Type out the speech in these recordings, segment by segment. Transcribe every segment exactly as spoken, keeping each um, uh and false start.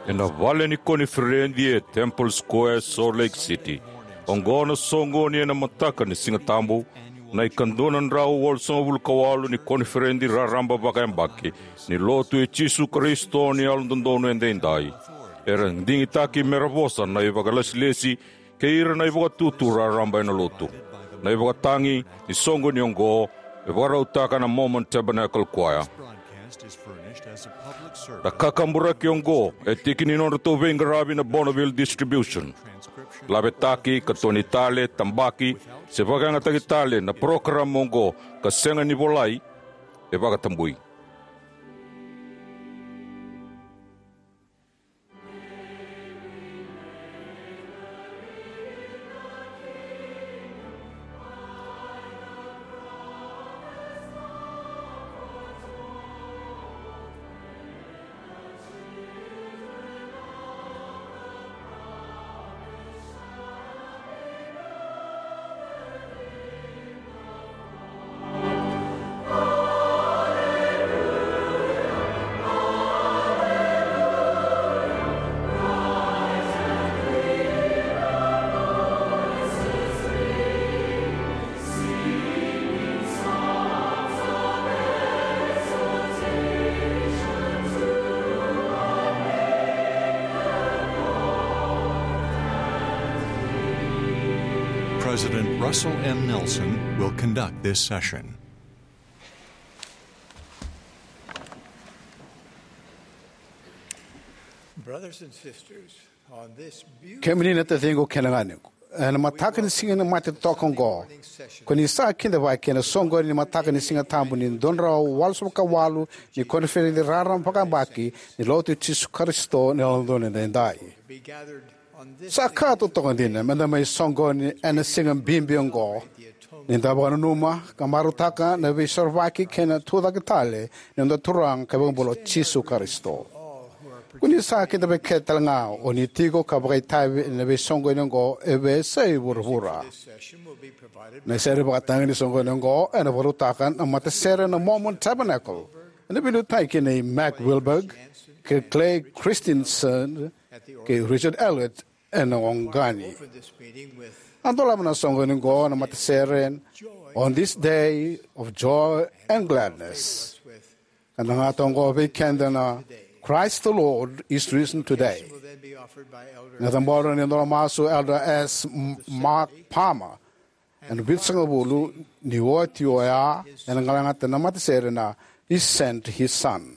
Ena vale ni koniferedi e Temple Square, Salt Lake City, oqo na soqoni ena mataka ni Siga Tabu, na ikadua na drau walusagavulu ka walu ni koniferedi raraba vakayabaki ni Lotu i Jisu Karisito ni Yalododonu Edaidai. Era digitaki mera vosa na ivakalesilesi kei ira na ivakatutu raraba ena Lotu. Na ivakatagi ni soqoni oqo e vakarautaka na Mormon Tabernacle Choir. Na kakaburaki oqo e tiki ni nodratou veiqaravi na Bonneville Distribution. Lavetaki, katoni tale, tabaki, se vakayagataki tale na parokaramu oqo ka sega ni volai, e vakatabui. President Russell M. Nelson will conduct this session. Brothers and sisters, on this beautiful Kemuni na taciqu kei na ganequ, ena mataka ni siga ni mate toka oqo, ko ni sa kidavaki ena soqoni ni mataka ni Siga Tabu ni dua na drau walusagavulu ka walu ni koniferedi raraba vakayabaki ni Lotu i Jisu Karisito ni Yalododonu Edaidai. Sa ka totoka dina meda mai soqoni ena siga bibi oqo, ni da vakananuma ka marautaka na veisorovaki kei na tucake tale ni noda Turaga ka iVakabula o Jisu Karisito. Ko ni sa kidavaki kece tale ga o ni tiko ka vakaitavi ena veisoqoni oqo e veiyasai vuravura. Na sere vakatagi ni soqoni oqo ena vakarautaka na matasere na Mormon Tabernacle, ena veiliutaki nei Mac Wilberg kei Clay Christensen kei Richard Elliott ena oqani. A dolava na soqoni oqo na matasere, "On this day of joy and gladness." Ka da gata oqo vei keda na "Christ the Lord is risen today." Na cabora ni dolomasu Elder S. M-, Mark Palmer, ena vitusagavulu ni oti oya, ena galagata na matasere na "He sent his son."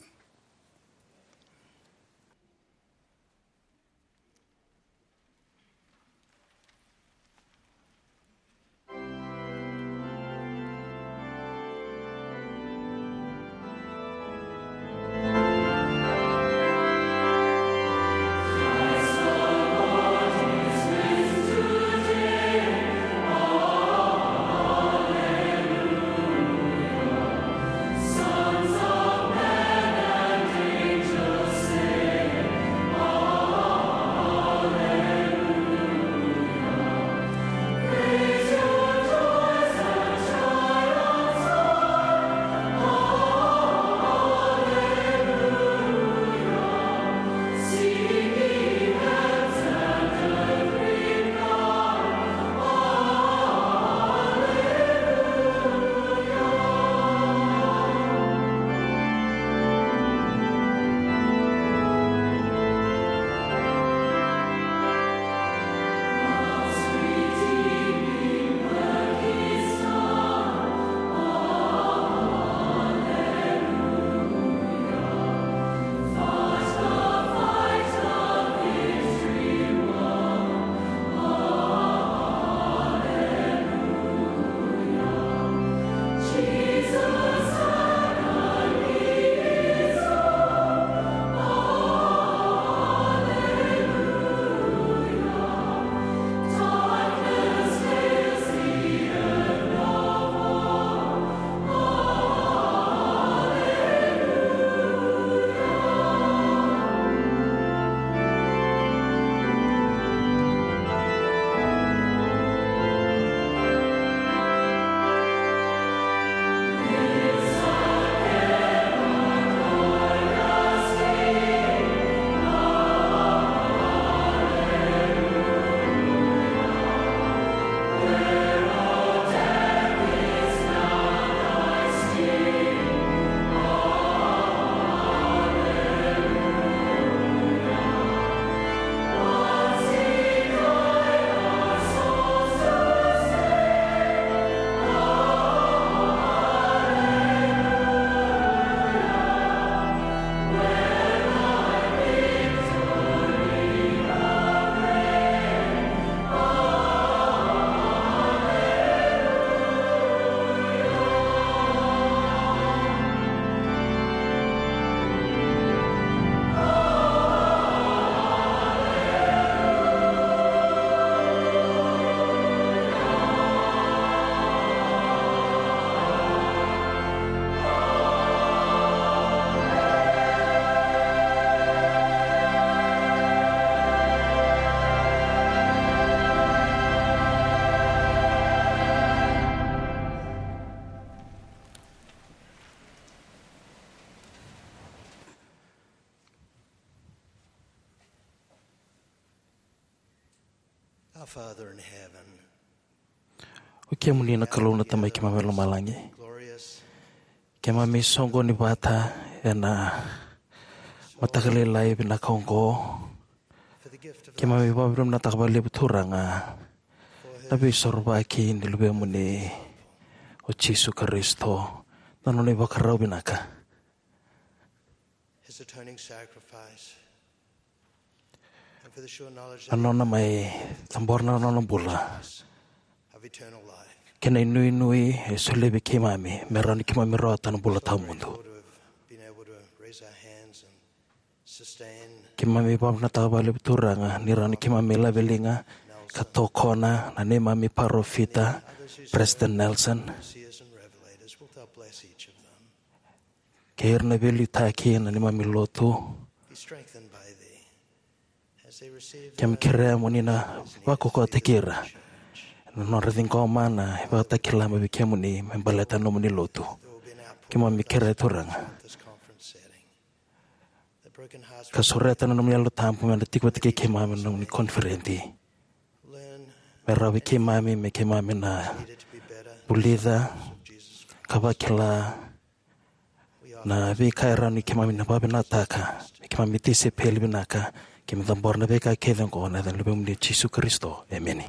Father in heaven, o kemuni na Kalou na Tamai keimami mai lomalagi, glorious, keimami soqoni vata ena mataka lailai vinaka oqo. For the gift of keimami vakavinavinakataka vakalevu Turaga na veisorovaki ni Luvemuni o Jisu Karisito, na nona ivakarau vinaka, his atoning sacrifice, and for the sure knowledge na that nona mai cabora na nona bula, of eternal life, kei na inuinui e solia vei keimami me rawa ni keimami rawata na bula tawamudu. Grateful to have been able to raise our hands and sustain. Keimami vakavinavinakataka vakalevu Turaga ni rawa ni keimami laveliga ka tokona na neimami parofita, President Nelson, seers and revelators. Wilt thou bless each of them? Kei ira na veiliutaki ena neimami lotu. Be strengthened by thee as they receive. Keimami kerea mo ni na vakaukauwataki ira ena nodra ciqoma na ivakatakila mai vei kemuni me baleta na nomuni lotu. There will be an outpouring. Keimami kerea Turaga, of this conference setting. Ka sureta na nomuni Yalo Tabu me na tiko vata kei keimami na nomuni koniferedi. Me rawa vei keimami, me keimami na vulica ka vakila na veika e rawa ni keimami na vakavinavinakataka, me keimami tisaipeli vinaka, keimami cabora na veika kece oqo ena yaca ni Luvemuni o Jisu Karisito. Emeni.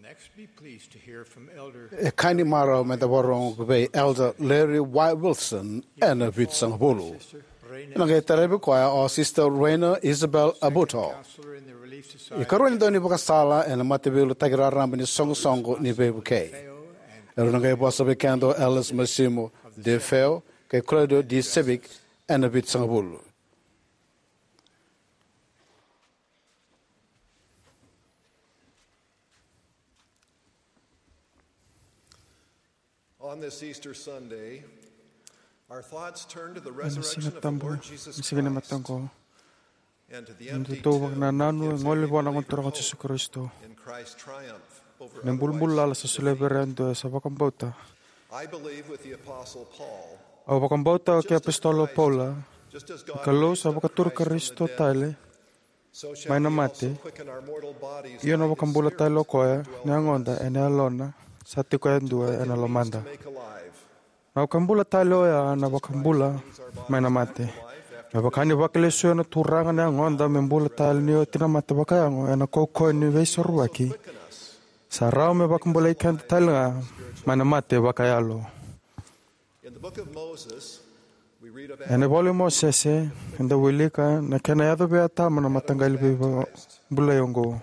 Next, be pleased to hear from Elder E ka ni marau me da vakarorogo vei Elder Larry Y. Wilson ena Vitusagavulu. Ena qai tarovi koya o Sister Reina Isabel Abuto, ikarua ni daunivakasala ena Mataveiliutaki Raraba ni Soqosoqo ni Veivukei. Erau na qai vosa vei keda o Elders Masimo De Feo kei Claudio De Civic ena Vitusagavulu. On this Easter Sunday, our thoughts turn to the Ena Siga resurrection of the Tabu, Lord Jesus na siga ni Christ mataqu, and to the na empty dodonu tomb vakanananu e gole vua na Gone Turaga o Jisu Karisito. In Christ's triumph over unrighteousness. Na ibulubulu lala sa solia vei ira yadua sa vakabauta. I believe with the Apostle Paul, Au vakabauta kei Apositolo Paula, just as God raised up Christ from the dead, ni Kalou sa vakaturi Karisito tale mai na mate, io na vakabula tale o koya na yagoda ena yalona sa tiko yadua ena lomada. Na vakabula tale oya na vakabula mai na mate. Me vaka ni vakalesuya na Turaga na yagoda me bula tale ni oti na mate vakayago ena kaukauwa ni Veisorovaki, sa rawa me vakabulai keda tale ga mai na mate vakayalo. Ena ivola i Mosese, eda wilika na kena yaco vei Atama na mataqali veibulai oqo.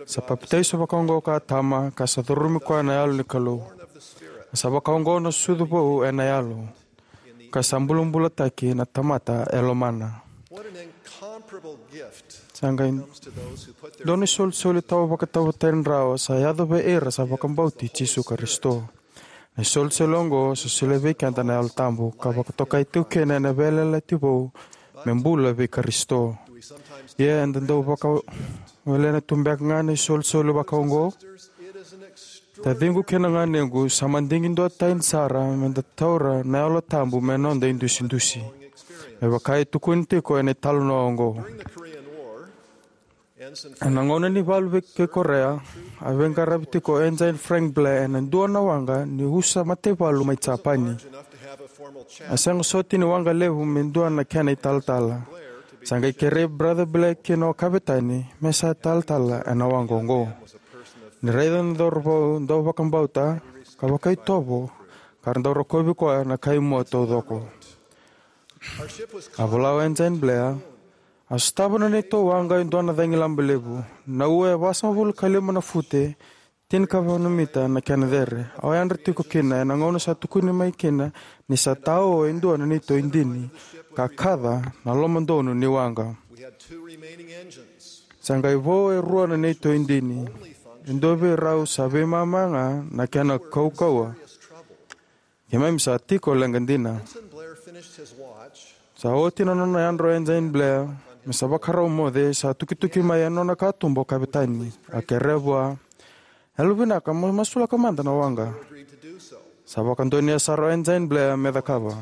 Sa papitaiso vakaoqo ko Atama, ka sa curumi koya na Yalo ni Kalou. Sa vakaoqo na sucu vou ena yalo, ka sa bulabulataki na tamata e lomana. Sa qai dua na isolisoli tawa vakatauvatani rawa sa yaco vei ira sa vakabauti Jisu Karisito. Na isolisoli oqo sa solia vei keda na Yalo Tabu, ka vakatokai tiko kina ena veiyalayalati vou me bula vei Karisito. Ia eda dau vakawelena tu beka ga na isolisoli vakaoqo? Taciqu kei na ganequ, sa madigi duatani sara meda taura na Yalo Tabu me noda idusidusi, me vaka e tukuni tiko ena italanoa oqo. Ena gauna ni valu vei kei Korea, a veiqaravi tiko o Ensign Frank Blair ena dua na waqa ni usa mataivalu mai Japani. A sega soti ni waqa levu me dua na kena italatala. Sa qai kerei Brother Blair kina o Kavetani me sa talatala ena waqa oqo. Ni raica na cauravou dau vakabauta ka vakaitovo, ka ra dau rokovi koya na kai mua taucoko. A vola o Ensign Blair, a sotava na neitou waqa e dua na cagilaba levu. Na ua e vasagavulu ka lima na fute, tinikava na mita na kena cere. Au yadra tiko kina ena gauna sa tukuni mai kina ni sa tao e dua na neitou idini, ka kaca na lomadonu ni waqa. Sa qai vo e rua na neitou idini. E dua vei rau sa veimama ga na kena kaukauwa. Keimami sa tiko leqa dina. Sa oti na nona yadra o Ensign Blair me sa vakarau moce, sa tukituki mai ena nona katuba o Kavetani. A kerea vua, "Yalovinaka, mo masulaka mada na waqa." Sa vakadonuya sara o Ensign Blair me cakava.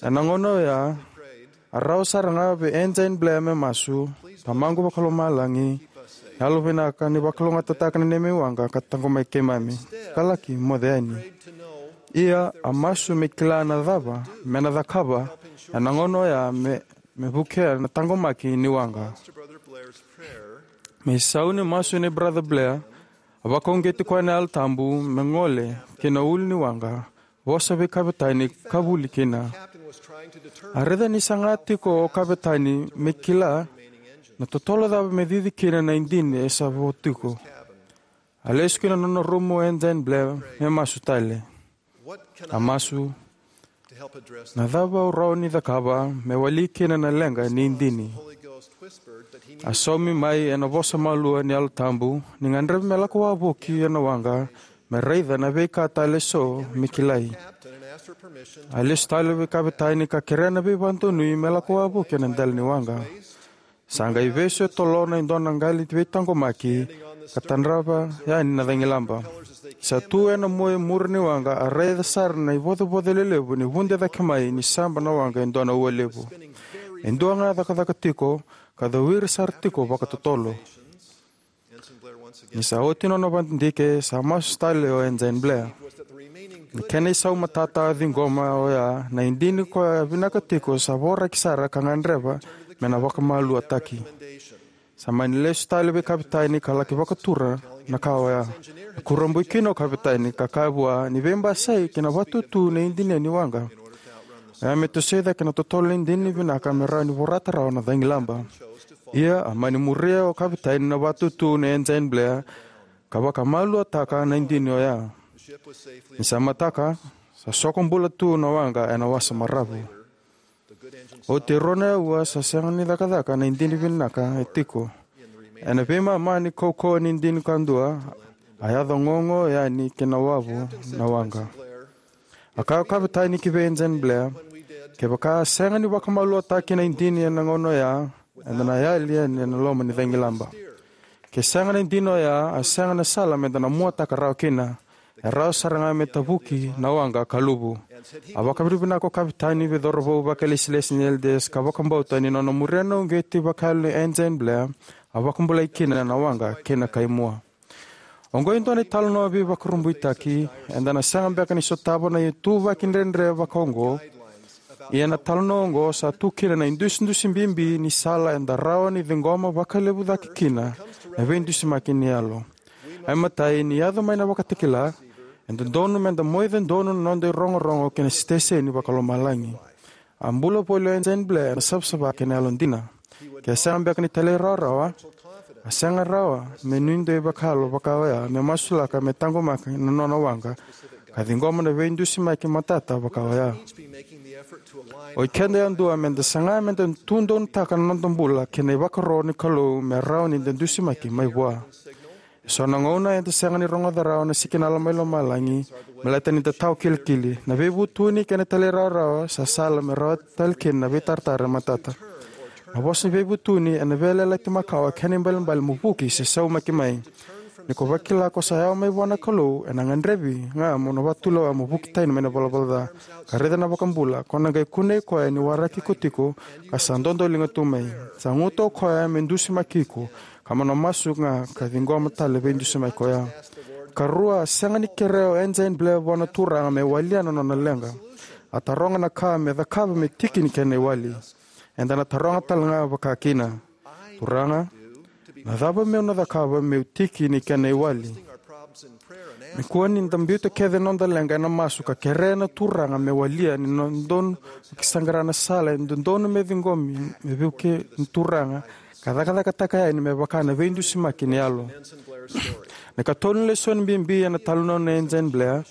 Ena gauna oya, a rawa sara ga vei Ensign Blair me masu, "Tamaqu vakalomalagi, yalovinaka ni vakalougatataka na neimami waqa ka taqomaki keimami, ka laki moce yani." Ia, a masu me kila na cava me na cakava ena gauna oya me, me vukea na taqomaki ni waqa. Me isau ni masu nei Brother Blair, a vakauqeti koya na Yalo Tabu me gole ki na ulu ni waqa, vosa vei Kavetani ka vuli kina. A raica ni saga tiko o Kavetani me kila na totolo cava me cici kina na idini e sa vo tiko. A lesu ki na nona rumu o Ensign Blair me masu tale. A masu, "Na cava au rawa ni cakava me wali kina na leqa ni idini?" A saumi mai ena vosa malua ni Yalo Tabu ni gadrevi me lako wavoki ena waqa me raica na veika tale eso me kilai. A lesu tale vei Kavetani ka kerea na veivakadonui me lako wavoki ena dela ni waqa. Sa qai vesu e tolona e dua na qali veitaqomaki ka tadrava yani na cagilaba. Sa tu ena mua e muri ni waqa, a raica sara na ivocovoco lelevu ni vude cake mai ni saba na waqa e dua na ua levu. E dua ga cakacaka tiko, ka cowiri sara tiko vakatotolo. Ni sa oti nona vakadidike, sa masu tale o Ensign Blair. Na kena isau matata a ciqoma oya, na idini koya a vinaka tiko sa voraki sara ka gadreva me na vakamaluataki. Sa mani lesu tale vei kapitani ka laki vakatura na ka oya. E kurabui kina o kapitani ka kaya vua ni veibasai kei na vatutu na idini ni waqa. Oya me tosoi cake na totolo ni idini vinaka me rawa ni vorata rawa na cagilaba. Ia a mani muria o kapitani na vatutu na engine blare ka vakamaluataka na idini oya. Ni sa mataka, sa soko bula tu na waqa ena wasa maravu. Oti e rua na aua sa sega ni cakacaka na idini vinaka e tiko. Ena veimama ni kaukauwa ni idini kadua, a yaco gogo yani ki na wavu na waqa. A kaya o kapitani ki vei engine blare, kevaka a sega ni vakamaluataki na idini ena gauna oya, eda na yali yani ena loma ni cagilaba. Ke sega na idini oya, a sega na sala meda na muataka rawa kina. E rawa sara ga me tavuki na waqa ka luvu. A vakavinavinaka o kapitani vei cauravou vakalesilesi ni Elders ka vakabauta ni nona muria na uqeti vakayalo ni engine blare, a vakabulai kina na waqa kei na kaimua. Oqo e dua na italanoa veivakurabuitaki. Eda na sega beka ni sotava na ituvaki dredre vakaoqo. Ia na talanoa oqo sa tu kina na idusidusi bibi ni sala eda rawa ni ciqoma vakalevu cake kina na veidusimaki ni yalo. Ai matai, ni yaco mai na vakatakila, e dodonu meda moica donu na noda irogorogo ki na siteseni vakalomalagi. A bula voli o engine blare ena savasava kei na yalodina. Ke sega beka ni talairawarawa, a sega rawa me nuidei vakayalo vaka oya me masulaka me taqomaki na nona waqa ka ciqoma na veidusimaki matata vaka oya. O ikeda yadua meda saga meda tudonutaka na noda bula kei na ivakaro ni Kalou me rawa ni da dusimaki mai vua. Eso na gauna eda sega ni rogoca rawa na sikinala mai lomalagi, baleta ni da tawa kilikili. Na veivutuni kei na talairawarawa sa sala me rawati tale kina na veitaratara matata. Na vosa ni veivutuni ena veiyalayalati makawa kei na ibalebale mo vuki se saumaki mai. Ni ko vakila ko sa yawa mai vua na Kalou, ena gadrevi ga mo na vakatulewa mo vuki tani mai na valavala ca ka raica na vakabula, ko na qai kunei koya ni waraki iko tiko ka sa dodoliga tu mai. Sa guta o koya me dusimaki iko, ka mo na masu ga ka ciqoma tale veidusimaki oya. Karua, sega ni kerea o engine blare vua na Turaga me walia na nona leqa. A taroga na ka me cakava me tiki ni kena iwali. Eda na taroga tale ga vaka kina, Turaga, na cava meu na cakava meu tiki ni kena iwali? Me kua ni da biuta kece na noda leqa ena masu ka kerea na Turaga me walia ni dodonu me saqara na sala e dodonu me ciqomi me vukei na Turaga ka cakacakataka yani me vaka na veidusimaki ni yalo. Na ikatolu ni lesoni bibi ena talanoa na engine blare,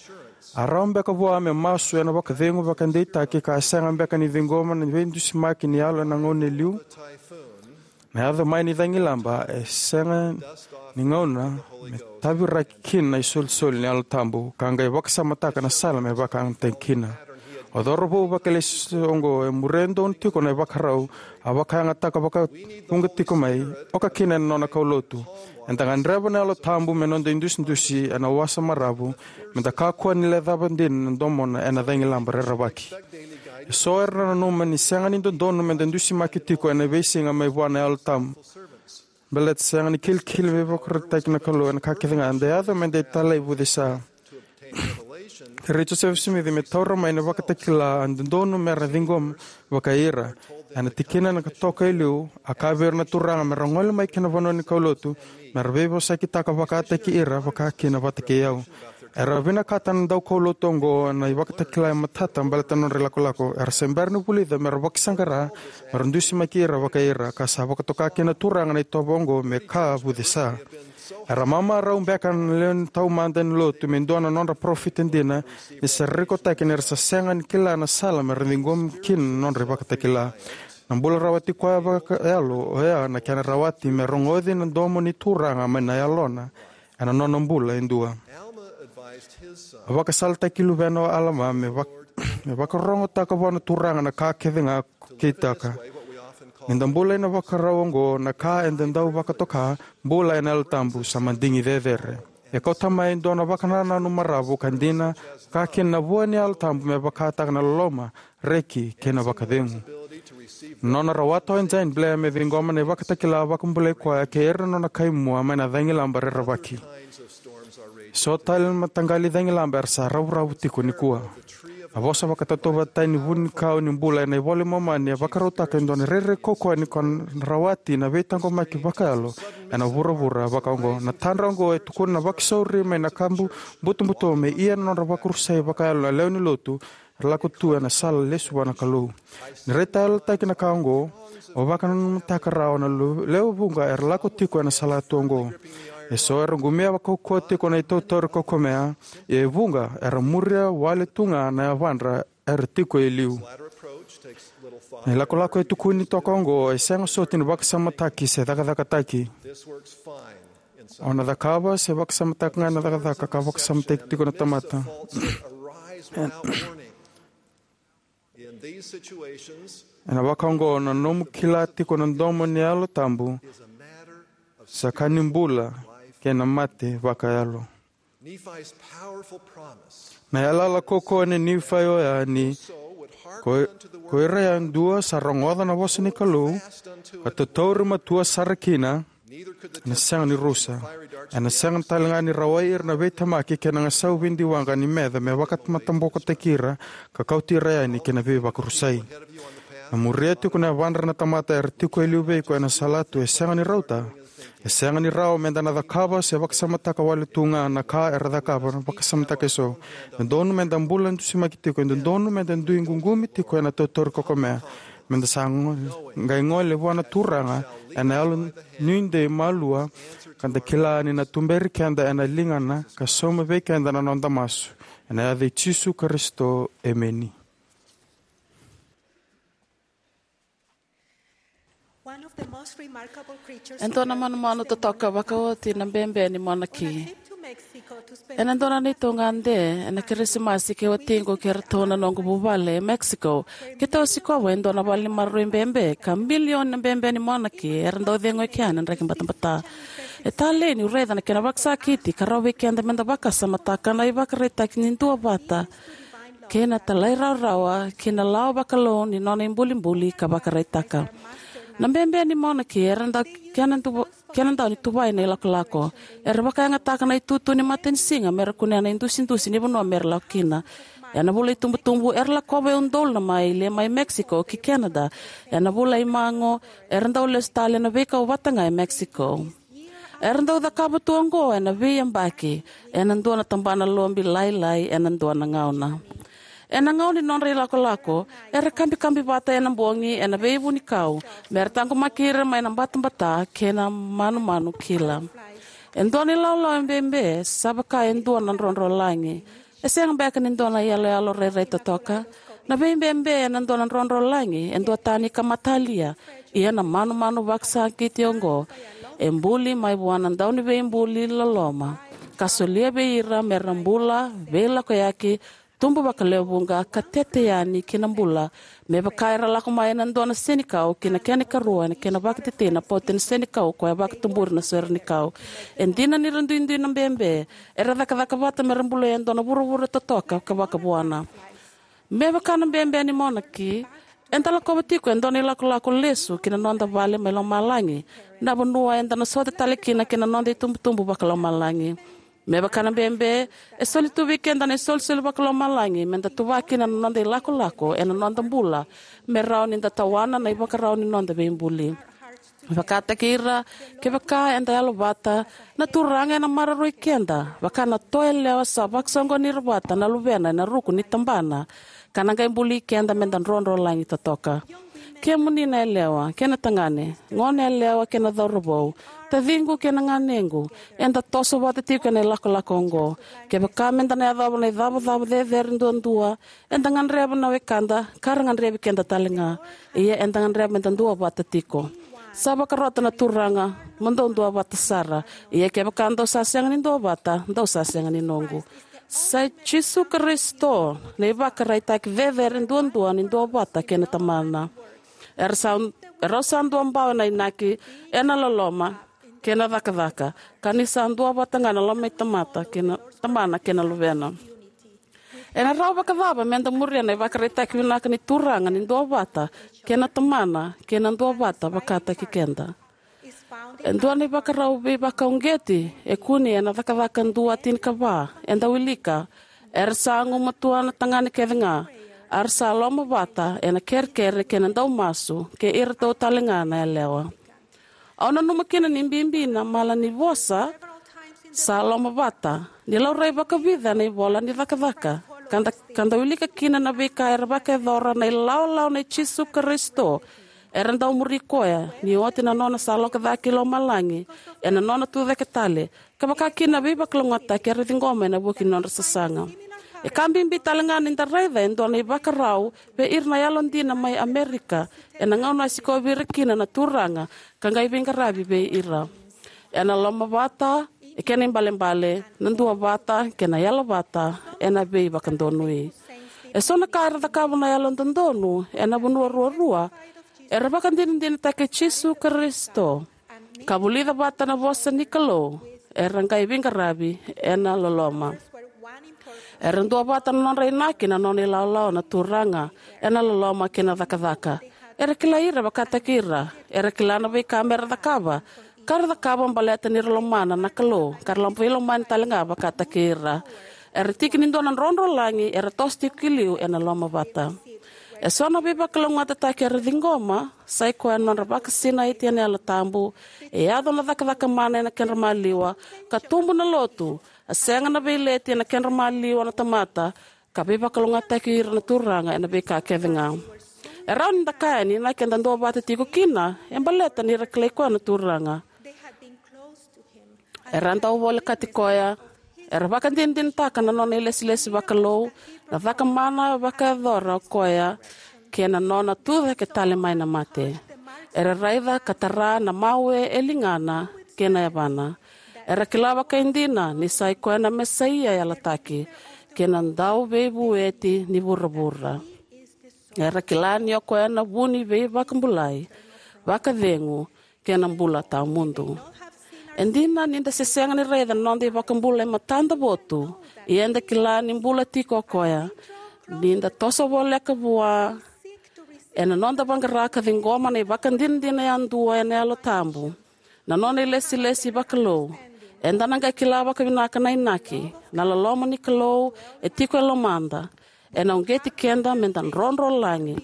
a rawa beka vua me masu ena vakacegu vakadeitaki ka a sega beka ni ciqoma na veidusimaki ni yalo ena gauna e liu? Na yaco mai ni cagilaba e sega ni gauna me taviraki kina na isolisoli ni Yalo Tabu ka qai vakasamataka na sala me vakayagataki kina. O cauravou vakalesi oqo e muria donu tiko na ivakarau a vakayagataka vakavuqa tiko mai, oka kina ena nona kaulotu. Eda gadreva na Yalo Tabu me noda idusidusi ena wasa maravu, meda kakua ni lecava dina na domona ena cagilaba rerevaki. Eso era na nanuma ni sega ni dodonu meda dusimaki tiko ena veisiga mai vua na Yalo Tabu, baleta sega ni kilikili me vakarautaki na Kalou ena ka kece ga eda yaco meda talai vucesa. Kerei Josefa Simici me taura mai na ivakatakila e dodonu mera ciqoma vakaira. Ena tikina ena ka toka e liu, a kaya vei ira na Turaga mera gole mai ki na vanua ni kaulotu, mera veivosakitaka vakataki ira vaka kina vata kei au. Era vinakata na daukaulotu oqo na ivakatakila e matata baleta na nodra ilakolako. Era se bera ni vulica mera vakasaqara mera dusimaki ira vakaira, ka sa vakatoka kina na Turaga na itovo oqo me ka vucesa. Era mamarau beka na lewe ni taumada ni lotu me dua na nodra parofita dina, ni sa rekotaki ni ra sa sega ni kila na sala mera ciqomi kina na nodra ivakatakila. Na bula rawati koya vakayalo oya na kena rawati me rogoci na domo ni Turaga mai na Yalona ena nona bula e dua. A vakasalataki luvena o Alama me vak-, me vakarogotaka vua na Turaga na ka kece ga ko kitaka. Ni da bula ena vakarau oqo, na ka eda dau vakatoka bula ena Yalo Tabu sa madigi cecere. E kauta mai e dua na vakanananu maravu ka dina, ka kina na vua ni Yalo Tabu me vakataka na loloma, reki kei na vakacegu. Na nona rawata o engine blare me ciqoma na ivakatakila vakabulai koya kei ira na nona kaimua mai na cagilaba rerevaki. So tale na mataqali cagilaba era sa ravuravu tiko nikua. A vosa vakatautauvatataki ni vunikau ni bula ena iVola i Momani e vakarautaka e dua na rairai kaukauwa ni ko na rawati na veitaqomaki vakayalo ena vuravura vakaoqo. Na tadra oqo e tukuna na vakasauri mai na kabu butobuto me ia na nodra vakarusai vakayalo na lewe ni lotu era lako tu ena sala lesu vua na Kalou. Ni raitayalotaki na ka oqo, o vakananumutaka rawa na lu- lewe vuqa era lako tiko ena sala tu oqo. Eso era qumia vakaukauwa tiko na itautauri kaukamea, ia e vuqa era muria wale tu ga na yavadra era tiko e liu. Na ilakolako e tukuni toka oqo e sega soti ni vakasamataki se cakacakataki. O na cakava se vakasamataka ga na cakacaka ka vakasamataki tiko na tamata. Ena vakaoqo, na nomu kila tiko na domo ni Yalo Tabu sa ka ni bula kei na mate vakayalo. Na yalayala kaukauwa nei Nifai oya ni ko, ko ira yadua sa rogoca na vosa ni Kalou ka tautauri matua sara kina, ena sega ni rusa, ena sega tale ga ni rawai ira na veitemaki kei na gasau veidiwaqa ni meca me vakamatabokotaki ira ka kauti ira yani ki na veivakarusai. Na muria tiko na yavadra na tamata era tiko e liu vei iko ena sala tu e sega ni rauta. E sega ni rawa meda na cakava se vakasamataka wale tu ga na ka era cakava na vakasamataka eso. E dodonu meda bula dusimaki tiko, e dodonu meda dui ququmi tiko ena tautauri kaukamea. Meda sa qai gole vua na Turaga ena yalo nuidei malua, ka da kila ni na tuberi keda ena ligana ka sauma vei keda na noda masu. Ena yaca i Jisu Karisito, emeni. E dua na manumanu totoka vakaoti na bebe ni monaki. Ena dua na neitou gade ena Kirisimasi, kei watiqu kei ratou na noqu vuvale e Mexico, keitou a sikova e dua na vale ni maroroi bebe ka milioni na bebe ni monaki era dau cegu eke yani ena draki batabata. E talei niu raica na kena vakasakiti ka rawa vei keda meda vakasamataka na ivakaraitaki ni duavata kei na talairawarawa kei na lawa vakalou ni nona ibulibuli ka vakaraitaka. Na bebe ni monaki era dau kena dau ni tuvai na ilakolako. Era vakayagataka na itutu ni matanisiga mera kunea na idusidusi ni vanua mera lako kina. Ena vula itubutubu era lakova e udolu na maile mai Mexico ki Canada. Ena vula imago era dau lesu tale ena veikau vata ga e Mexico. Era dau cakava tu oqo ena veiyabaki ena dua na tabana lobi lailai ena dua na gauna. Ena gauna ni nodra ilakolako, era kabikabi vata ena bogi ena veivunikau mera taqomaki ira mai na batabata kei na manumanu kila. E dua na ilawalawa bebe sa vaka e dua na drodrolagi. E sega beka ni dua na iyaloyalo rairai totoka. Na veibebe ena dua na drodrolagi e duatani ka matalia. Ia na manumanu vakasakiti oqo e buli mai vua na Dauniveibuli loloma ka solia vei ira mera bula, veilakoyaki, tubu vakalewevuqa ka tete yani ki na bula, me vaka era lako mai ena dua na senikau ki na kena ikarua ena kena vakatetei na poti ni senikau, koya vakatuburi na sore ni kau. E dina ni ra duidui na bebe, era cakacaka vata mera bula e dua na vuravura totoka ka vakavuana. Me vaka na bebe ni monaki, eda lakova tiko e dua na ilakolako lesu ki na noda vale mai lomalagi, na vanua eda na sota tale kina kei na noda itubutubu vakalomalagi. Me vaka na bebe, e soli tu vei keda na isolisoli vakalomalagi meda tuva kina na noda ilakolako ena noda bula, me rawa ni da tawana na ivakarau ni noda veibuli. Vakataki ira, kevaka eda yalovata, na Turaga ena maroroi keda vaka na toa yalewa sa vakasoqoni ira vata na luvena ena ruku ni tabana, ka na qai buli keda meda drodrolagi totoka. Kemuni na yalewa kei na tagane, gone yalewa kei na cauravou, taciqu kei na ganequ, eda toso vata tiko ena ilakolako oqo. Kevaka meda na yacova na icavacava cecere duadua, eda gadreva na wekada ka ra gadrevi keda tale ga. Ia eda gadreva meda duavata tiko. Sa vakarota na Turaga, mo dou duavata sara. Ia kevaka dou sa sega ni duavata, dou sa sega ni noqu. Sa i Jisu Karisito na ivakaraitaki cecere duadua ni duavata kei na Tamana. Era sa, erau sa duabawe na inaki ena loloma kei na cakacaka, ka ni sa duavata ga na loma i tamata kei na Tamana kei na Luvena. Ena rawa vakacava meda muria na ivakaraitaki vinaka ni Turaga ni duavata kei na Tamana kei na duavata vakataki keda? E dua na ivakarau veivakauqeti e kune ena Cakacaka dua tinikava, eda wilika: Era sa gumatua na tagane kece ga, a ra sa lomavata ena kerekere kei na daumasu kei iratou tale ga na yalewa. Au nanuma kina ni bibi na mala ni vosa sa lomavata ni laurai vakavica ena ivola ni Cakacaka, ka da, ka da wilika kina na veika era vakayacora na ilawalawa nei Jisu Karisito era dau muri koya ni oti na nona sa lako cake i lomalagi ena nona tucake tale, ka vaka kina na veivakalougatataki era ciqoma ena vuku ni nodra sasaga. E ka bibi tale ga ni da raica e dua na ivakarau vei ira na yalodina mai Amerika ena gauna a sikovi ira kina na Turaga ka qai veiqaravi vei ira. Ena lomavata, e kena ibalebale, na duavata kei na yalovata ena veivakadonui. E so na ka era cakava na yalododonu ena vanua ruarua era vakadinadinataki Jisu Karisito ka vulica vata na vosa ni Kalou, era qai veiqaravi ena loloma. Era duavata na nodra inaki na nona ilawalawa na Turaga ena loloma kei na cakacaka. Era kilai ira vakataki ira. Era kila na veika mera cakava, ka ra cakava baleta ni ra lomana na Kalou ka ra veilomani tale ga vakataki ira. Era tiki ni dua na drodrolagi era toso tiko ki liu ena lomavata. E so na veivakalougatataki era ciqoma sai koya na nodra vakasinaiti ena Yalo Tabu, e yaco na cakacaka mana ena kedra maliwa, ka tubu na lotu, a sega na veileti ena kedra maliwa na tamata, ka veivakalougatataki ira na Turaga ena veika kece ga. E rawa ni da kaya ni inaki eda duavata tiko kina e baleta ni ra kilai koya na Turaga. Era dau volekati koya. Era vakadinadinataka na nona ilesilesi vakalou, na cakamana vakayacora o koya, kei na nona tucake tale mai na mate. Era raica ka tara na mawe e ligana kei na yavana. Era kila vakaidina ni sai koya na Mesaia yalataki kei na Dauveivueti ni vuravura. Era kila ni o koya na vu ni veivakabulai, vakacegu, kei na bula tawamudu. E dina ni da se sega ni raica na noda iVakabula e matada votu, ia eda kila ni bula tiko o koya. Ni da toso voleka vua ena noda vaqara ka ciqoma na ivakadinadina yadua ena Yalo Tabu, na nona ilesilesi vakalou, eda na qai kila vakavinaka na inaki, na loloma ni Kalou e tiko e lomada, ena uqeti keda meda drodrolagi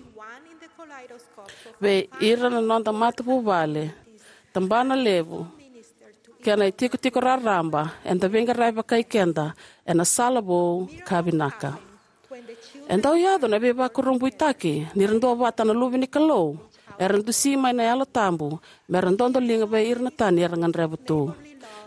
vei ira na noda matavuvale, tabana levu, kei na itikotiko raraba eda veiqaravi vakai keda ena sala vou ka vinaka. E dau yaco na veivakurabuitaki ni ra duavata na luve ni Kalou era dusi mai na Yalo Tabu mera dodoliga vei ira na tani era gadreva tu.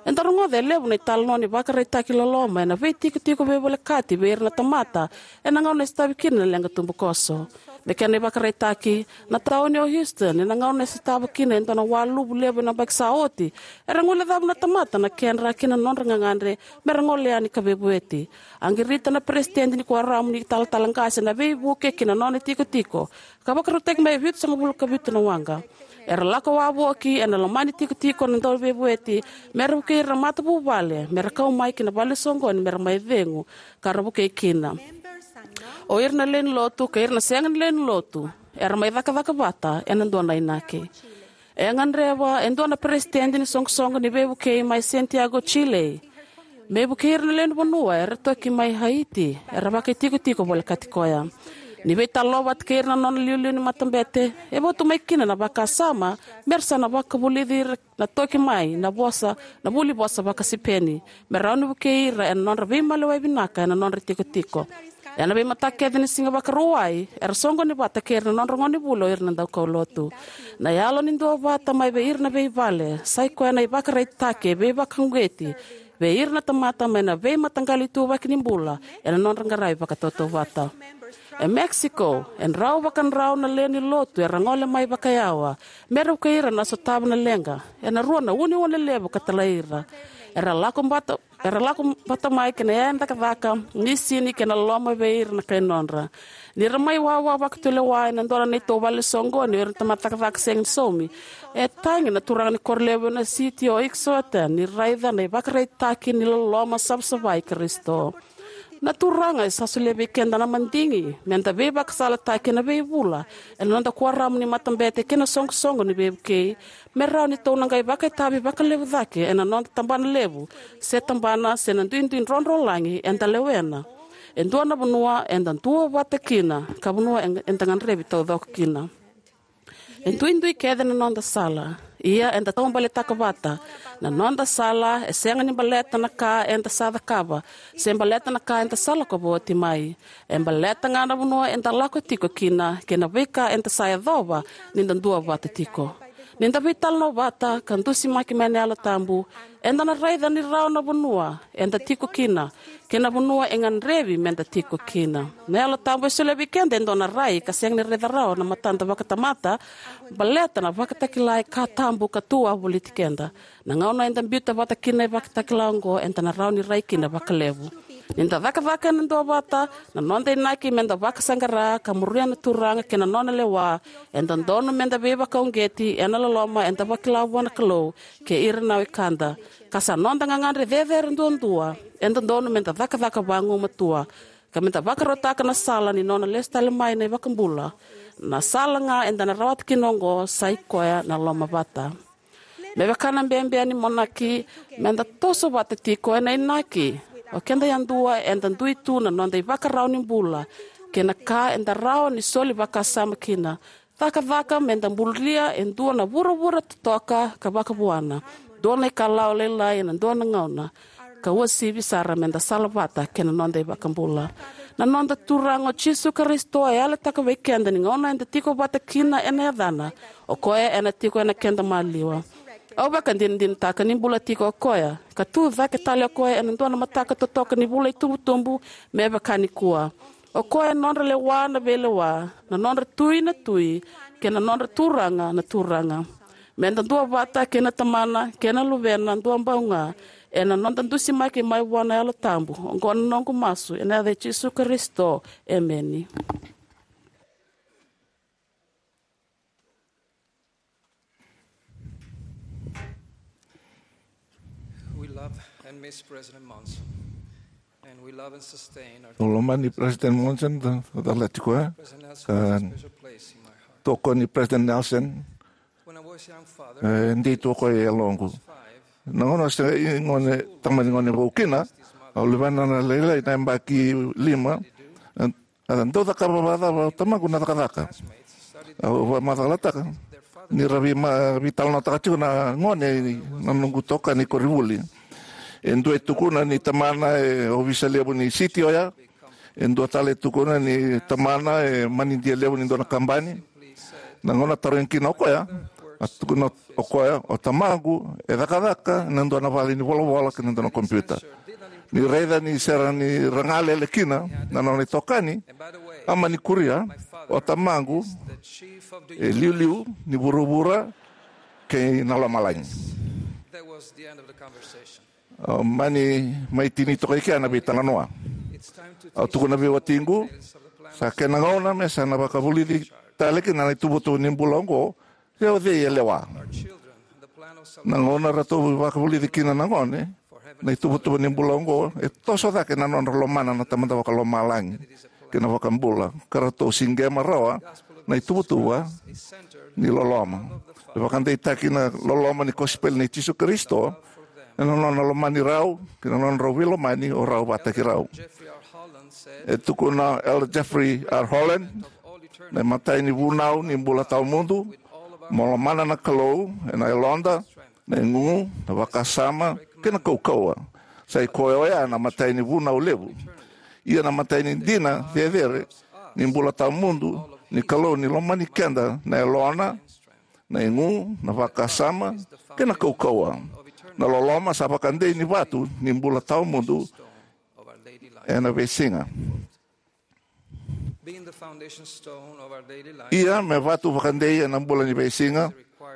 Eda rogoca e levu na italanoa ni vakaraitaki loloma ena veitikotiko veivolekati vei ira na tamata ena gauna e sotavi kina na leqa tubukoso. Me kena ivakaraitaki, na tauni o Houston, ena gauna e sotava kina e dua na waluvu levu ena yabaki sa oti, era guilecava na tamata na kedra kei na nodra gagadre mera gole yani ka veivueti. A qirita na peresitedi ni kuoramu ni talatala qase na veivuke ki na nona itikotiko, ka vakarautaki mai e vitusagavulu ka vitu na waqa. Era lako wavoki ena loma ni tikotiko na dauveivueti mera vukei ira na matavuvale mera kau mai ki na vale ni soqoni mera mai cegu ka ra vukei kina. O ira na lewe ni lotu kei ira na sega ni lewe ni lotu era mai cakacaka vata ena dua na inaki. E gadreva e dua na peresitedi ni soqosoqo ni veivukei mai Santiago, Chile, me vukei ira na lewe ni vanua era toki mai Haiti era vakaitikotiko volekati koya. Ni veitalanoa vata kei ira na nona iliuliu ni matabete, e votu mai kina na vakasama mera sa na vakavulici ira na toki mai na vosa, na vuli vosa vakaSipeni, me rawa ni vukei ira ena nodra veimaliwai vinaka ena nodra itikotiko. Ena veimataka kece ni Siga Vakarauwai, era soqoni vata kei ira na nodra gonevuli o ira na daukaulotu. Na yalo ni duavata mai vei ira na veivale sai koya na ivakaraitaki e veivakauqeti vei ira na tamata mai na veimataqali ituvaki ni bula ena nodra qaravi vakatautauvata. E Mexico, e drau vakadrau na lewe ni lotu era gole mai vakayawa mera vukei ira na sotava na leqa ena rua na uneune levu ka talai ira. Era lako vata, era lako vata mai kei na yaya cakacaka, misini kei na loloma vei ira na kai nodra. Ni ra mai wawa vakatulewa ena dua na neitou vale ni soqoni o ira na tamata cakacaka sega ni saumi, e tagi na turaga ni koro levu ena siti o Ixochitl ni raica na ivakaraitaki ni loloma savasava i Karisito. Na Turaga e sa solia vei keda na madigi meda veivakasalataki ena veivula ena noda kuoramu ni matabete kei na soqosoqo ni veivukei, me rawa ni tou na qai vakaitavi vakalevu cake ena noda tabana levu se tabana se na duidui drodrolagi eda lewena. E dua na vanua eda duavata kina, ka vanua e, eda gadrevi taucoko kina. E duidui kece na noda sala. Ia eda taubaletaka vata. Na noda sala e sega ni baleta na ka eda sa cakava, se baleta na ka eda sa lako voti mai. E baleta ga na vanua eda lako tiko kina, kei na veika eda sa yacova ni da duavata tiko. Ni da veitalanoa vata ka dusimaki mai na Yalo Tabu, eda na raica ni rawa na vanua eda tiko kina, kei na vanua e gadrevi meda tiko kina. Na Yalo Tabu e solia vei keda e dua na rai ka sega ni raica rawa na matada vakatamata, baleta na Vakatakila e ka tabu ka tu wavoliti keda. Na gauna eda biuta vata kina na Vakatakila oqo, eda na rawa ni rai kina vakalevu. Ni da cakacaka ena duavata, na noda inaki meda vakasaqara ka muria na Turaga kei na nona lewa, e dodonu meda veivakauqeti ena loloma eda vakila vua na Kalou kei ira na wekada. Ka sa noda gagadre cecere duadua, e dodonu meda cakacaka vagumatua, ka meda vakarautaka na sala ni nona lesu tale mai na iVakabula. Na sala ga eda na rawata kina oqo sa i koya na lomavata. Me vaka na bebea ni monaki, meda toso vata tiko ena inaki. O keda yadua eda dui tu na noda ivakarau ni bula, kei na ka eda rawa ni soli vakasama kina. Cakacaka meda bulia e dua na vuravura totoka ka vakavuana, dua na ikalawa lailai ena dua na gauna, ka uasivi sara meda sala vata kei na noda iVakabula. Na noda Turaga o Jisu Karisito e yalataka vei keda ni gauna eda tiko vata kina ena yacana, o koya ena tiko ena keda maliwa. Au vakadinadinataka ni bula tiko o koya, ka tu cake tale o koya ena dua na mataka totoka ni vula itubutubu me vaka nikua. O koya e nodra lewa na veilewa, na nodra tui na tui, kei na nodra Turaga na turaga. Meda duavata kei na Tamana kei na Luvena duabau ga, ena noda dusimaki mai vua na Yalo Tabu. Oqo na noqu masu ena yaca i Jisu Karisito. Emeni. We love and miss President Monson, and we love and sustain our Au lomani President Monson, da, da lati koya. President Nelson has a special place in my heart. Tokoni President Nelson. When I was young, Father, e dei tu o koya e yaloqu. Na gauna se i gone, tamani gone vou kina, au luvena na lailai na yabaki lima. A dau cakava vakacava o tamaqu na cakacaka. Au vakamacalataka ni ra veima-, veitalanoataka tiko na gone na noqu tokani koronivuli. E dua e tukuna ni tamana e ovisa levu ni siti oya. E dua tale e tukuna ni tamana e manidia levu ni dua na kabani. Na gauna tarogi kina o koya, a tukuna o koya, o tamaqu e cakacaka ena dua na vale ni volavola kei na dua na kompiuta. Ni raica ni sega ni ra galele kina na nona itokani, a mani kuria, o tamaqu e liuliu ni vuravura kei na lomalagi. A mani mai tini toka i kea na veitalanoa. Au tukuna vei watiqu, sa kena gauna me sa na vakavulici tale kina na ituvatuva ni bula oqo, se o cei e lewa. Na gauna ratou vakavulici kina na gone na ituvatuva ni bula oqo, e toso cake na nodra lomana na Tamada Vakalomalagi kei na iVakabula, ka ratou siqema rawa na ituvatuva ni loloma. E vakadeitaki na loloma ni kosipeli nei Jisu Karisito ena nona lomani rau kei na nodrau veilomani o rau vakataki rau. E tukuna Elder Jeffrey R. Holland, na imatai ni vunau ni bula tawamudu, mo lomana na Kalou ena yaloda, na igu, na vakasama kei na kaukauwa. Sa i koya oya na imatai ni vunau levu. Ia na imatai ni dina cecere ni bula tawamudu ni Kalou ni lomani keda na yalona, na igu, na vakasama kei na kaukauwa. Na loloma sa vakadei ni vatu ni bula tawamudu ena veisiga. Being the foundation stone of our daily life, ia me vatu vakadei ena bula ni veisiga,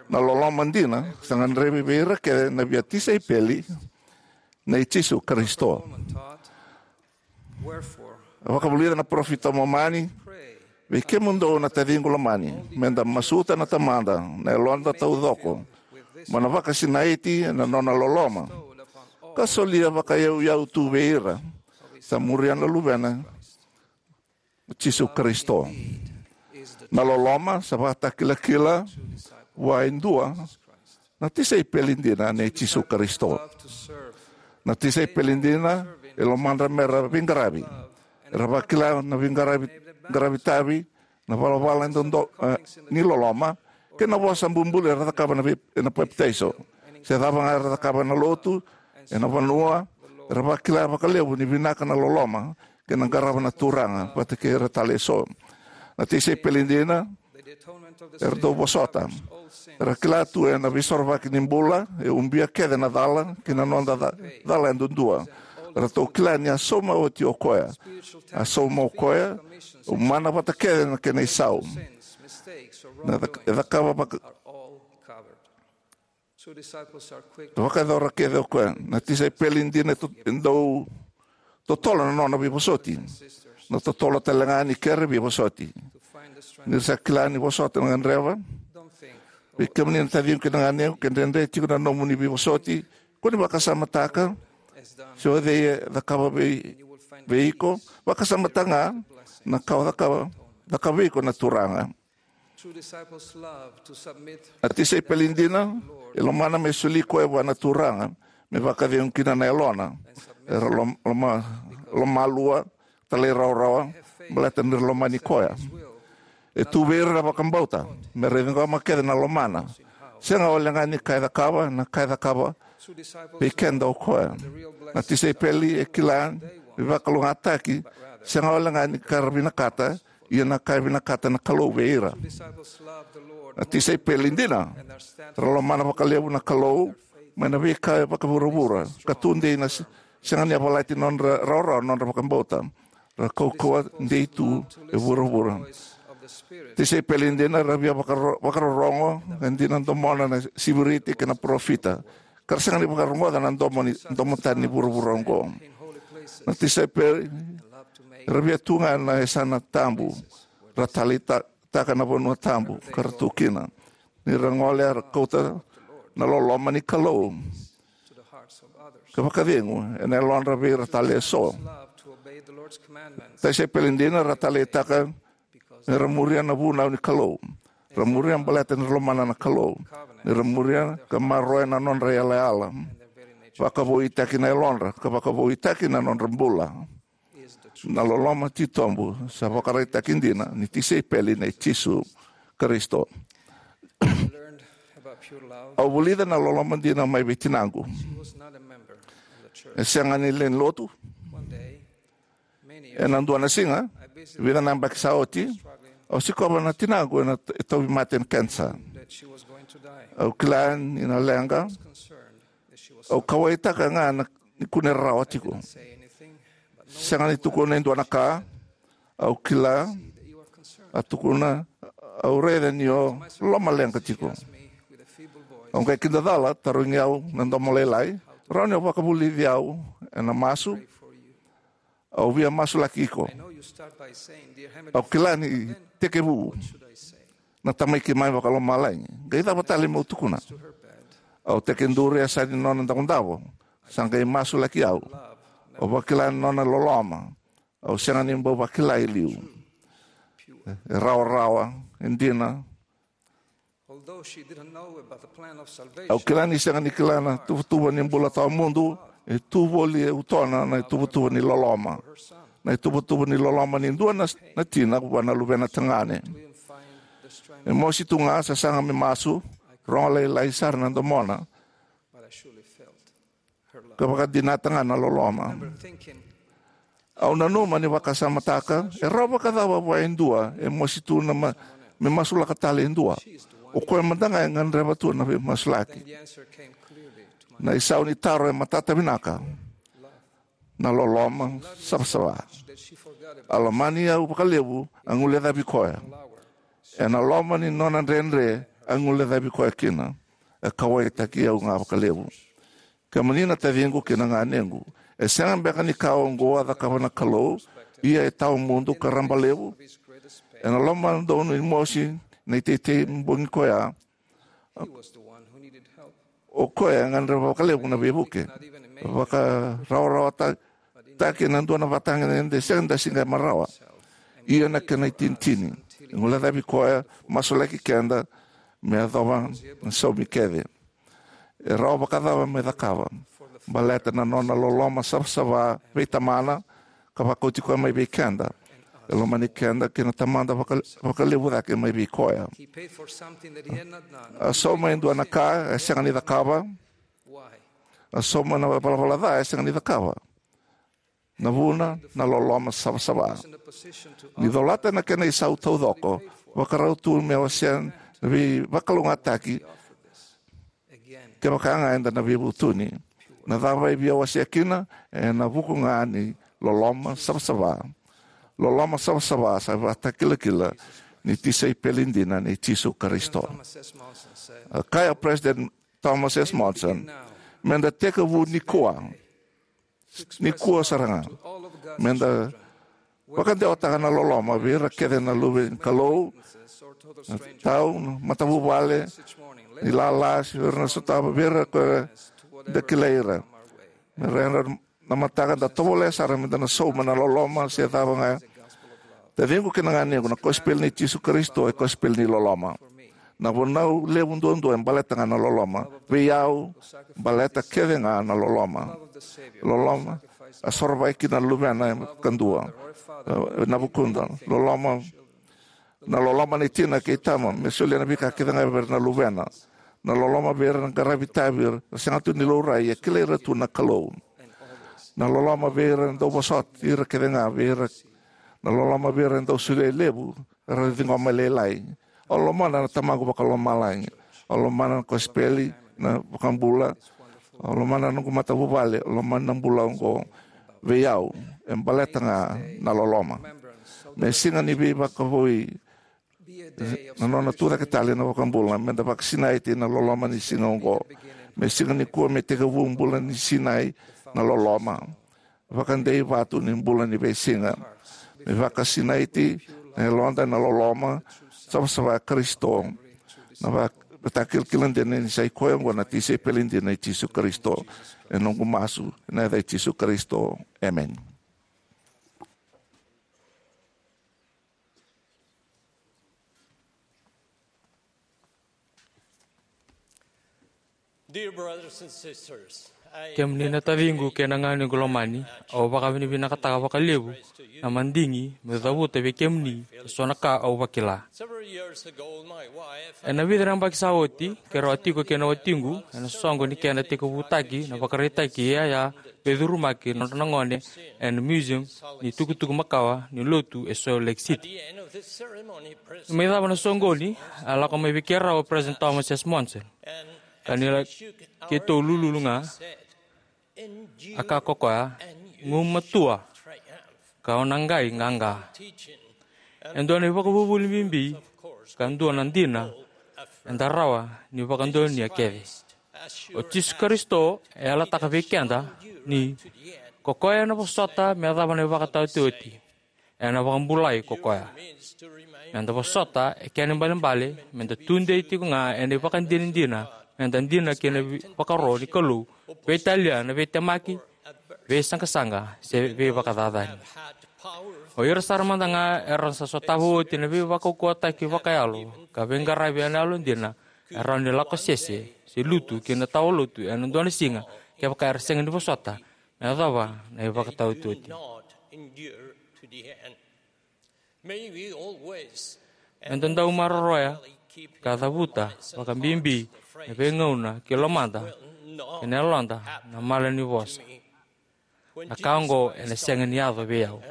na loloma dina sa gadrevi vei ira kece na via tisaipeli nei Jisu Karisito. Paul taught, "Wherefore, vakavulica na parofita o Momani, pray, vei kemudou na taciqu lomani, meda masuta na Tamada na yaloda taucoko, mo na vakasinaiti ena nona loloma, ka solia vakayauyau tu vei ira sa muria na Luvena, Jisu Karisito." Na loloma sa vakatakilakila vua e dua na tisaipeli dina nei Jisu Karisito. Na tisaipeli dina e lomadra mera veiqaravi, Era vakila na veiqaravi qaravi tavi, na valavala e dodo, eh, ni loloma, kei na vosa bubului era cakava na vei-, na papitaiso. Se cava ga era cakava na lotu, ena vanua, era vakila vakalevu ni vinaka na loloma, kei na qarava na Turaga vata kei ira tale eso. Na tisaipeli dina era dau vosota. Era kila tu ena veisorovaki ni bula e ubia kece na cala kei na noda ca-, cala yadudua. Eratou kila ni a sauma oti o koya. A sauma o koya, umana vata kece na kena isau. Na cak-, e cakava vaka-, vakayacora kece o koya. Na tisaipeli dina e to-, e dau totolo na nona veivosoti. Na totolo tale ga ni kere veivosoti. Ni sa kila ni vosota na gadreva. Vei kemuni na taciqu kei na ganequ, ke dredre tiko na nomuni veivosoti, ko ni vakasamataka se o cei e cakava vei, vei iko. Vakasamataka ga na ka o cakava, cakava vei iko na Turaga. Na tisaipeli dina e lomana me soli koya vua na Turaga, me vakacegu kina na yalona. Era lom-, loma-, lomalua, talairawarawa, baleta ni ra lomani koya. E tu vei ira na vakabauta me ra ciqoma kece na lomana. Sega walega ni ka e cakava, na ka e cakava vei keda o koya. Na tisaipeli e kila ni veivakalougatataki, sega walega ni ka ra vinakata, ia na ka e vinakata na Kalou vei ira. Na tisaipeli dina ra lomana vakalevu na Kalou mai na veika e vakavuravura, ka tudei na se-, sega ni yavalati nodra rawarawa nodra vakabauta. Ra kaukauwa dei tu e vuravura. Tisaipeli dina ra via vakaro-, vakarorogo e dina domona na siviriti kei na parofita, ka ra sega ni vakarogoca na domo ni, domo tani ni vuravura oqo. Na tisaipeli ra via tu ga na yasana tabu, ra taleitaka na vanua tabu ka ra tu kina. Ni ra gole era kauta na loloma ni Kalou ka vakacegu ena yalodra vei ira tale eso. Tisaipeli dina ra taleitaka me ra muria na vunau ni Kalou. Ra muria baleta ni ra lomana na Kalou. Ni ra muria ka maroroya na nodra yalayala. Vakavoutaki na yalodra ka vakavoutaki na nodra bula. Na loloma titobu sa vakaraitaki dina ni tisaipeli nei Jisu Karisito. Au vulica na loloma dina mai vei tinaqu. E sega ni lewe ni lotu. Ena dua na siga, vica na yabaki sa oti, au sikova na tinaqu ena t-, e tauvimate ni kenisa. Au kila ni na leqa. Au kauwaitaka ga na, ni kune rarawa tiko. Sega ni tukuna e dua na ka. Au kila, a tukuna, au raica ni o lomaleqa tiko. Au qai kidacala, tarogi au na domo lailai, rawa ni o vakavulici au ena masu. Au via masulaki iko. Au kila ni tekivu na Tamai keimami vakalomalagi. Qai cava tale meu tukuna? Au tekiduru e yasa ni nona davodavo. Sa qai masulaki au. Au vakila na nona loloma. Au sega ni bau vakila e liu. E rawarawa, e dina. Au kila ni sega ni kila na tuvatuva ni bula tawamudu, e tu voli e utona na ituvatuva ni loloma. Na ituvatuva ni loloma ni dua na, na tina vua na luvena tagane. E mosi tu ga, sasaga me masu, rogo lailai sara na domona. Ka vakadinata ga na loloma. Au nanuma ni vakasamataka, e rawa vakacava vua e dua e mosi tu na ma-, me masulaka tale e dua? O koya mada ga e gadreva tu na veimasulaki. Na isau ni taro e matata vinaka. Na loloma savasava. A lomani au vakalevu, a guilecavi koya. Ena loma ni nona dredre, a guilecavi koya kina. E kauwaitaki au ga vakalevu. Kemuni na taciqu kei na ganequ, e sega beka ni ka oqo a cakava na Kalou, ia e tawamudu ka raba levu? Ena loma donu ni mosi na iteitei bogi koya, o koya e gadreva vakalevu na veivuke. Vakarawarawataki na dua na vatagedegede sega ni da se qai maroroya. Ia na kena itinitini, e guilecavi koya, masulaki keda me yacova na saumi kece. E rawa vakacava me cakava? Baleta na nona loloma savasava vei Tamana, ka vakauti koya mai vei keda. E lomani keda kei na Tamada vaka-, vakalevu cake mai vei koya. A sauma e dua na ka e sega ni cakava. A sauma na valavala ca e sega ni cakava. Na vuna, na loloma savasava. Ni colata na kena isau taucoko, vakarau tu me wasea na veivakalougatataki. Kevaka ga eda na veivutuni, na cava e via wasea kina? Ena vuku ga ni loloma savasava. Loloma savasava sa ivakatakilakila ni tisaipeli dina nei Jisu Karisito. A kaya o President Thomas S. Monson, meda tekivu nikua. Nikua sara ga. Meda vakadewataka na loloma vei ira kece na luve ni Kalou, na tau, na matavuvale, ni lala, se vei ira na sotava, vei ira ko da kilai ira. Me ra yadra na mataka da tovolea sara meda na sauma na loloma se cava ga. Taciqu kei na ganequ, na kosipeli nei Jisu Karisito e kosipeli ni loloma. Na vunau levu duadua e baleta ga na loloma. Vei au, baleta kece ga na loloma. Loloma a sorovaki kina na luvena e kadua. E, na vukuda. Loloma, na loloma ni tina kei tama me solia na veika kece ga vei ira na luvena. Na loloma vei ira na qaravi itavi, ira sega tu ni laurai, e kilai ira tu na Kalou. Na loloma vei ira na dau vosoti, ira kece ga vei ira. Na loloma vei ira na dau solia e levu, era ciqoma e lailai. Au lomana na Tamaqu Vakalomalagi. Au lomana na kosipeli, na vakabula. Au lomana na noqu matavuvale, au lomana na bula oqo. Vei au, e baleta ga na loloma. Me siga ni veivakavoui, na nona tucake tale na vakabula, meda vakasinaiti na loloma ni siga oqo. Me siga nikua me tekivu bula ni sinai na loloma. Vakadeivatu ni bula ni veisiga. Me vakasinaiti na yaloda na loloma savasava i Karisito. Na vakatakilakila dina ni sa i koya oqo na tisaipeli dina i Jisu Karisito. E noqu masu ena yaca i Jisu Karisito. Emeni. Dear brothers and sisters, I Kemuni na taciqu kei na ganequ lomani, au vakavinavinakataka vakalevu na madigi meu cavuta vei kemuni eso na ka au vakila. Several years ago, my wife Ena vica na yabaki sa oti, keirau a tiko kei na watiqu ena soqo ni kena tekivutaki na vakaraitaki iyaya veicurumaki na nodra na gone ena Museum ni Tukutuku Makawa ni Lotu e Salt Lake City. Ni mai cava na soqoni, a lako mai vei keirau o President Thomas S. Monson. Ka ni ra keitou lululu ga, a kaya ko koya, "Gumatua, ka o na qai qaqa." E dua na ivakavuvuli bibi, ka dua na dina eda rawa ni vakadonuya kece. O Jisu Karisito e yalataka vei keda ni ko koya ena vosota me yacova na ivakataotioti, ena vakabulai ko koya. Meda vosota e kena ibalebale meda tudei tiko ga ena ivakadinadina, meda dina kei na vi-, vakaro ni Kalou, veitalia na veitemaki, veisaqasaqa se veivakacacani. O ira sara mada ga era sa sotava oti na veivakaukauwataki vakayalo ka veiqaravi ena yalodina, e rawa ni lako sese se lutu ki na tawalotu ena dua na siga kevaka era sega ni vosota me yacova na ivakataotioti. Meda dau maroroya ka cavuta vakabibi na veigauna ki lomada kei na yaloda na malanivosa. Na ka oqo ena sega ni yaco vei au.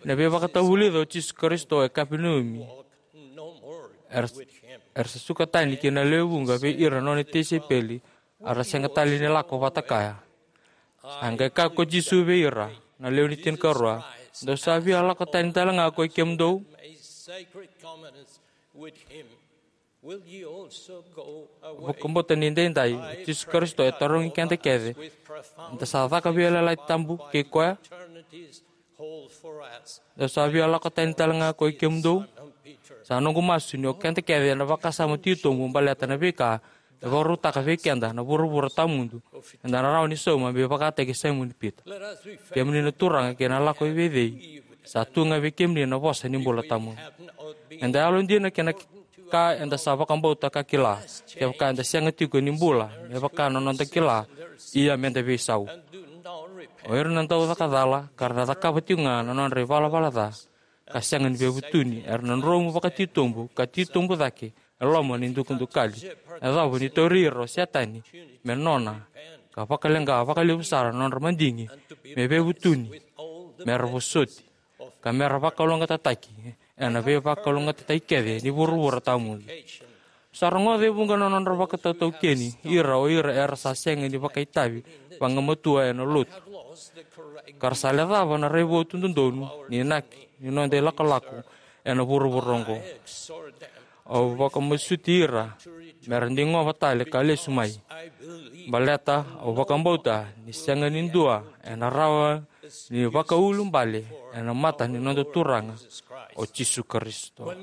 Na veivakatavulica o Jisu Karisito e Kapenaumi, era, era sa suka tani ki na lewe vuqa vei ira na nona tisaipeli, a ra sega tale ni lako vata kaya. A qai kaya ko Jisu vei ira na lewe ni tinikarua, "Dou sa via lako tani tale ga ko i kemudou?" Vakabauta ni daidai, o Jisu Karisito e tarogi keda kece, "Da sa caka veiyalayalati tabu kei koya? Dou sa via lako tani tale ga ko i kemudou?" Sa noqu masu ni o keda kece ena vakasama titobu baleta na veika e vakarautaka vei keda na vuravura tawamudu, eda na rawa ni sauma me vakataki Saimoni Pita. Kemuni na turaga kei na lako i vei cei, sa tu ga vei kemuni na vosa ni bula tawamudu. Eda yalodina kei na ka eda sa vakabauta ka kila, kevaka eda sega tiko ni bula me vaka na noda kila, ia meda veisau. O ira na daucaka cala ka ra na cakava tiko ga na nodra ivalavala ca ka sega ni veivutuni, era na dromu vakatitobu ka titobu cake e loma ni dukadukali. E cava ni tauri ira o Setani me nona ka vakaleqa vakalevu sara na nodra madigi me veivutuni, me ra vosoti, ka me ra vakalougatataki ena veivakalougatataki kece ni vuravura tawamudu. Sa rogoca e vuqa na nodra vakatautaukeni ira o ira era sa sega ni vakaitavi vagamatua ena lotu, ka ra sa lecava na raivotu dodonu ni inaki ni noda ilakolako ena vuravura oqo. Au vakamasuti ira me ra digova tale ka lesu mai, baleta au vakabauta ni sega ni dua ena rawa ni vakaiulubale ena mata ni noda Turaga o Jisu Karisito.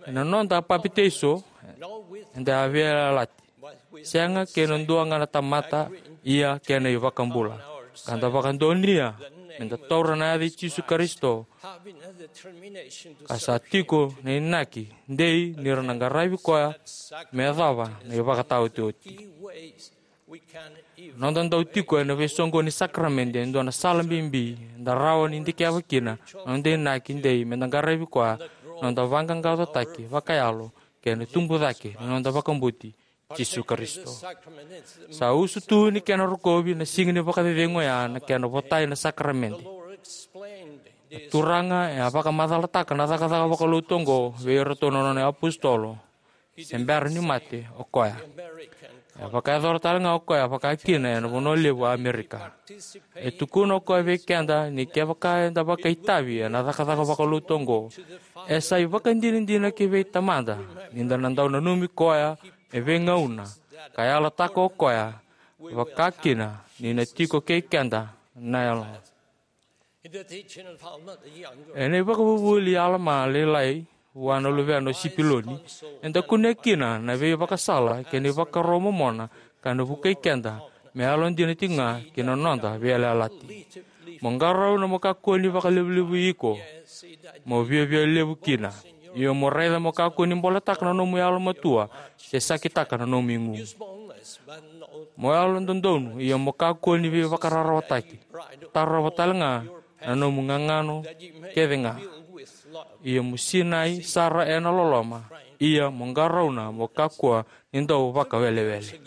Ena noda papitaiso, eda a veiyalayalati, sega kei na dua ga na tamata, ia kei na iVakabula. Ka da vakadonuya me da taura na yaca i Jisu Karisito, ka sa tiko na inaki dei ni ra na qaravi koya me yacova na ivakataotioti. Noda dau tiko ena veisoqoni ni sakaramede e dua na sala bibi da rawa ni dikeva kina na noda inaki dei me da qaravi koya, na noda vaqaqacotaki vakayalo kei na tubu cake na noda vakabauti Jisu Karisito. Sa usutu ni kena rokovi na siga ni vakacecegu oya na kena votai na sakaramede. Na Turaga e a vakamacalataka na cakacaka vakalotu oqo vei iratou na nona iapositolo se bera ni mate o koya. E vakayacora tale ga o koya vakakina ena vanua levu o Amerika. E tukuna o koya vei keda ni kevaka eda vakaitavi ena cakacaka vakalotu oqo, e sa ivakadinadina ki vei Tamada ni da na dau nanumi koya e veigauna ka yalataka o koya vakakina ni na tiko kei keda na Yalo. Ena ivakavuvuli i Alama lailai vua na luvena o Sipiloni, eda kunea kina na veivakasala kei na ivakaro momona ka na vukei keda me yalodina tiko ga ki na noda veiyalayalati. Mo qarauna mo kakua ni vakalevulevui iko, mo viavia levu kina. Ia mo raica mo kakua ni boletaka na nomu yalomatua se sakitaka na nomu igu. Mo yalododonu, ia mo kakua ni veivakararawataki. Tarova tale ga na nomu gagano kece ga. Ia mo sinai sara ena loloma. Ia mo qarauna mo kakua ni dau vakawelewele.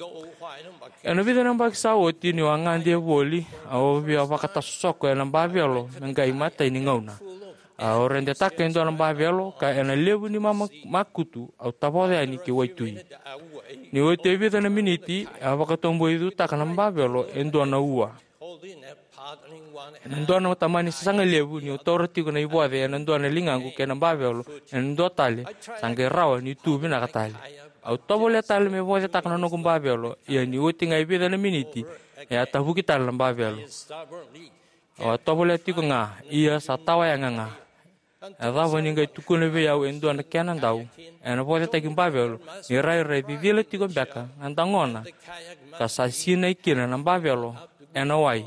Ena vica na yabaki sa oti niu a gade voli, au via vakatasosoko ena bavelo me qai imatai ni gauna. Au redetaka e dua na bavelo ka ena levu ni mama makutu au tavoca yani ki waitui. Ni oti e vica na miniti, a vakatoboicutaka na bavelo e dua na ua. Ena dua na tamani sasaga levu niu taura tiko na ivoce ena dua na ligaqu kei na bavelo ena dua tale, sa qai rawa ni tu vinaka tale. Au tovolea tale me vocetaka na noqu bavelo, ia ni oti ga e vica na miniti, e a tavuki tale na bavelo. Au a tovolea tiko ga, ia sa tawayaga ga. E cava ni qai tukuna vei au e dua na kenadau ena vocetaki bavelo ni rairai cicila tiko beka na dagona ka sa sinai kina na bavelo ena wai,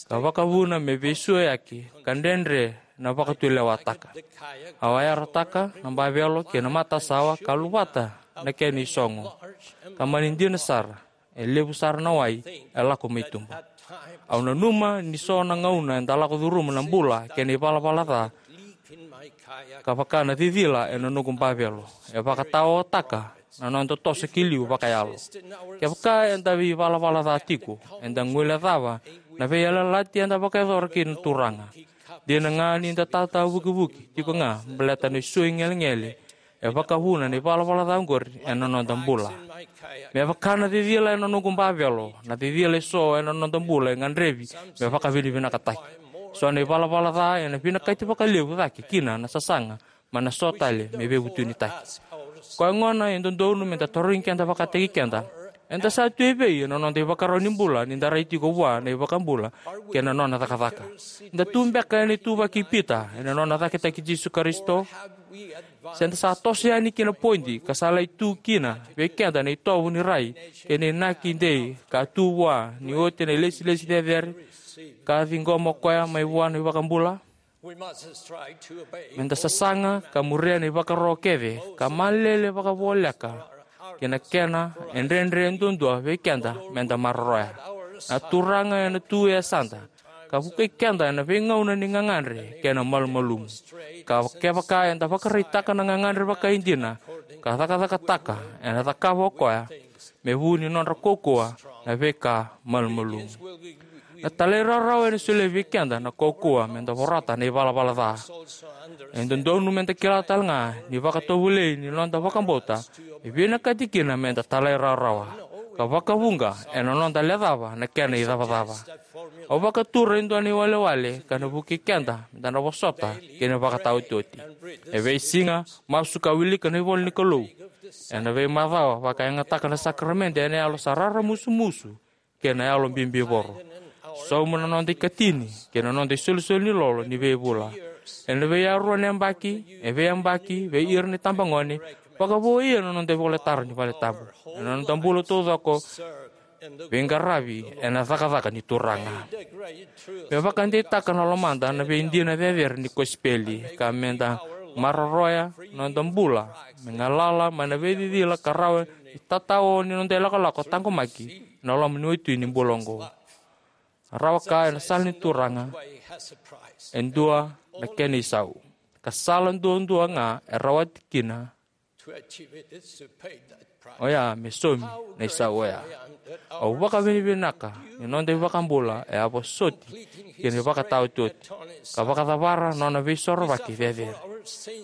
ka vakavuna me veisuayaki ka dredre na vakatulewataka. Au a yarataka na bavelo ki na matasawa ka luvata na kena isogo, ka mani dina sara, e levu sara na wai e lako mai tuba. Au nanuma ni so na gauna eda lako curuma na bula kei na ivalavala ca, ka vaka na cicila ena noqu bavelo, e vakataotaka na noda toso ki liu vakayalo. Kevaka eda veivalavala ca tiko, eda guilecava na veiyalayalati eda vakayacora kei na Turaga. Dina ga ni da tatavukivuki tiko ga baleta na isui gelegele, e vakavuna na ivalavala ca oqori ena noda bula. Me vaka na cicila ena noqu bavelo, na cicila eso ena noda bula e gadrevi me vakavinavinakataki. So na ivalavala ca ena vinakati vakalevu cake kina na sasaga, mai na so tale me veivutunitaki. Koya gona e dodonu me da tarogi keda vakataki keda, eda sa tu evei ena noda ivakarau ni bula ni da rai tiko vua na iVakabula kei na nona cakacaka? Eda tu beka ena ituvaki i Pita ena nona cakitaki Jisu Karisito? Se da sa toso yani ki na podi ka sa lai tu kina vei keda na itovo ni rai kei na inaki dei ka tu vua ni oti na ilesilesi cecere ka ciqoma o koya mai vua na iVakabula? Me da sasaga ka muria na ivakaro kece ka malele vakavoleka ki na kena e dredre duadua vei keda me da maroroya. Na Turaga ena tu e yasada, ka vukei keda ena veigauna ni gagadre kei na malumalumu. Ka kevaka eda vakaraitaka na gagadre vakaidina, ka cakacakataka, ena cakava o koya, me vu ni nodra kaukauwa na veika malumalumu. Na talairawarawa ena solia vei keda na kaukauwa meda vorata na ivalavala ca. E dodonu meda kila tale ga ni vakatovolei ni noda vakabauta e vinakati kina meda talairawarawa, ka vakavuqa ena noda lecava na kena icavacava. Au vakatura e dua na iwalewale ka na vukei keda meda na vosota kei na vakataotioti. E veisiga, masu ka wilika na ivola ni Kalou. Ena veimacawa, vakayagataka na sakaramede ena yalo sa raramusumusu kei na yalo bibivoro. Sauma na noda ikatini kei na noda isolisoli ni lolo ni veivula. Ena veiyarua na yabaki, e veiyabaki, vei ira na itabagone, vakavouia na noda ivolatara ni valetabu. Ena noda bula taucoko, veiqaravi ena cakacaka ni Turaga. Me vakadeitaka na lomada na veidina cecere ni kosipeli, ka meda maroroya na noda bula me galala mai na veicicila ka rawa ni tatao ni noda ilakolako taqomaki ena loma ni waitui ni bula oqo. Rawa ka ena sala ni Turaga, e dua na kena isau, ka sala duadua ga e rawati kina oya me saumi na isau oya. Au vakavinavinaka ni noda iVakabula e a vosoti kei na ivakataotioti, ka vakacavara na nona veisorovaki cecere.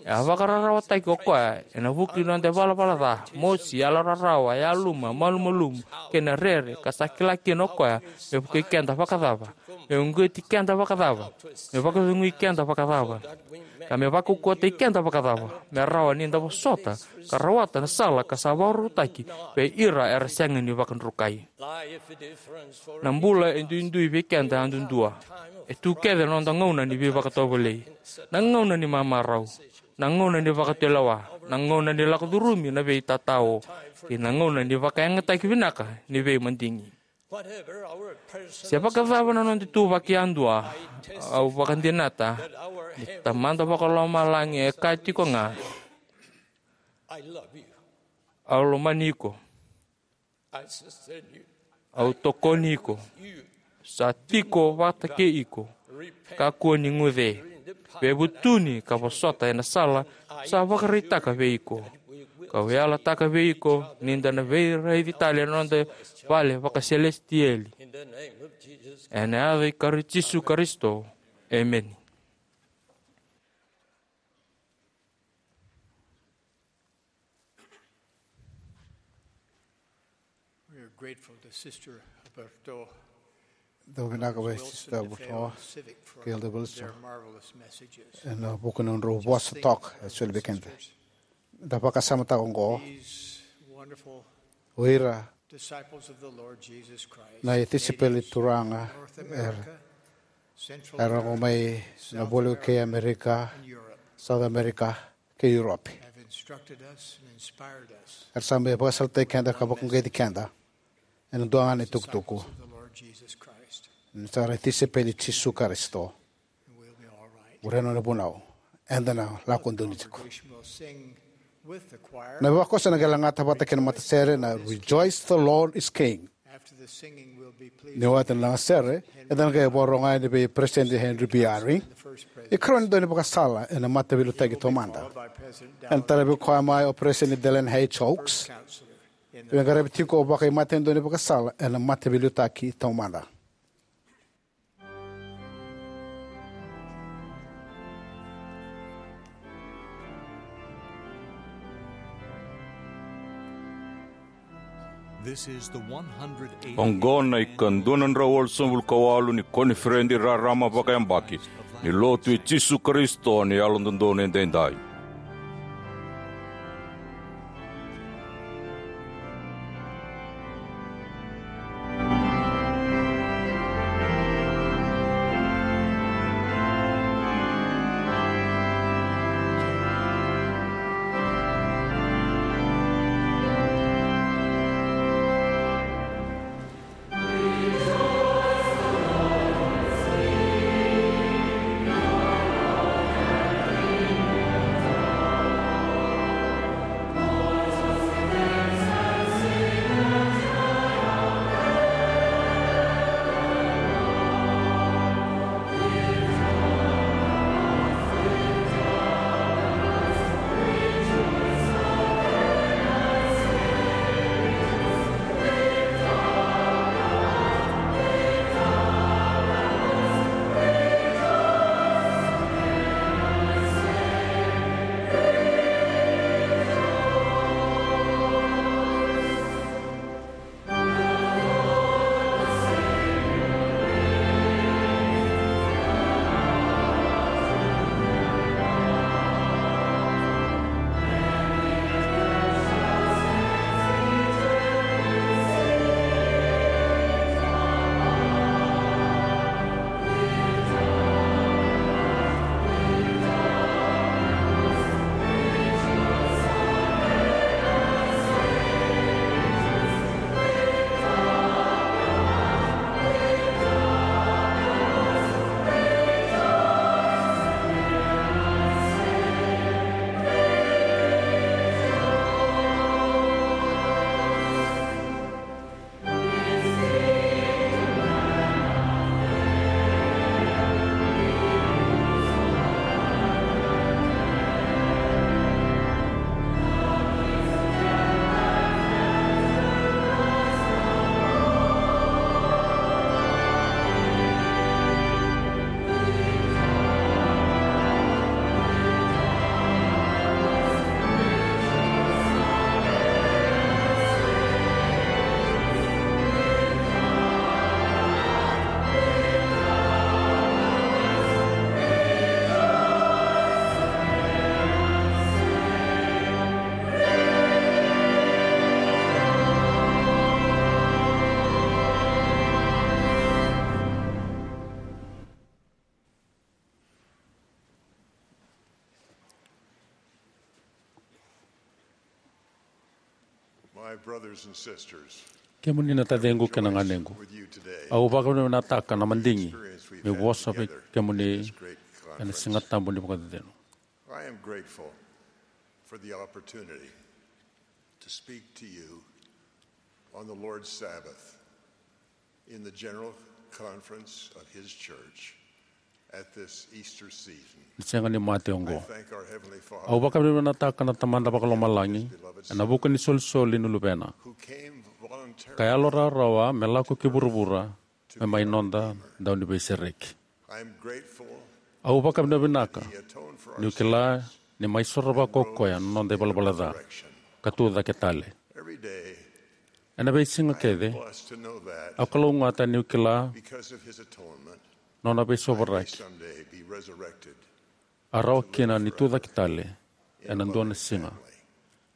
E a vakararawataki o koya ena vuku ni noda ivalavala ca, mosi, yalorarawa, yaluma, malumalumu, kei na rere, ka sa kila kina o koya me vukei keda vakacava, me uqeti keda vakacava, me vakacegui keda vakacava, ka me vakaukauwataki keda vakacava, me rawa ni da vosota ka rawata na sala ka sa vakarautaki vei ira era sega ni vakadrukai. Na bula e duidui vei keda yadudua. E tu kece na noda gauna ni veivakatovolei, na gauna ni mamarau, na gauna ni vakatulewa, na gauna ni lako curumi na veitatao, kei na gauna ni vakayagataki vinaka ni veimadigi. Se vakacava na noda ituvaki yadua, au vakadinata ni Tamada Vakalomalagi e kaya tiko ga, "Au lomani iko. Au tokoni iko. Sa tiko vata kei iko. Kakua ni guce. Veivutuni ka vosota ena sala sa vakaraitaka vei iko. Kau yalataka vei iko ni da na veiraici tale ena noda vale vakaselesitieli." Ena yaca i Kari Jisu Karisito. Emeni. We are grateful to Sister Alberto Dau vinaka vei Sister Butoa kei Elder Wilson ena vuku ni nodrau vosa toka e soli vei keda. Da vakasamataka oqo, o ira na itisaipeli Turaga era, era oqo mai na voli kei Amerika, South America, kei Europe. Era sa mai vakasalataki keda ka vakauqeti keda ena dua ga na itukutuku. Ni sa ra tisaipeli Jisu Karisito. Ure na nona vunau. Eda na lako donu tiko. Na vakoso na qai lagata vata kei na matasere na Rejoice, the Lord is King. Ni oti na lagasere, eda na qai vakarorogo yani vei Peresitedi Henry B. Eyring, ikarua ni daunivakasala ena Mataveiliutaki Taumada. Ena talevi koya mai o Peresitedi Dallin H. Oaks, veiqaravi tiko o vakaimatanitu ni daunivakasala ena Mataveiliutaki Taumada. Oqo na ikadua na drau walusagavulu ka walu ni koniferedi rarama vakayabaki ni Lotu i Jisu Karisito ni Yalododonu Edaidai. My brothers and sisters, kemuni na taciqu kei na ganequ, with you today, au vakavinavinakataka na madigi experience we've meu had vosa vei together kemuni this great ena conference. Siga tabu ni vakacecegu. I am grateful for the opportunity to speak to you on the Lord's Sabbath in the general conference of His church at this Easter season. Ni sega ni mate oqo. I thank our Heavenly Father. Au vakavinavinakataka na Tamada Vakalomalagi ena vuku ni solisoli ni Luvena, who came voluntarily ka yalo rawarawa me lako ki vuravura me mai noda dauniveisereki. I am grateful. Au vakavinavinaka niu kila ni mai sorovaka o koya na noda ivalavala ca ka tu cake tale. Every day, ena veisiga kece, blessed to know that au kalougata niu kila because of his atonement, nona veisovaraki, someday be resurrected, a rawa kina ni tu cake tale ena dua na siga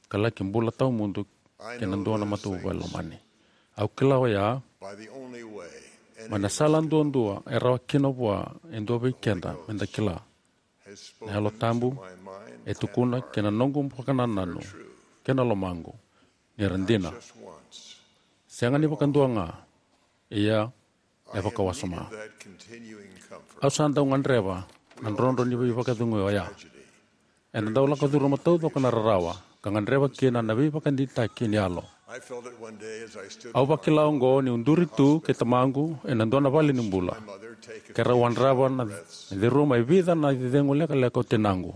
ka laki bula tawamudu kei na dua na matavuvale lomani. Au kila oya by the only way, mai na sala duadua e rawa kina vua e dua vei keda meda kila. Na Yalo Tabu e tukuna ki na noqu vakanananu kei na lomaqu ni ra dina. Sega ni vakadua ga, ia e vakawasoma. Au sa dau gadreva na drodro ni veivakacegui oya. Eda dau lako curuma taucoko na rarawa ka gadreva kina na veivakadeitaki ni yalo. Au vakila oqo niu duri tu kei tamaqu ena dua na vale ni bula, keirau wadrava na ceruma e vica na icegu lekaleka o tinaqu.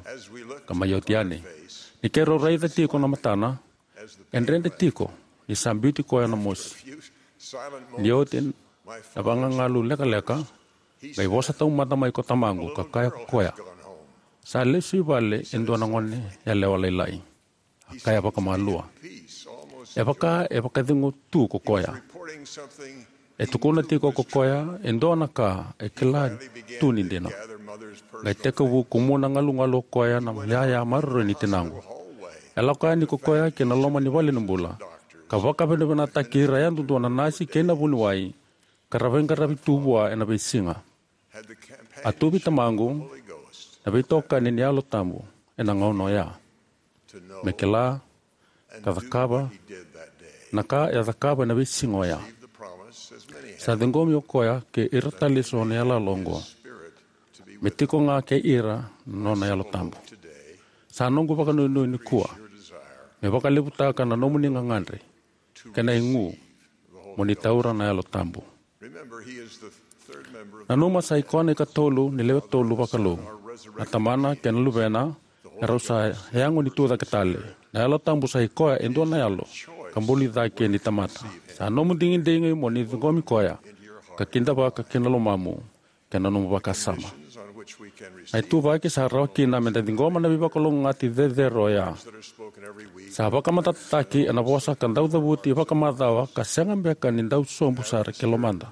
Ka mai oti yani, ni keirau raica tiko na matana, e dredre tiko ni sa biuti koya na mosi. Ni oti na vagagalu lekaleka, qai vosa taumada mai ko tamaqu ka kaya ko koya, sa lesu i vale e dua na gone yalewa lailai. A kaya vakamalua, e vaka e vakacegu tu ko koya. E tukuna tiko ko koya e dua na ka e kila tu ni dina. Qai tekivu kumuna galugalu o koya na yaya maroroi ni tinaqu. E lako yani ko koya ki na loma ni vale ni bula ka vakavinavinakataki ira yadudua na nasi kei na vuniwai ka ra veiqaravi tu vua ena veisiga. A tu vei tamaqu na veitokani ni Yalo Tabu ena gauna oya me kila ka cakava na ka e a cakava ena veisiga oya. Sa ciqomi o koya kei ira tale eso na iyaloyalo oqo me tiko ga kei ira na nona Yalo Tabu. Sa noqu vakanuinui nikua me vakalevutaka na nomuni gagadre kei na igu mo ni taura na Yalo Tabu. Nanuma sa i koya na ikatolu ni lewe tolu vakalou, na Tamana kei na Luvena, e rau sa yago ni tu cake tale. Na Yalo Tabu sa i koya e dua na yalo ka buli cake ni tamata. Sa nomu digidigi mo ni ciqomi koya ka kidavaka ki na lomamu kei na nomu vakasama. Na ituvaki sa rawa kina meda ciqoma na veivakalougatataki cecere oya. Sa vakamatatataki ena vosa ka dau cavuti vakamacawa ka sega beka ni dau sobu sara ki lomada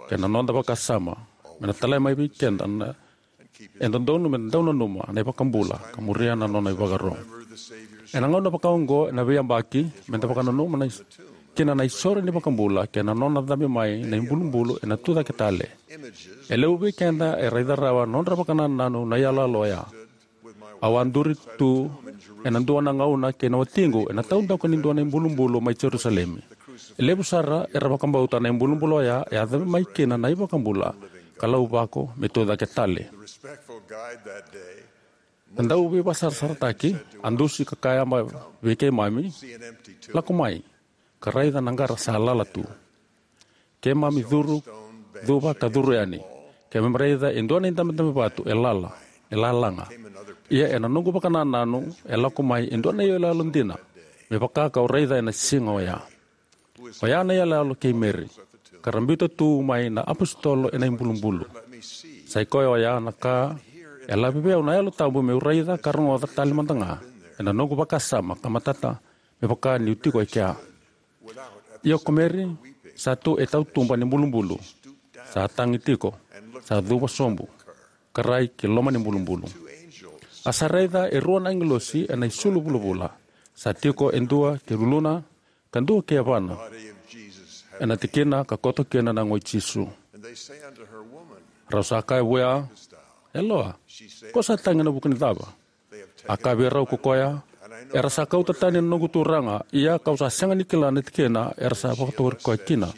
kei na noda vakasama me na talai mai vei keda na e dodonu meda dau nanuma na iVakabula ka muria na nona ivakaro. Ena gauna vakaoqo ena veiyabaki, meda vakananuma na is- kina na isoro ni iVakabula kei na nona cabe mai na ibulubulu ena tu cake tale. E levu vei keda e raica rawa na nodra vakanananu na iyaloyalo oya. Au a duri tu ena dua na gauna kei na watiqu ena taudaku ni dua na ibulubulu mai Jerusalemi. E levu sara era vakabauta na ibulubulu oya e a cabe mai kina na iVakabula ka lauvako me tu cake tale. Na dau veivakasarasarataki a dusi ka kaya mai vei keimami, lako mai ka raica na qara sa lala tu. Keimami curu, cuva ka curu yani. Keimami raica e dua na idabedabe vatu e lala, e lalaga. Ia ena noqu vakanananu e lako mai e dua na iyaloyalo dina me vaka kau raica ena siga oya. Oya na iyaloyalo kei Meri, ka ra biuta tu mai na apositolo ena ibulubulu. Sa i koya oya na ka e lavi vei au na Yalo Tabu meu raica ka rogoca tale mada ga ena noqu vakasama ka matata me vaka niu tiko e kea. Ia ko Meri sa tu e tautuba ni bulubulu, sa tagi tiko, sa cuva sobu ka rai ki loma ni bulubulu. A sa raica e rua na agilosi ena isulu vulavula, sa tiko e dua ki luluna ka dua ki yavana ena tikina ka koto kina na yago i Jisu. Rau sa kaya vua, Yaloa, ko sa tagi ena vuku ni cava? A kaya vei rau ko koya, Era sa kauta tani na noqu Turaga, ia kau sa sega ni kila na tikina era sa vakatori koya kina.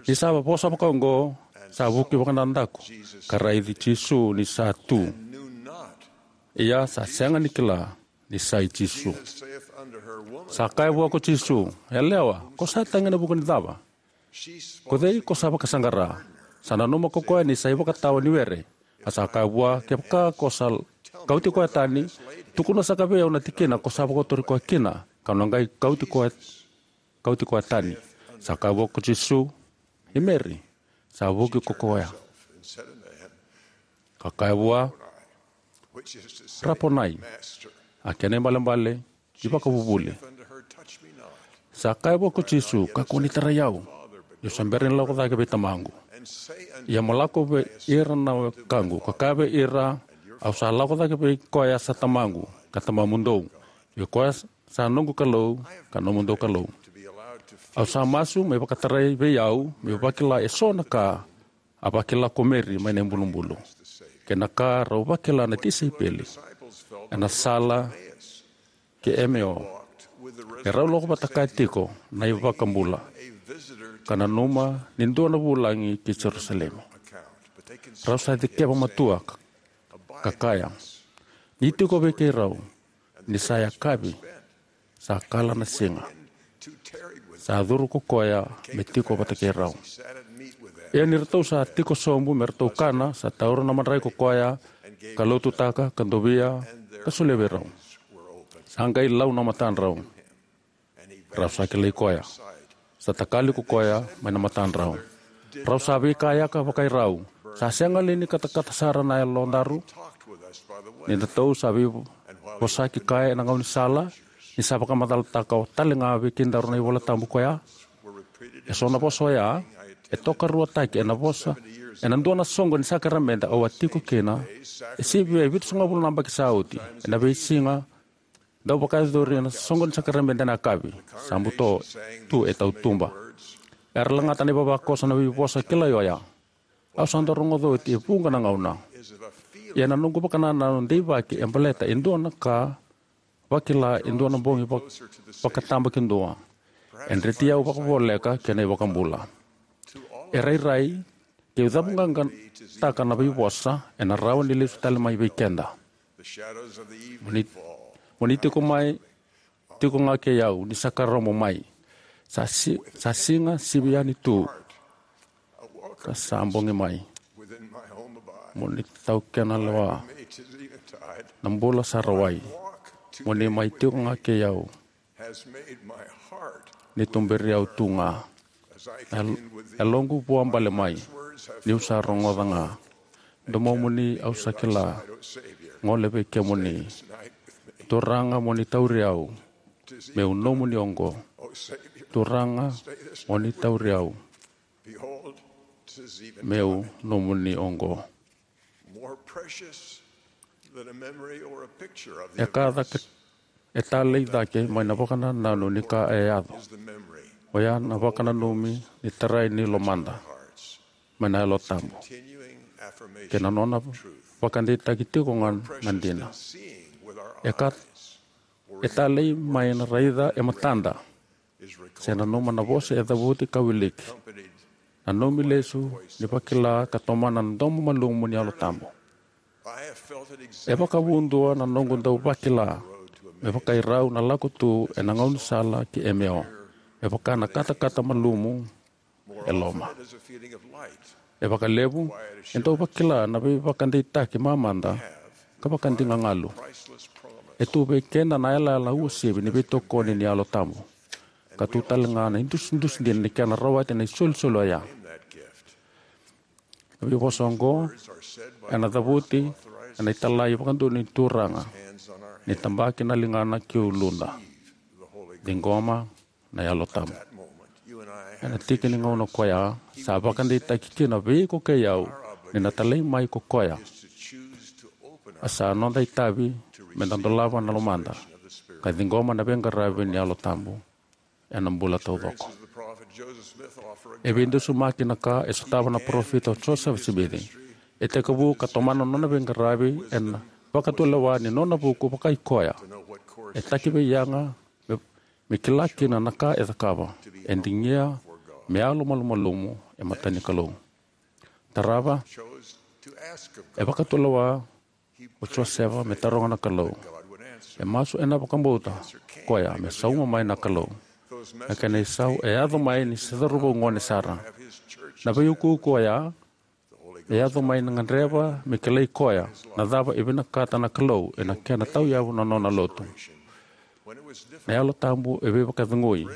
Ni sa vosa vakaoqo, sa vuki vakanadaku ka raici Jisu ni sa tu. Ia sa sega ni kila ni sa i Jisu. Sa kaya vua ko Jisu, "Yalewa, ko sa tagi ena vuku ni cava? Ko cei ko sa vakasaqara?" Sa nanuma ko koya ni sa ivakatawa ni were. A sa kaya vua, "Kevaka ko sa kauti koya tani, tukuna saka vei au na tikina ko sa vakatori koya kina, kau na qai kauti koya, kauti koya tani." Sa kaya vua ko Jisu, "I Meri." Sa vuki ko koya ka kaya vua, "Raponai," a kena ibalebale, "Ivakavuvuli." Sa kaya vua ko Jisu, "Kakua ni tarai au, niu sa bera ni lako cake vei Tamaqu. Ia mo lako vei ira na wekaqu ka kaya vei ira, au sa lako cake vei koya sa Tamaqu ka Tamamudou, vei koya sa noqu Kalou ka nomudou Kalou. Au sa masu me vakatarai vei au meu vakila eso na ka a vakila ko Meri mai na ibulubulu, kei na ka rau vakila na tisaipeli ena sala ki Emeo, ni rau lako vata kaya tiko na iVakabula ka nanuma ni dua na vulagi ki Jerusalemi. Rau sa cikeva matua ka, ka kaya, 'Ni tiko vei keirau ni sa yakavi, sa kala na siga, sa curu ko koya me tiko vata kei rau.' Ia ni ratou sa tiko sobu me ratou kana, sa taura na madrai ko koya, ka lotutaka, ka dovia, ka solia vei rau. Sa qai lau na matadrau, rau sa kilai koya. Sa takali ko koya mai na matadrau. Rau sa veikayaka vakai rau. Sa sega li ni katakata sara na yalodaru? Ni datou sa veivosaki kaya ena gaunisala, ni sa vakamacalataka tale ga vei kedaru na iVola Tabu koya. Eso na vosa oya e tokaruataki ena vosa, ena dua na soqo ni sakaramede au a tiko kina, e sivia e vitusagavulu na yabaki sa oti, ena veisiga dau vakayacori ena soqo ni sakaramede ena yakavi, sa buto tu e tautuba. Era lagata na ivavakoso na veivosa kilai oya. Au sa dau rogoca oti e vuqa na gauna. Ia na noqu vakanananu deivaki e baleta e dua na ka, vakila e dua na bogi vak-, vakatabakidua. E dreti au vakavoleka kei na iVakabula. E rairai, keu cavuqaqataka na veivosa, ena rawa ni lesu tale mai vei keda. Mo ni, mo ni tiko mai, tiko ga kei au, ni sa karobo mai. Sa si-, sa siga sivi yani tu. Ka sa bogi mai. Mo ni taukena lewa. Na bula sa rawai. Mo ni mai tiko ga kei au. Ni tuberi au tu ga. E, e loqu vua bale mai. Niu sa rogoca ga. Domomuni au sa kila. Gole vei kemuni. Turaga mo ni tauri au. Meu nomuni oqo. Turaga mo ni tauri au. Meu nomuni oqo. E ka cake, e talei cake mai na vakanananu ni ka e yaco. Oya na vakananumi ni tarai ni lomada mai na Yalo Tabu, kei na nona vakadeitaki tiko ga na dina. E ka, e talei mai na raica e matada. Se nanuma na vosa e cavuti ka wiliki. Nanumi lesu ni vakila ka tomana na domo malumu ni Yalo Tabu. E vakavudua na noqu dau vakila me vakairau na lako tu ena gaunisala ki Emeo. E vaka na katakata malumu e loma. E vakalevu, e dau vakila na veivakadeitaki mamada ka vakadigagalu. E tu vei keda na yalayala uasivi ni veitokoni ni Yalo Tabu. Ka tu tale ga na idusidusi dina ni kena rawati na isolisoli oya. Na veivosa oqo ena cavuti ena italai vakadodonu ni Turaga, ni tabaki na ligana ki uluda. Ciqoma na Yalo Tabu. Ena tiki ni gauna koya, sa vakadeitaki kina vei iko kei au ni na talai mai ko koya. A sa noda itavi me da dolava na lomada ka ciqoma na veiqaravi ni Yalo Tabu ena bula taucoko. E veidusimaki na ka e sotava na parofita o Josefa Simici. E tekivu ka tomana na nona veiqaravi ena vakatulewa ni nona vuku vakai koya. E taki vei Yaga me, me kila kina na ka e cakava. E digia me yalo malumalumu e mata ni Kalou. Tarava, e vakatulewa o Josefa me taroga na Kalou. E masu ena vakabauta koya me sauma mai na Kalou. Na kena isau e yaco mai ni se cauravou gone sara. Na veiukuuku oya e yaco mai na gadreva me kilai koya na cava e vinakata na Kalou ena kena tauyavu na nona lotu. Na Yalo Tabu e veivakacegui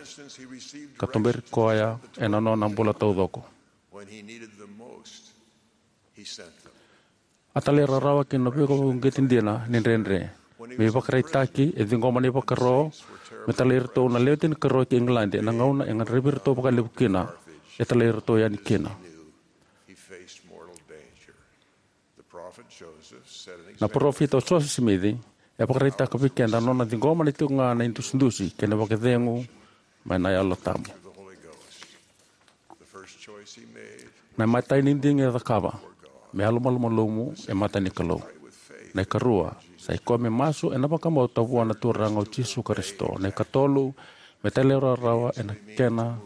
ka tuberi koya ena nona bula taucoko. A talairawarawa ki na veivakauqeti dina ni dredre. Me ivakaraitaki, e ciqoma na ivakaro me talai iratou na lewe tinikarua ki Igiladi ena gauna e gadrevi iratou vakalevu kina. E talai iratou yani kina. Na parofita o Josefa Simici e vakaraitaka vei keda na nona ciqoma na tiko ga na idusidusi kei na vakacegu mai na Yalo Tabu. Na imatai ni digi e cakava me yalo malumalumu e mata ni Kalou. Na ikarua, sa i koya me masu ena vakabauta vua na Turaga o Jisu Karisito. Na ikatolu, me talairawarawa ena kena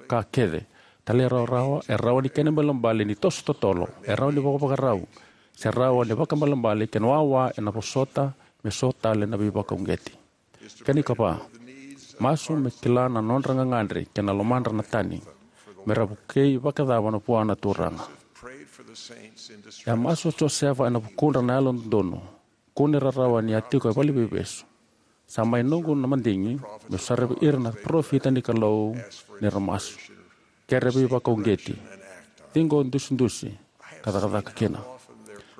ka kece. Talairawarawa e rawa ni kena ibalebale ni toso totolo, e rawa ni vakavakarau, se rawa ni vakaibalebale kei na wawa ena vosota me so tale na veivakauqeti. Kena ikava, masu me kila na nodra gagadre kei na lomadra na tani, me ra vukei vakacava na vua na Turaga. E a masu o Josefa ena vukudra na yalododonu, kune rarawa ni a tiko e valeniveivesu. Sa mai noqu na madigi meu saravi ira na parofita ni Kalou ni ra masu, kere veivakauqeti, ciqo dusidusi, ka cakacaka kina.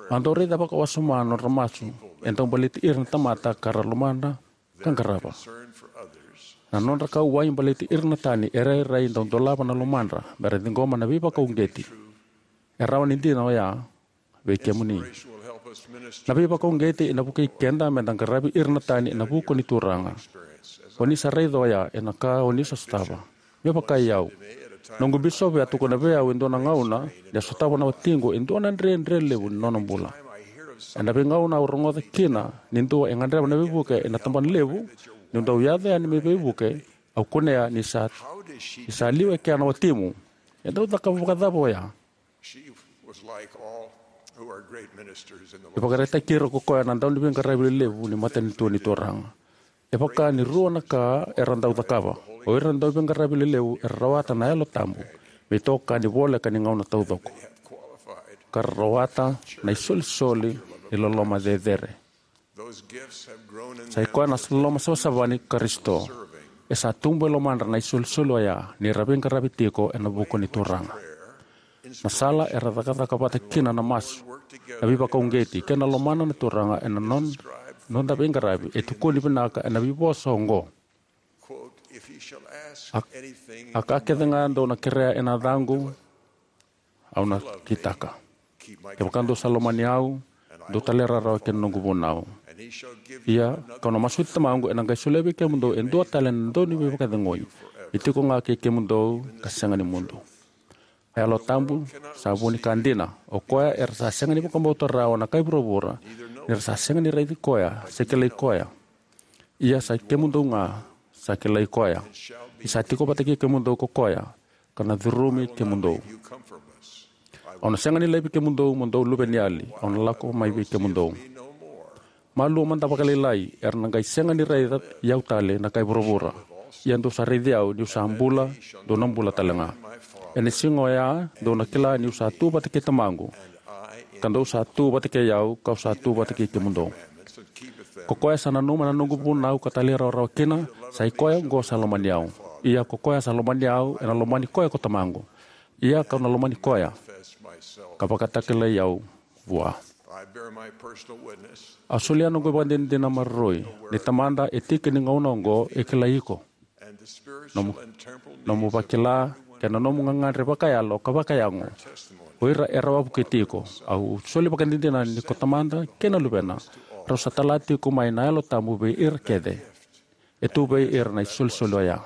Au dau raica vakawasoma na nodra masu e dau baleti ira na tamata ka ra lomadra ka qarava. Na nodra kauwai baleti ira na tani e rairai dau dolava na lomadra me ra ciqoma na veivakauqeti. E rawa ni dina oya vei kemuni. Na veivakauqeti ena vukei keda me da qaravi ira na tani ena vuku ni Turaga. O ni sa raica oya ena ka o ni sa sotava. Me vaka i au, noqu bisopi a tukuna vei au e dua na gauna ni a sotava na watiqu e dua na dredre levu ni nona bula. Ena veigauna au rogoca kina ni dua e gadreva na veivuke ena tabana levu, niu dau yaco yani me veivuke, au kunea ni sa, ni sa liu e kea na watimu. E dau cakava vakacava oya? E vakaraitaki ira ko koya na dauniveiqaravi lelevu ni matanitu ni Turaga. E vaka ni rua na ka era dau cakava. O ira na dauveiqaravi lelevu era rawata na Yalo Tabu me itokani voleka ni gauna taucoko, ka ra rawata na isolisoli ni loloma cecere. Sa i koya na loloma savasava ni Karisito. E sa tubu e lomadra na isolisoli oya ni ra veiqaravi tiko ena vuku ni Turaga. Na sala era cakacaka vata kina na masu, na veivakauqeti kei na lomana na Turaga ena non-, noda veiqaravi e tukuni vinaka ena veivosa oqo: A, a ka kece ga dou na kerea ena yacaqu, au na kitaka. Kevaka dou sa lomani au, dou talairawarawa ki na noqu vunau. Ia kau na masuti Tamaqu ena qai solia vei kemudou e dua tale na dauniveivakacegui, me tiko ga kei kemudou ka sega ni mudu. A Yalo Tabu sa vu ni ka dina. O koya era sa sega ni vakabauta rawa na kai vuravura, ni ra sa sega ni raici koya se kilai koya. Ia sa i kemudou ga sa kilai koya. Ni sa tiko vata kei kemudou ko koya, ka na curumi kemudou. Au na sega ni laivi kemudou mo dou luveniyali, au na lako mai vei kemudou. Malua mada vakalailai, era na qai sega ni raici au tale na kai vuravura. Ia dou sa raici au niu sa bula, dou na bula tale ga. Ena siga oya dou na kila niu sa tu vata kei Tamaqu, ka dou sa tu vata kei au, kau sa tu vata kei kemudou. Ko koya sa nanuma na noqu vunau ka talairawarawa kina, sa i koya oqo sa lomani au. Ia ko koya sa lomani au, ena lomani koya ko Tamaqu. Ia kau na lomani koya, ka vakatakilai au vua. Au solia noqu ivakadinadina maroroi ni Tamada e tiki ni gauna oqo e kilai iko, nomu, nomu vakila, kei na nomu gagadre vakayalo ka vakayago. O ira era wavokiti iko. Au soli vakadinadina ni ko Tamada kei na Luvena rau sa tala tiko mai na Yalo Tabu vei ira kece. E tu vei ira na isolisoli oya.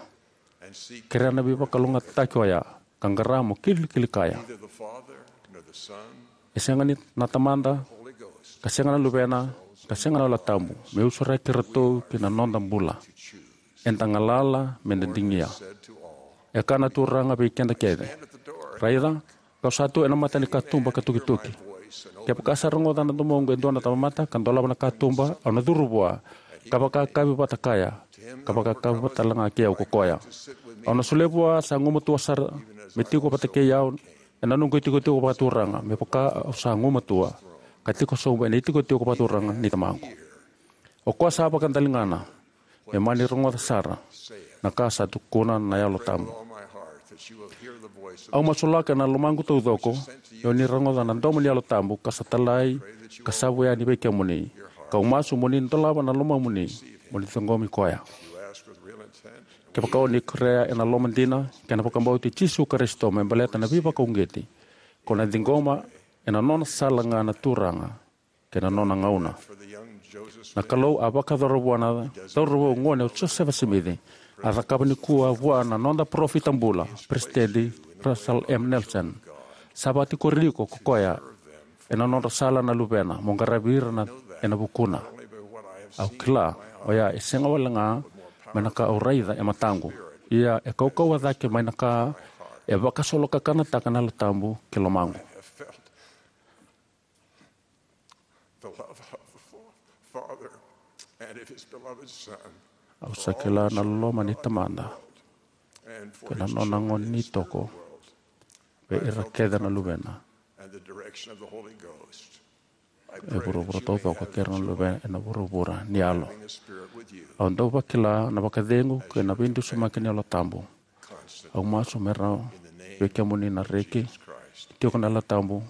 Kerea na veivakalougatataki oya, ka qara mo kilikili kaya. E sega ni na Tamada, ka sega na Luvena, ka sega na Yalo Tabu, me usuraki iratou ki na noda bula. Eda galala me da digia. E kaya na Turaga vei keda kece: Raica, kau sa tu ena mata ni katuba ka tukituki. Kevaka sa rogoca na domoqu e dua na tamata ka dolava na katuba, au na curu vua, ka vakakavi vata kaya, ka vakakavi vata talega kei au ko koya. Au na solia vua sa gumatua sara me tiko vata kei au ena noqu itikotiko vakaturaga, me vaka au sa gumatua ka tiko sobu ena itikotiko vakaturaga ni Tamaqu. O koya sa vakadaligana me mani rogoca sara na ka sa tukuna na Yalo Tabu. Au masulaka ena lomaqu taucoko ni o ni rogoca na domo ni Yalo Tabu ka sa talai ka savu yani vei kemuni. Kau masu mo ni dolava na lomamuni mo ni ciqomi koya. Kevaka o ni kerea ena loma dina kei na vakabauti Jisu Karisito me baleta na veivakauqeti, ko na ciqoma ena nona sala ga na Turaga kei na nona gauna. Na Kalou a vakayacora vua na cauravou gone o Josefa Simici, a cakava nikua vua na noda parofita bula, Peresitedi Russell M. Nelson. Sa vakatikori iko ko koya ena nodra sala na luvena mo qaravi ira na, ena vukuna. Au kila oya e sega wale ga mai na ka au raica e mataqu, ia e kaukauwa cake mai na ka e vakasolokakanataka na Yalo Tabu ki lomaqu. Au sa kila na loloma ni Tamada kei na nona gone ni toko vei ira kece na luvena e vuravura taucoko kei ira na luvena ena vuravura ni yalo. Au dau vakila na vakacegu kei na veidusimaki ni Yalo Tabu. Au masu me rawa vei kemuni na reki, tiko na Yalo Tabu,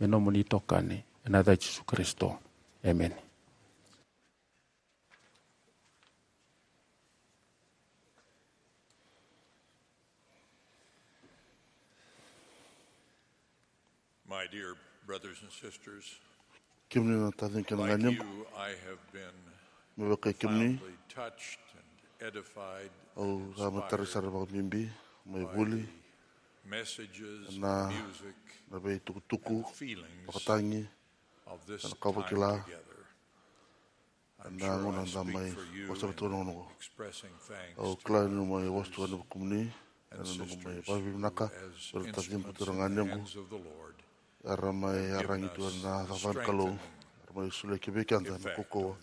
me nomuni itokani, ena yaca i Jisu Karisito. Emeni. My dear brothers and sisters, kemuni na taciqu kei na ganequ, I have been me vaka kemuni, profoundly touched and edified au sa matara sara vakabibi mai vuli messages, na, music, na veitukutuku, and feelings vakatagi, of this ena ka time vakila together. Ena gauna da mai wasava tu na gauna oqo. Au kila ni mai wasava tu na kumuni ena noqu mai vakavivinaka vei ira taciqu, turaga, ganequ, era mai yaragi tu ena cakacaka ni Kalou, era mai solia vei keda na kaukauwa.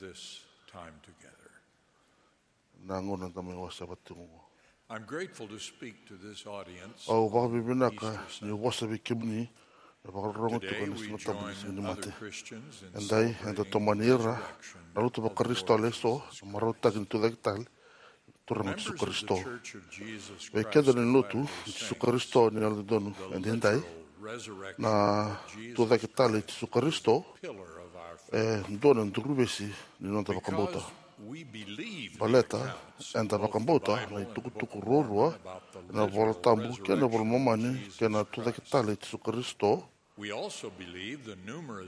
Na gauna da mai wasava tu oqo. I'm grateful to speak to this audience. Au vakavivinaka ni vosa vei kemuni na vakarorogo tiko ena Siga Tabu ni Siganimate. Edai eda tomani ira na lotu vaKarisito eso na marautaki ni tucake tale ni Turaga o Jisu Karisito. Vei keda na lotu i Jisu Karisito ni Yalododonu Edaidai, na tucake tale i Jisu Karisito e dua na duruvesi ni noda vakabauta. Baleta eda vakabauta na itukutuku ruarua ena iVola Tabu kei na iVola i Momani kei na tucake tale i Jisu Karisito,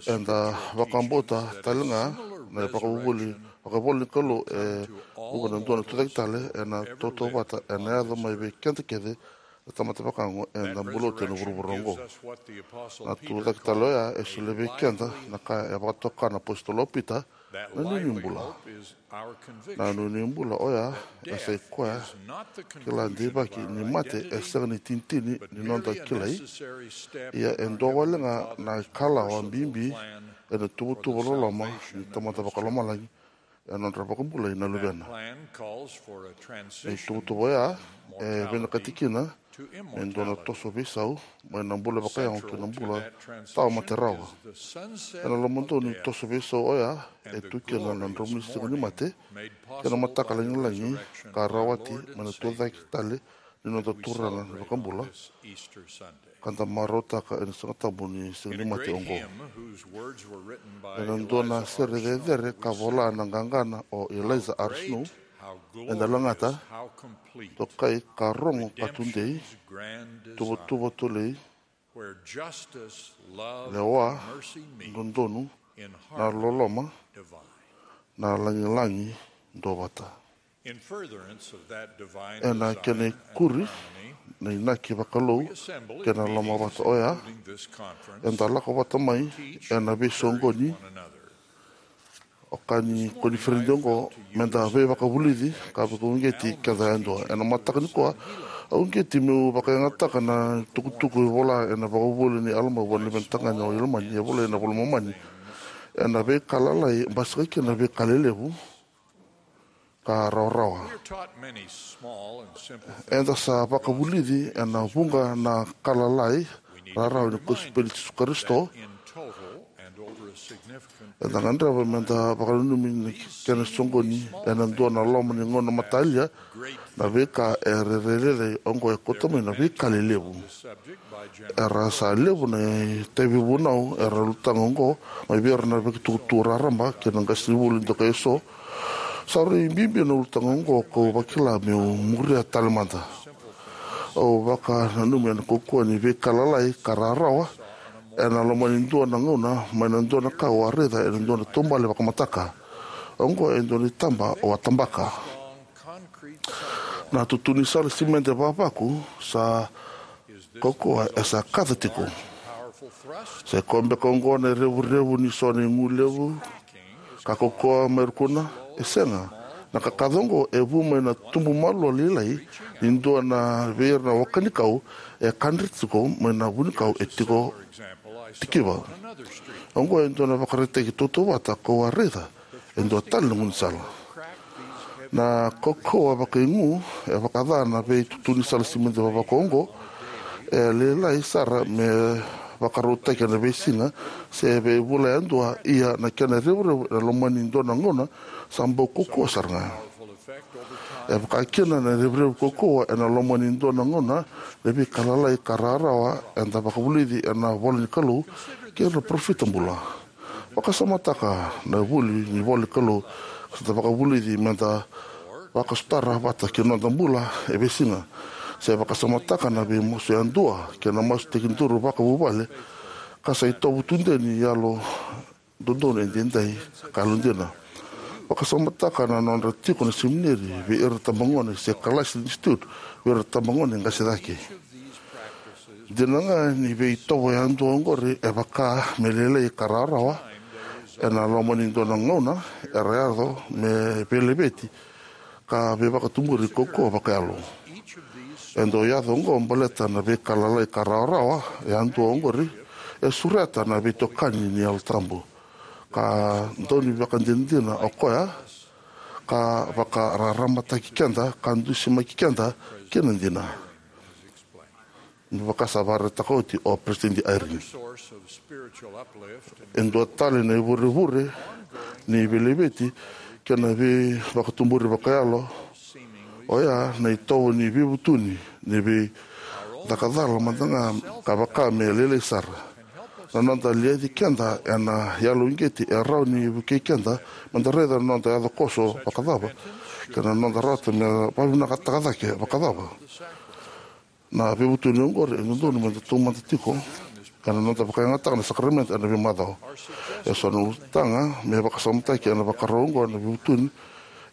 eda vakabauta talega na ivakavuvuli vakaivolanikalou e vuqa na dua na tucake tale ena tautauvata ena yaco mai vei keda kece na tamata vakayago eda bula oti ena vuravura oqo. Na tucake tale oya e solia vei keda na ka e vakatoka na apositolo o Pita na nuinui bula. Na nuinui bula oya e sai koya kila deivaki ni mate e sega ni itinitini ni noda kilai, ia e dua wale ga na ikalawa bibi ena tuvatuva loloma ni Tamada Vakalomalagi ena nodra vakabulai na luvena. Na ituvatuva oya e vinakati kina me dua na toso veisau mai na bula vakayago ki na bula tawa mate rawa. Ena lomadonu ni toso veisau oya e tu kina na dromu ni Siganimate kei na mataka lagilagi ka rawati mai na tucake tale ni noda Turaga na iVakabula, ka da marautaka ena Siga Tabu ni Siganimate oqo. Ena dua na sere cecere ka vola na qaqana o Eliza R. Snow, eda lagata: Tokai ka rogo ka tudei, tuvatuva tolei, lewa, dodonu, na loloma, na lagilagi duavata. Ena kena ikuri na inaki vakalou kei na lomavata oya, eda lako vata mai ena veisoqoni O ka ni koniferedi oqo me da veivakavulici ka vakauqeti keda yadua. Ena mataka nikua, au uqeti meu vakayagataka na tukutuku e vola ena vakavuvuli ni Alama vua na luvena tagane o Ilamani, e volai ena iVola i Momani. Ena veika lalai basika kina na veika lelevu ka rawarawa. Eda sa vakavulici ena vuqa na ka lalai rarawa ni kosipeli i Jisu Karisito. Eda gadreva me da vakananumi na kena soqoni ena dua na loma ni gauna matalia. Na veika e rairai lailai oqo e kauta mai na veika lelevu. Era sa levu na itavi vunau era ulutaga oqo mai vei ira na veitukutuku raraba kei na qasenivuli dokai eso. Sa rui bibi na ulutaga oqo kau vakila meu muria tale mada. Au vakananumi ena kaukauwa ni veika lalai ka rarawa ena loma ni dua na gauna mai na dua na ka au a raica ena dua na taubale vakamataka. Oqo e dua na itaba au a tabaka. Na tutu ni sala simede vavaku sa kaukauwa e sa kaca tiko. Sa i koya beka oqo na revurevu ni so na igu levu ka kaukauwa mai rukuna? E sega. Na ka kaca oqo e vu mai na tubu malua lailai ni dua na vei ira na waka ni kau e kadre tiko mai na vunikau e tiko tikiva. Oqo e dua na ivakaraitaki tautauvata kau a raica e dua tale na gaunisala. Na kaukauwa vakaigu e vakaca na veitutu ni sala simede vavaku oqo e lailai sara me vakarautaki ena veisiga se veivula yadua, ia na kena revurevu ena loma ni dua na gauna sa bau kaukauwa sara ga. E vaka kina na revurevu kaukauwa ena loma ni dua na gauna na veika lalai ka rarawa eda vakavulici ena ivola ni Kalou kei ira na parofita bula. Vakasamataka na vuli ni ivola ni Kalou ka sa da vakavulici me da vakasotara vata kei na noda bula e veisiga. Se vakasamataka na veimasu yadua kei na masu tekiduru vakavuvale ka sa itovo tudei ni yalo dodonu edaidai ka yalodina. Vakasamataka na nodra tiko na semineri vei ira na tabagone se kalasi ni institute vei ira na tabagone qase cake. Dina ga ni veitovo yadua oqori e vaka me lailai ka rawarawa, ena loma ni dua na gauna era yaco me veilaveti ka veivakatuburi kaukauwa vakayalo. E dau yaco oqo baleta na veika lalai ka rawarawa yadua oqori e sureta na veitokani ni Yalo Tabu ka dau ni vakadinadina o koya ka vakararamataki keda ka dusimaki keda ki na dina. Me vaka sa vakaraitaka oti o Peresitedi Eyring, e dua tale na ivurevure ni veilaveti kei na veivakatuburi vakayalo oya na itovo ni veivutuni ni veicakacala mada ga ka vaka me lailai sara. Na noda liaci keda ena yalo uqeti e rawa ni vukei keda me da raica na noda yaco koso vakacava kei na noda rawata me vakavinakataka cake vakacava. Na veivutuni oqori e dodonu me da taumada tiko ena noda vakayagataka na sakaramede ena veimacawa. E so na ulutaga me vakasamataki ena vakarau oqo na veivutuni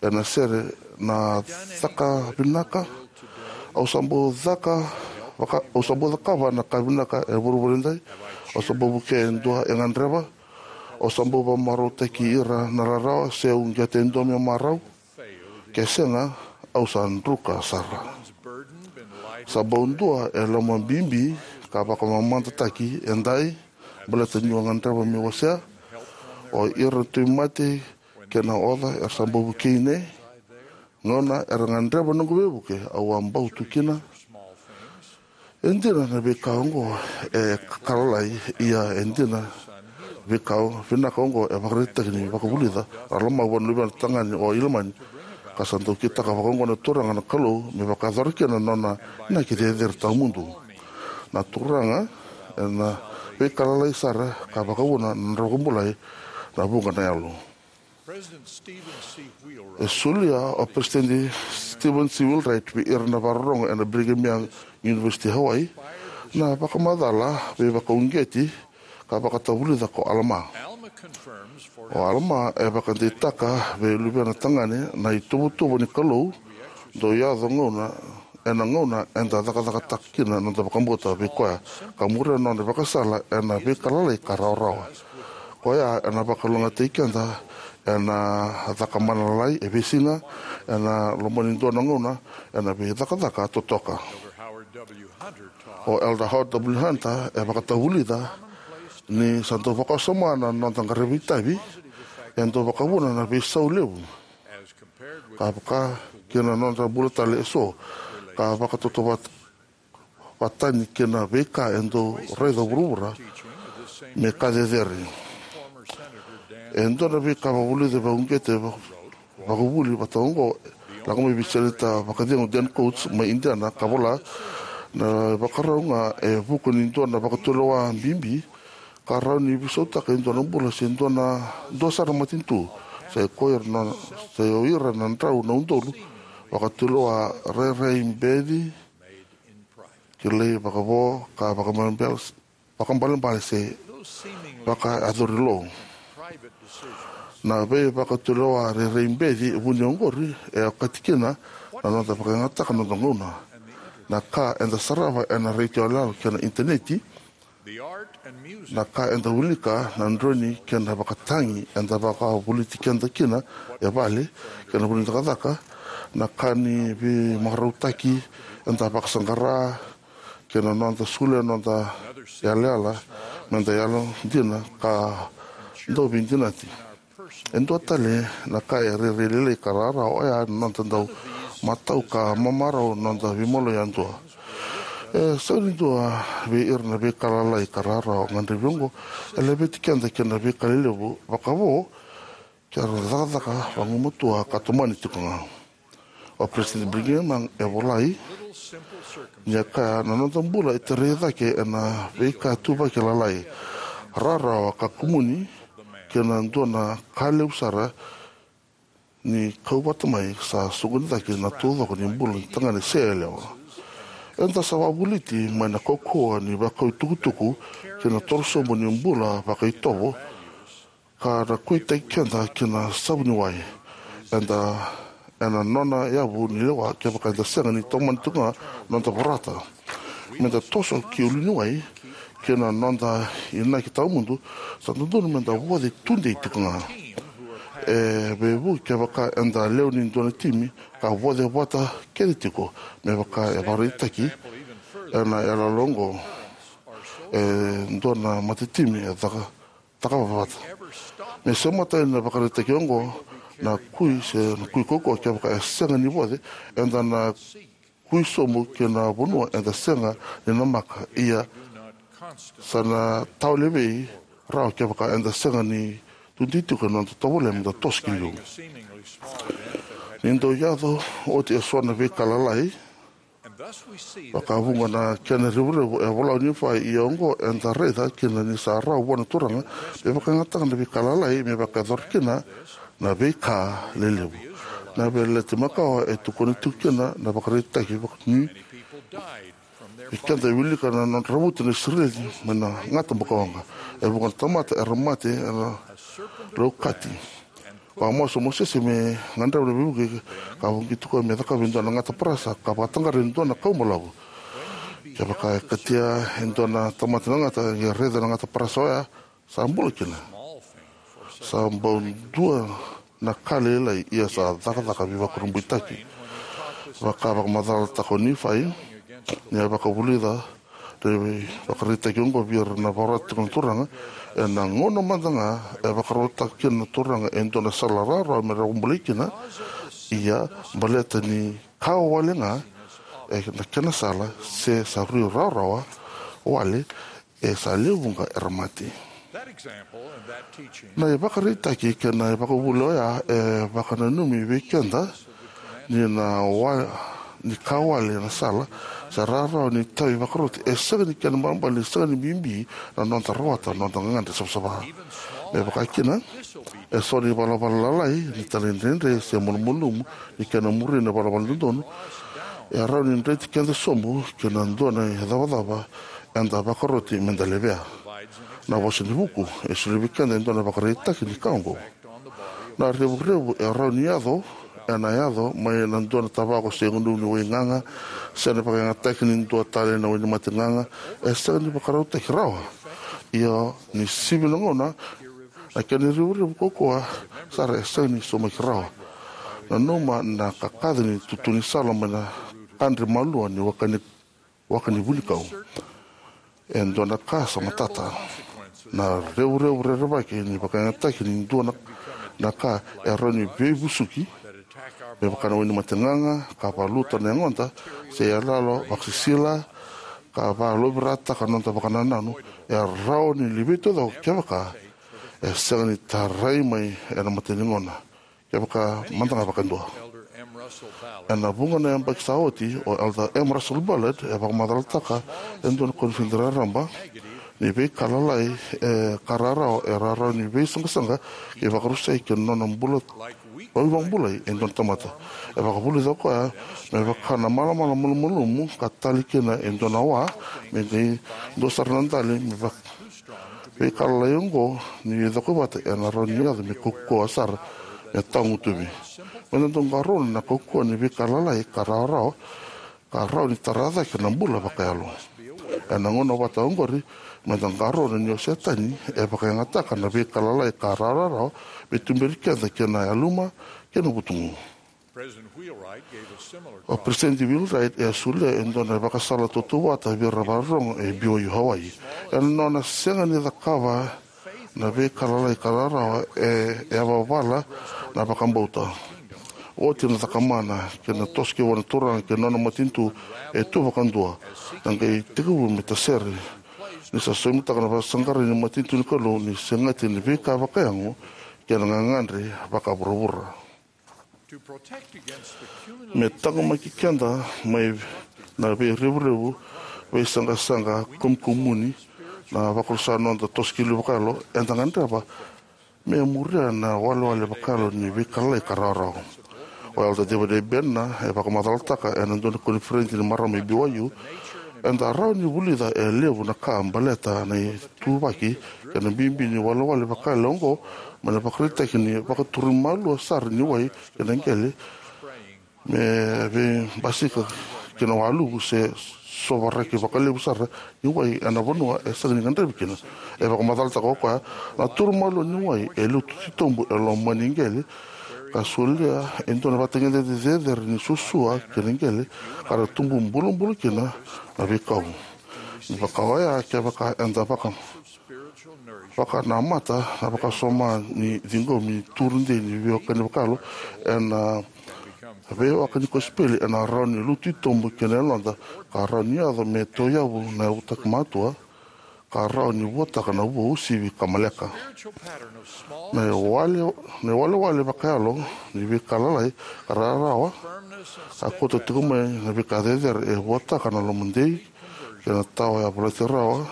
ena sere na caka vinaka. Au sa bau caka, vaka, au sa bau cakava na ka vinaka e vuravura edai. Au sa bau vukea e dua e gadreva. Au sa bau vakamarautaki ira na rarawa se uqeta e dua me marau. Ke sega, au sa druka sara. Sa bau dua e loma bibi ka vakamamadataki edai baleta niu a gadreva meu wasea. O ira na tauvimate kei na oca era sa bau vukei ne gauna era gadreva noqu veivuke au a bau tu kina. E dina na veika oqo e ka lalai, ia e dina veika vinaka oqo e vakaraitaki ni vakavulica na loma vua na luvena tagane o Ilamani. Ka sa dau kitaka vakaoqo na Turaga na Kalou me vakayacora kina na nona inaki cecere tawamudu. Na Turaga ena veika lalai sara ka vakavuna na nodra vakabulai na vuqa na yalo. E solia o Peresitedi Stephen C. Wheelwright vei ira na vakarorogo ena Brigham Young University Hawaii na vakamacala veivakauqeti ka vakatavulica ko Alama. O Alama e vakadeitaka vei luvena tagane na ituvatuva ni Kalou dau yaco gauna ena gauna eda cakacakataka kina na noda vakabauta vei koya ka muria na nona ivakasala ena veika lalai ka rawarawa. Koya ena vakalougatataki keda ena caka mana lalai e veisiga, ena loma ni dua na gauna ena veicakacaka totoka. O Elder Howard W. Hunter e vakatavulica ni sa dau vakawasoma na noda qaravi itavi e dau vakavuna na veisau levu ka vaka kina na noda bula tale eso, ka vakatautauvata vatani kei na veika e dau raica vuravura me ka cecere. E dua na veika vakavulici vakauqeti vakavuli vata oqo, lako mai vei Seneta vakacegu Dan Coats mai Indiana ka vola, na ivakarau ga e vuku ni dua na vakatulewa bibi ka rawa ni veisautaka e dua na bula se dua na dua sara na matanitu. Sa i koya na, sa i o ira na drau na udolu vakatulewa rairai beci, kilai vakavo ka vakabalebale, vakabalebale se vakayacori lo. Na veivakatulewa rairai beci vuni oqori e okati kina na noda vakayagataka na noda gauna, na ka eda sarava ena retio yaloyalo kei na initaneti, na ka eda wilika, na droni kei na vakatagi eda vakavoliti keda kina e vale kei na vanua ni cakacaka, na ka ni veimarautaki eda vakasaqara, kei na noda solia na noda yalayala meda yalodina ka dau veidinati. E dua tale na ka e rairai lailai ka rawarawa oya na noda dau matau ka mamarau na noda veimaloi yadua. E sega ni dua vei ira na veika lalai ka rawarawa gadrevi oqo e laveti keda kei na veika lelevu vakavo ke ra cakacaka vagumatua ka tomani tiko ga. O Peresitedi Brigham Young e volai ni a kaya, na noda bula e tarai cake ena veika tuvaki lalai, rawarawa ka kumuni, kei na dua na ka levu sara ni kau vata mai sa soqoni cake na taucoko ni bula ni tagane se yalewa. Eda sa vakavoliti mai na kaukauwa ni vakau itukutuku kei na torosobu ni bula vakaitovo ka na kuitaki keda ki na savu ni wai. Eda ena nona yavu ni lewa kevaka eda sega ni tomani tiko ga noda vorata meda toso ki uluniwai kei na noda inaki tawamudu, sa dodonu meda voce tudei tiko ga. E veivuke kevaka eda lewe ni dua na timi ka voce vata kece tiko, me vaka e vakaraitaki ena yalayala oqo, e dua na matatimi e caka, cakava vata. Me semata yani na vakaraitaki oqo na kui se na kui kaukaua, kevaka e sega ni voce, eda na kui sobu ki na vanua eda sega ni namaka. Ia, sa na tawa levei rawa kevaka eda sega ni tudei tiko ena noda tovolea meda toso ki liu. Ni dau yaco oti eso na veika lalai, vakavuqa na kena revurevu, e vola o Nifai, ia oqo eda raica kina ni sa rawa vua na Turaga me vakayagataka na veika lalai me vakayacora kina na veika lelevu. Na Veiyalayalati Makawa e tukuna tiko kina na vakaraitaki vaka ni vei keda e wilika na nodra ravuti na Isireli mai na gata bukawaqa. E vuqa na tamata era mate ena laukati. Vakamasu o Mosese me gadreva na veivuke ka vuki tiko me cakava e dua na gata parasa ka vakataqara e dua na kau balavu. Kevaka e katia e dua na tamata na gata, e raica na gata parasa oya, sa bula kina. Sa bau dua na ka lailai, ia sa cakacaka veivakurabuitaki. Vaka vakamacalataka o Nifai ni a vakavulica na vakaraitaki oqo vei ira na vakarota tiko na Turaga, ena gauna mada ga e vakarautaka kina na Turaga e dua na sala rawarawa me ra vakabulai kina, ia baleta ni ka wale ga e na kena sala, se sa rui rawarawa wale, e sa lewe vuqa era mate. Na ivakaraitaki kei na ivakavuvuli oya e vakananumi vei keda ni na wa, ni ka wale na sala se rawarawa ni tavi vakaroti e sega ni kena balabala ni sega ni bibi na noda rawata na noda gagadre savasava. Me vaka kina, eso na ivalavala lalai ni talaidredre se malumalumu ni kena muria na ivalavala dodonu e rawa ni dreti keda sobu ki na dua na icavacava eda vakaroti meda levea. Na Vosa ni Vuku e solia vei keda e dua na ivakaraitaki ni ka oqo. Na revurevu e rawa ni yaco, ena yaco mai na dua na tavako se gunuva ni wai gaga, se na vakayagataki ni dua tale na wainimate gaga, e sega ni vakarautaki rawa. Ia ni sivi na gauna, Na kena revurevu kaukauwa sara e sega ni saumaki rawa. Nanuma na kakaca ni tutu ni sala mai na kadre malua ni waka ni, waka ni vunikau. E dua na ka sa matata. Na revurevu rerevaki ni vakayagataki ni dua na, na ka e rawa ni veivusuki, me vaka na wainimate gaga, ka valuta na yagoda, se iyaloyalo vakasisila, ka valovirataka noda vakanananu, e rawa ni liveti taucoko kevaka e sega ni tarai mai ena mata ni gona, kevaka mada ga vakadua. Ena vuqa na yabaki sa oti, o Elder M. Russell Ballard e vakamacalataka e dua na koniferedi raraba ni veika lalai e ka rawarawa e rawa ni veisaqasaqa kei vakarusai ki na nona bula, vakabulai e dua na tamata. E vakavulica o koya me vaka na malamala malumalumu ka tali kina e dua na wa, me qai dua sara na dali, me vaka veika lalai oqo ni coko vata ena rawa ni yaco me kaukauwa sara, me tawagutuvi. Meda dau qarauna na kaukauwa ni veika lalai ka rawarawa ka rawa ni tara cake na bula vakayalo. Ena gauna vata oqori, meda qarauna ni o Setani e vakayagataka na veika lalai ka rawarawa me tuberi keda kei na yaluma kei na vutugu. O President Wheelwright e a solia e dua na ivakasala tautauvata vei ira vakarorogo e B Y U Hawaii. Ena nona sega ni cakava na veika lalai ka rawarawa, e, e a vavala na vakabauta. Oti na cakamana kei na toso kei vua na Turaga kei na nona matanitu e tu vakadua. Na qai tekivu me tasere ni sa somitaka na vakasaqarai ni matanitu ni Kalou ni segati ni veika vakayago kei na gagadre vakavuravura. Me taqomaki keda mai na veirevurevu, veisaqasaqa, kumukumuni, na vakarusa noda toso ki liu vakayalo, eda gadreva me muria na walewale vakayalo ni veika lalai ka rawarawa. O Elder David A. Bednar e vakamacalataka ena dua na koniferedi ni marama e B Y U, eda rawa ni vulica e levu na ka baleta na ituvaki kei na bibi ni walewale vakayalo oqo, mai na ivakaraitaki ni vakaturi malua sara ni wai kei na qele, me veibasika ki na waluvu, se sovaraki vakalevu sara ni wai ena vanua e sega ni gadrevi kina. E vakamacalataka o koya, na turu malua ni wai e lutu titobu e loma ni qele, ka solia e dua na ivakatagedegede cecere ni suasua kei na qele, ka ra tubu bulabula kina na veikau. Ni vaka oya, kevaka eda vaka, vakanamata na vakasoma ni ciqomi ni turu dei ni veiwekani vakayalo ena veiwaka ni kosipeli, ena rawa ni lutu titobu kina yaloda, ka rawa ni yaco me tauyavu na yavutaki matua, ka rawa ni vuataka na vua uasivi ka maleka. Na iwale, na iwalewale vakayalo ni veika lalai ka rawarawa, ka kauta tiko mai na veika cecere, e vuataka na lomadei kei na tawa yavalati rawa,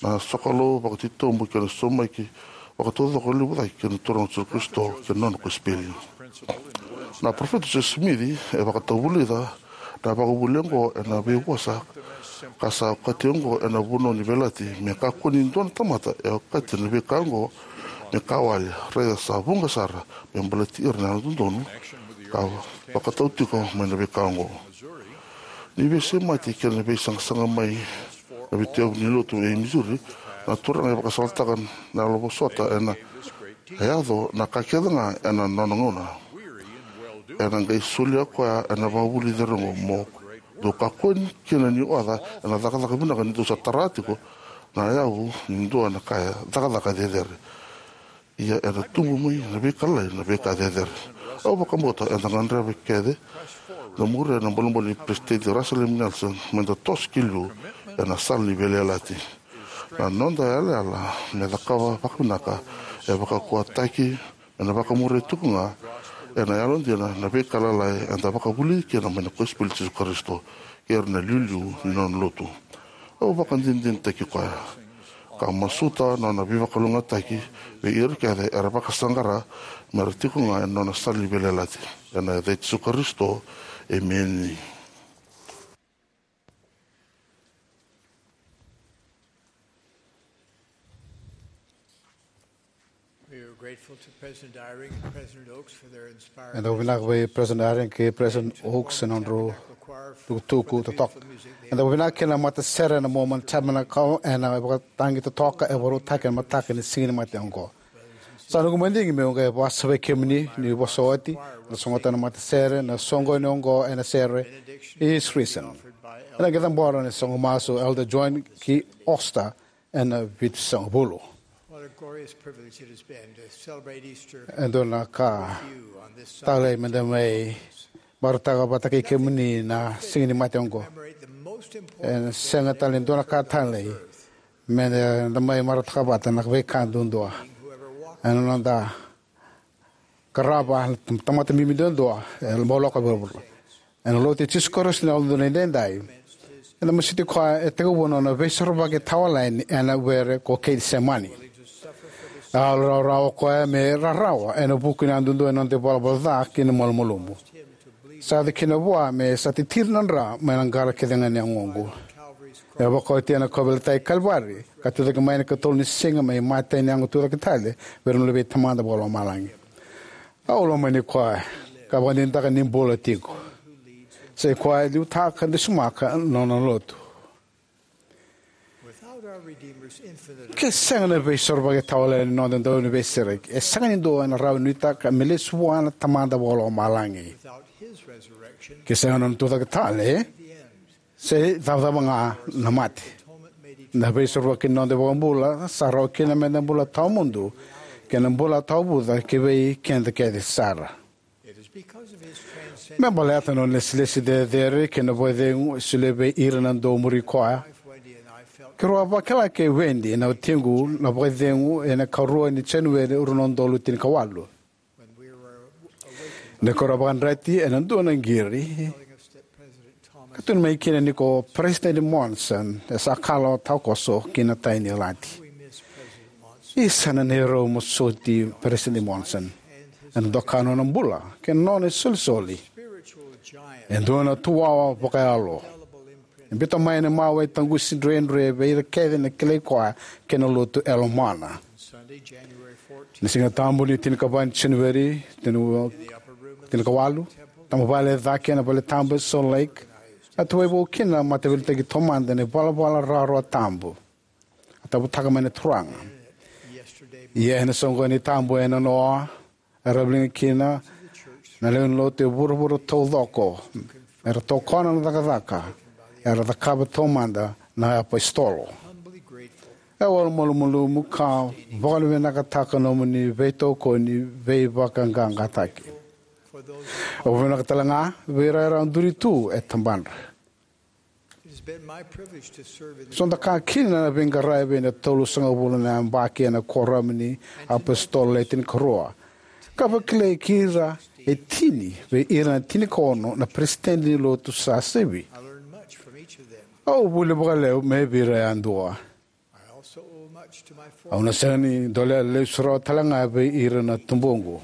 na sokalou vakatitobu kei na saumaki vakataucoko levu cake kei na Turaga o Jisu Karisito kei na nona kosipeli. Na parofita Joseph Smith e vakatavulica na vakavuvuli oqo ena veivosa ka sa okati oqo ena vanua ni veiyalayalati: Me kakua ni dua na tamata e okati na veika oqo me ka wale, raica sa vuqa sara, me baleti ira na yalododonu ka vakatau tiko mai na veika oqo. Ni veisemati kei na veisaqasaqa mai na veitauyavu ni lotu e Missouri, na Turaga e vakasalataka na yalovosota ena yaco na ka kece ga ena nona gauna. Ena qai solia o koya ena vakavuvuli cecere oqo: Mo dou kakua kina ni oca ena cakacaka vinaka ni dou sa tara tiko na yavu ni dua na ka e cakacaka cecere, ia ena tubu mai na veika lalai na veika cecere. Au vakabauta eda gadreva kece na muria na bolebole ni Peresitedi Russell M. Nelson, meda toso ki liu ena sala ni veiyalayalati. Na noda yalayala me cakava vakavinaka e vakaukauwataki ena vakamuria tiko ga ena yalodina na veika lalai eda vakavulici kina mai na kosipeli i Jisu Karisito kei ira na iliuliu ni nona lotu. Au vakadinadinataki koya ka masuta nona veivakalougatataki vei ira kece era vakasaqara mera tiko ga ena nona sala ni veiyalayalati. Ena yaca i Jisu Karisito, emeni. We are grateful to President Eyring and President Oaks for their inspiring Eda vinaka vei President Eyring kei President Oaks ena nodrau tukutuku totoka. Eda vinaka kina na matasere na Mormon Tabernacle ena vakatagi totoka e vakarautaki ena mataka ni Siganimate oqo. Sa noqu madigi meu qai vosa vei kemuni ni vosa oti, na sogota na matasere, na soqoni oqo ena sere, Is Risen. Ena qai cabora na soqo masu Elder John K. Osteen ena vitusagavulu. What a glorious privilege it has been to celebrate Easter E dua na ka with you on this talei Sunday. Meda mai marautaka vata kei kemuni na siga ni mate oqo. Commemorate the most important Ena sega tale e dua na ka talei meda mai marautaka vata na veika duadua. Ena noda qarava na tamata bibi duadua e bau lako i vuravura. Ena Lotu i Jisu Karisito ni Yalododonu Edaidai, eda masuti koya e tekivu na nona veisorovaki tawayalani ena were ko Kecisemani. A yalo rawarawa o koya me rarawa ena vuku ni yadudua ni noda ivalavala ca kei na malumalumu. Sa yaco kina vua me sa titiri na dra mai na qara kece ga ni yagoqu. E vakaotia na kauveilatai e Kalivari, ka tucake mai ena ikatolu ni siga me imatai ni yago tucake tale vei ira na luvei Tamada Vakalomalagi. Au lomani koya, ka vakadinadinataka ni bula tiko. Sa i koya e liutaka ka dusimaka na nona lotu. Without our Redeemer's infinite Ke sega na veisorovaki tawayalani ni noda Dauniveisereki, e sega ni dua ena rawa ni nuitaka me lesu vua na Tamada Vakalomalagi. Without his resurrection, Ke sega na nona tucake tale, the end. Se cavacava ga na mate. Na veisorovaki ni noda iVakabula sa rawa kina meda bula tawamudu kei na bula tawavuca ki vei keda kece sara. It is because of his transcendent Me baleta na nona lesilesi cecere kei na vakacegu e solia vei ira na dau muri koya. Wife Wendy and I felt Keirau a vakila kei Wendy na watiqu na vakacegu ena ikarua ni Janueri rua na udolu tinikawalu. When we were awakened Ni keirau a vakayadrati ena dua na qiri, telling us that President Thomas ka tukuni mai kina ni ko Peresitedi Monson e sa kala o takoso ki na tai ni lati. We miss President Monson. Isa na neirau mosoti Peresitedi Monson. Ena doka na nona bula kei na nona isolisoli. Spiritual giant. E dua na tuwawa vakayalo. Indelible imprint. E biuta mai na mawe taqusi dredre vei ira kece na kilai koya kei na lotu e lomana. Sunday, January fourteenth. Na Siga Tabu ni tinikava ni Janueri, tini-, In the upper room of the tinikawalu, temple, tamavale e cake ena vale tabu e Salt Lake, a tuvai vou kina na mataveiliutaki taumada ni valavala rawarawa tabu. A tavutaka mai na Turaga. Yesterday, Ia ena soqoni tabu e nanoa, era viliga kina na lewe ni lotu e vuravura taucoko, era tokona na cakacaka era cakava taumada na apositolo. Humbly grateful. E au malumalumu ka vakavinavinakataka nomuni veitokoni veivakaqaqataki. For those Au vinaka tale ga vei ira era duri tu e tabadra. It has been my privilege to serve in the Sa dau ka kina na veiqaravi ena tolusagavulu na yabaki ena Kuoramu ni iApositolo Le Tinikarua, ka vakilai kei ira e tini vei ira na tinikaono na peresitedi ni lotu sa sivi. I learned much from each of them. Au vuli vakalevu mai vei ira yadua. I also owe much to my Au na former sega ni dolea lesu rawa tale ga vei ira na tubuqu. Of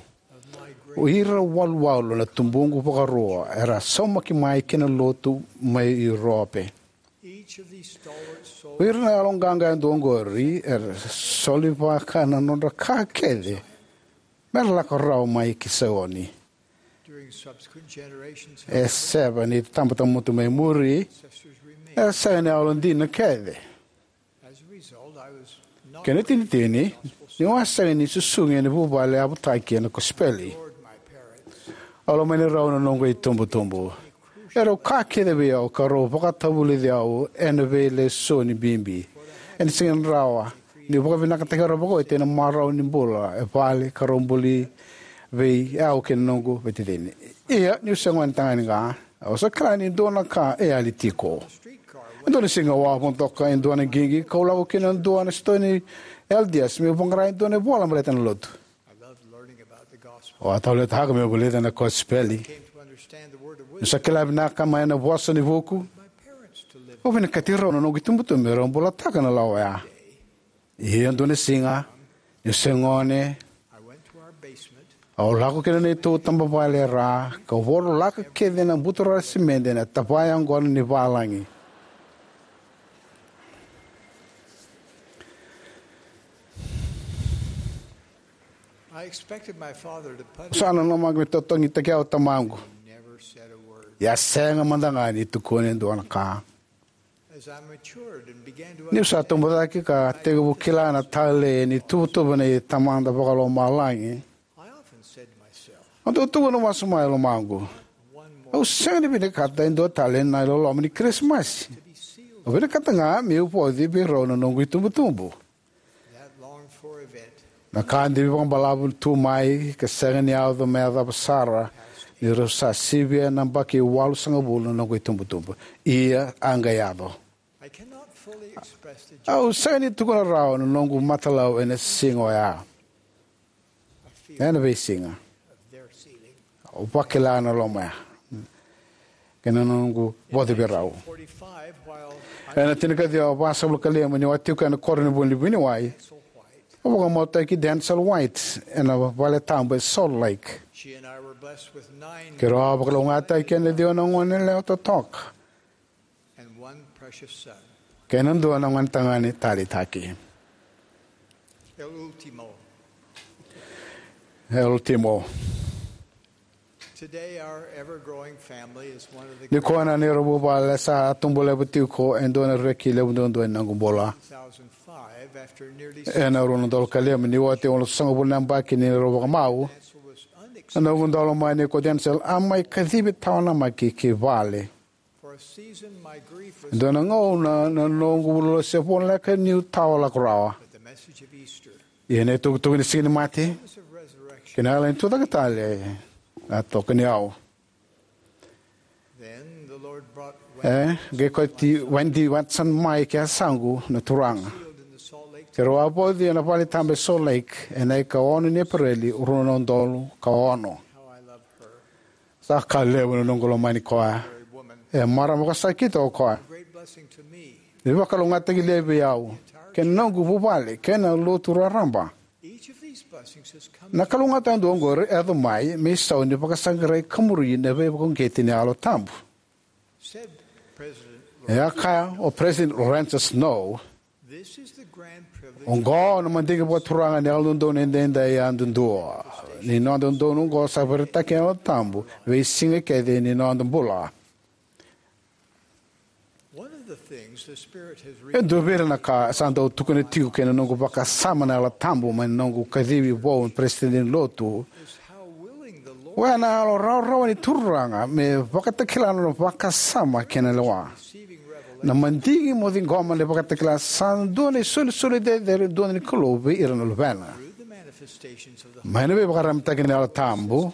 my great O ira waluwalu na tubuqu vakarua era saumaki mai ki na lotu mai Urope. Each of these stalwart O ira na soldiers yaloqaqa yadua oqori era solivaka na nodra ka kece mera lako rawa mai ki Saioni. During subsequent generations, E however, sere ni tabatabamutu mai muri, ancestors remained era sega ni yalodina kece. As a result, I was not Kena itinitini, niu a sega ni susugi ena vuvale yavutaki ena kosipeli. Lord, my parents. Au lomani rau na noqu itubutubu. Erau ka kece vei au ka rau vakatavulici au ena veilesoni bibi. Ena sega ni rawa niu vakavinakataki rau vakaoti ena marau ni bula e vale ka rau buli vei au kei na noqu veiticini. Ia, niu se gone tagane ga, au sa kila ni dua na ka e yali tiko. E dua na siga au a vodoka e dua na qiqi kau lako ki na dua na sitoa ni L D S meu vaqara e dua na ivola baleta na lotu. I loved learning about the gospel. Au a taleitaka meu vulica na kosipeli. Came to understand the word of Niu sa wisdom. Kila vinaka mai na vosa ni vuku, My parents to live. Au vinakati rau na noqu itubutubu me rau bulataka na lawa oya. Ia dua na siga, niu se gone, I went to our basement. Au lako ki na neitou tabavale e ra, kau vorolaka kece na buturara simede ena tavaya oqo ni valagi. I expected my father to punish Sa nanuma me totogitaki au tamaqu. Never said a word. Ia sega mada ga ni tukuna e dua na ka. Niu sa tubu cake ka tekivu kila na talei ni tuvatuva nei Tamada Vakalomalagi, au dau tukuna masu mai e lomaqu, au sega ni vinakata e dua tale na iloloma ni Kirisimasi. Au vinakata ga meu vauci vei rau na noqu itubutubu. Na ka divi vakabalavu tu mai ka sega ni yaco me yacova sara ni rau sa sivia na yabaki walusagavulu na noqu itubutubu. Ia, a qai yaco. Au sega ni tukuna rawa na noqu matalau ena siga oya. Ena veisiga, au vakila na loma ya kei na noqu vauci vei rau. Ena tinikaciwa vasagavulu ka lima, niu a tiko ena koro ni vuniwai, au vakamautaki Denzil White ena valetabu e Salt Lake. Keirau a vakalougatataki ena ciwa na gone yalewa totoka kei na dua na gonetagane taleitaki. El Ultimo. Nikua na neirau vuvale sa tubu levu tiko e dua na reki levu duadua ni noqu bula. Ena rua na udolu ka lima, ni oti e walusagavulu na yabaki ni neirau vakamau, na noqu daulomani ko Denzil a mai kacivi tawanamaki ki vale. E dua na gauna na noqu lolosi e voleka niu tawa lako rawa. Ia na itukutuku ni Siganimate kei na Yalo ni Tucake Tale a tokoni au. E qai kauti Wendy Watson mai ki yasaqu na Turaga. Keirau a vauci ena valetabu e Salt Lake ena ikaono ni Epereli, rua na udolu ka ono. Sa ka levu na noqu lomani koya. E marama vakasakiti o koya. Ni vakalougatataki levu vei au kei na noqu vuvale kei na lotu raraba. Na kalougata yadua oqori e yaco mai me isau ni vakasaqarai ka muri na veivakauqeti ni Yalo Tabu. E a kaya o Peresitedi Lorenzo Snow, "Oqo na madigi vakaturaga ni Yalododonu Edaidai yadudua. Ni noda dodonu oqo sa vakaraitaki ena Yalo Tabu veisiga kece ni noda bula." E dua vei ira na ka sa dau tukuna tiko kei na noqu vakasama na Yalo Tabu mai na noqu kacivi vou na Peresitedi ni Lotu, oya na yalo rawarawa ni Turaga me vakatakila na nona vakasama kei na lewa. Na madigi mo ciqoma na ivakatakila sa dua na isolisoli cecere duadua ni Kalou vei ira na luvena. Mai na veivakararamataki ni Yalo Tabu,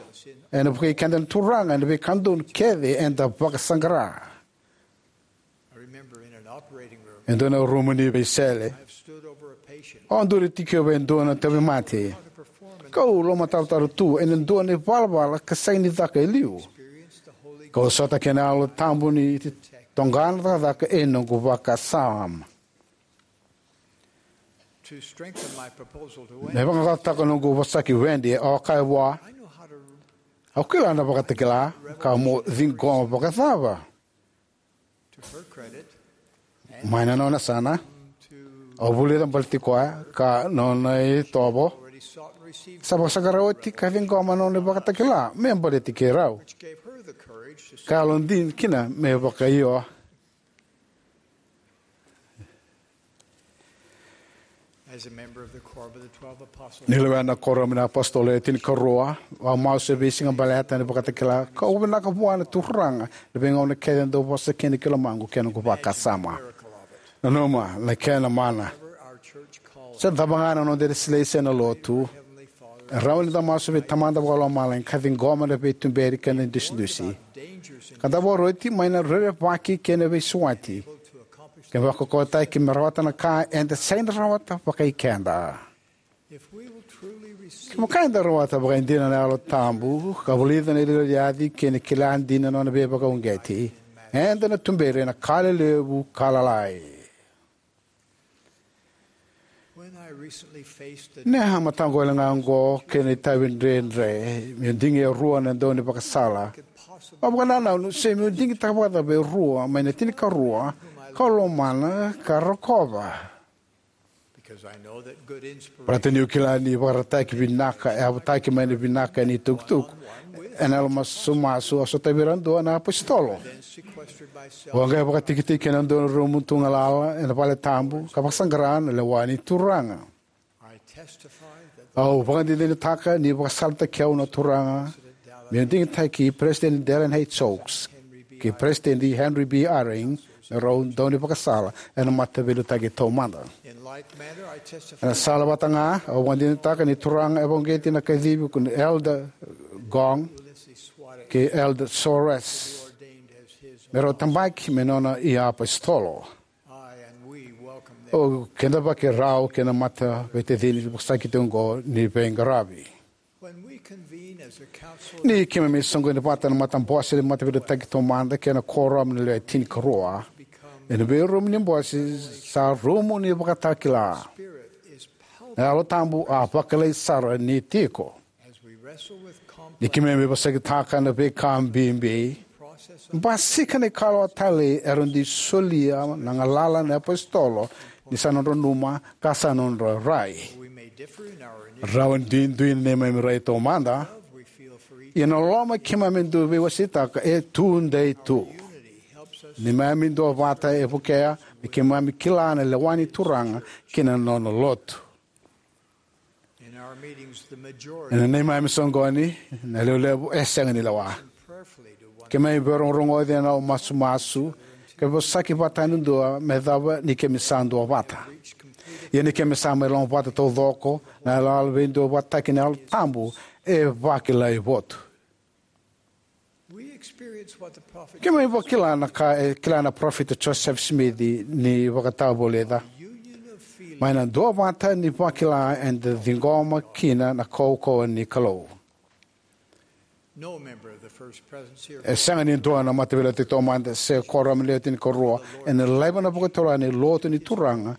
ena vukei keda na Turaga ena veika donu kece eda vakasaqara. E dua na rumu ni veisele, au duri tiko vei e dua na tauvimate, kau lomatarotaro tu ena dua na ivalavala ka sega ni caka e liu. Kau sota kei na Yalo Tabu ni toqa na cakacaka e noqu vakasama. Me vaqaqacotaka noqu vosaki Wendy, au kaya vua, "Au kila na vakatakila, ka mo ciqoma vakacava?" Mai na nona yasana, au vulica baleti koya ka nona itovo. Sa vakasaqara oti ka ciqoma na nona ivakatakila me baleti keirau, ka yalodina kina me vakaio. Ni lewena na Kuoramu ni iApositolo e Tinikarua, au masu e veisiga baleta na ivakatakila, kau vinaka vua na Turaga na veigauna kece e dau vosa kina ki lomaqu kei na noqu vakasama. Nanuma na kena mana. Se cava ga na noda ilesilesi ena Lotu, e rawa ni da masu vei Tamada Vakalomalagi ka ciqoma na veituberi kei na idusidusi, ka da vakaroti mai na rerevaki kei na veisawati, ka vakaukauwataki me rawata na ka eda sega ni rawata vakaikeda. Kevaka eda rawata vakaidina na Yalo Tabu ka vulica na iliuliu ni Yalo kei na kila dina na nona veivakauqeti, eda na tuberi ena ka lelevu ka lalai. Ni a mataqali ga oqo kei na itavi dredre, meu digi e rua na daunivakasala. Au vakanananu se meu digitaka vakacava e rua mai na tinikarua kau lomana ka rokova. Baleta niu kila ni ivakaraitaki vinaka e yavutaki mai na vinaka ena itukutuku, Ena yalo masumasu, au sotavi ira dua na apositolo. Au a qai vakatikitiki ena dua na rumu tu galala ena vale tabu ka vakasaqara na lewa ni Turaga. Au vakadinadinataka ni vakasalataki au na Turaga meu digitaki Peresitedi Dallin H. Oaks kei Peresitedi Henry B. Eyring me rau daunivakasala ena Mataveiliutaki Taumada. Ena sala vata ga, au vakadinadinataka ni Turaga e vakauqeti na kacivi ko Elder Gong kei Elder Soares me rau tabaki me nona iapositolo. O keda vaka rau kei na mataveitacini vakasakiti oqo ni veiqaravi. Ni keimami soqoni vata na matabose ni Mataveiliutaki Taumada kei na Kuoramu ni Lewe Tinikarua ena veirumu ni bose sa rumu ni vakatakila, na Yalo Tabu a vakilai sara ni tiko. Ni keimami veivosakitaka na veika bibi, basika na ikalawa talei era dui solia na galala na iapositolo ni sa nodra nanuma ka sa nodra rai. Rawa ni duidui na neimami rai taumada, ia na loloma keimami dui veiwaseitaka e tudei tu. Neimami duavata e vukea me keimami kila na lewa ni Turaga kei na nona lotu. Ena neimami soqoni, na levulevu e sega ni lewa. Keimami veirogorogoci ena yalo masumasu ka veivosaki vata yani dua me cava ni keimami sa duavata. Ia ni keimami sa mai lomavata taucoko, na iyaloyalo veiduavataki ni Yalo Tabu e vakilai votu. Keimami vakila na ka e kila na Parofita Josefa Simici ni vakatavulica: Mai na duavata ni vakila eda ciqoma kina na kaukauwa ni Kalou. E sega ni dua na Mataveiliutaki Taumada se Kuoramu ni Lewe Tinikarua ena laiva na vakatulewa ni lotu ni Turaga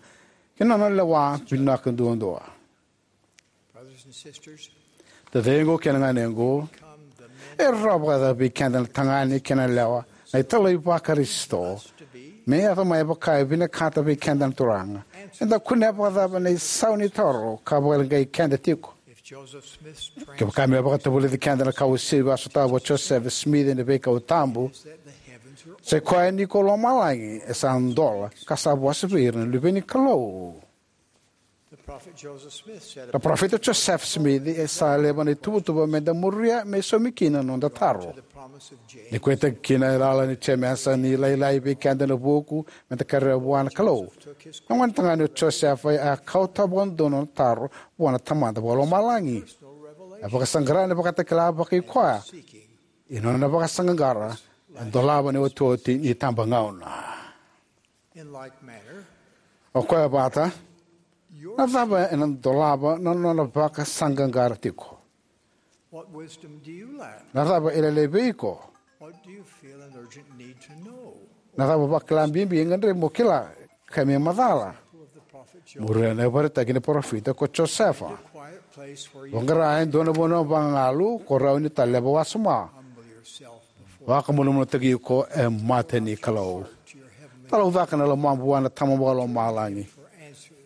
kei na nona lewa vinaka duadua. Taciqu kei na ganequ, e rawa vakacava vei keda na tagane kei na yalewa, na italai va-Karisito, me yaco mai vaka e vinakata vei keda na Turaga? Eda kunea vakacava na isau ni taro ka vakaleqai keda tiko? Kevaka me vakatavulici keda na kauasivi a sotava o Josefa Simici ena veikau tabu, sai koya ni ko lomalagi e sa dola ka sa vosa vei ira na luve ni Kalou. Na Parofita Josefa Simici e sa laiva na ituvatuva meda muria me saumi kina na noda taro. Ni kauwaitaki kina e lala ni Jemesa ni lailai vei keda na vuku meda kerea vua na Kalou, na gonetagane o Josefa e a kauta vakadodonu na taro vua na Tamada Vakalomalagi. E vakasaqara na ivakatakila vakai koya, ia na nona vakasaqaqara e dolava na iotioti ni itabagauna. O koya vata, na cava ena dolava na nona vakasaqaqara tiko? Na cava e lailai vei iko? Na cava vakila bibi e gadrevi mo kila ka me macala? Muria na ivakaraitaki ni Parofita ko Josefa. Vaqara e dua na vanua vagagalu ko rawa ni taleva wasoma. Vakamalumalumutaki iko e mata ni Kalou. Talaucaka na lomamu vua na Tama Vakalomalagi.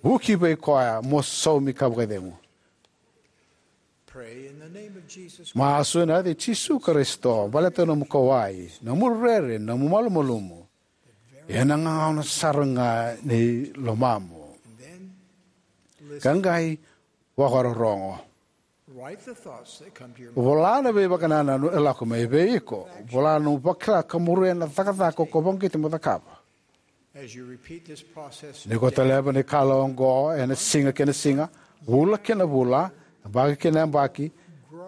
Vuki vei koya mo saumi ka vakacegu. Masu ena yaca i Jisu Karisito, baleta na nomu kauwai, nomu rere, nomu malumalumu, ena gagauna sara ga ni lomamu. Ka qai vakarorogo. Vola na veivakanananu e lako mai vei iko. Vola na nomu vakila ka muria na cakacaka ko vakauqeti mo cakava. Ni ko taleva na ikalawa oqo ena siga kei na siga, vula kei na vula, yabaki kei na yabaki,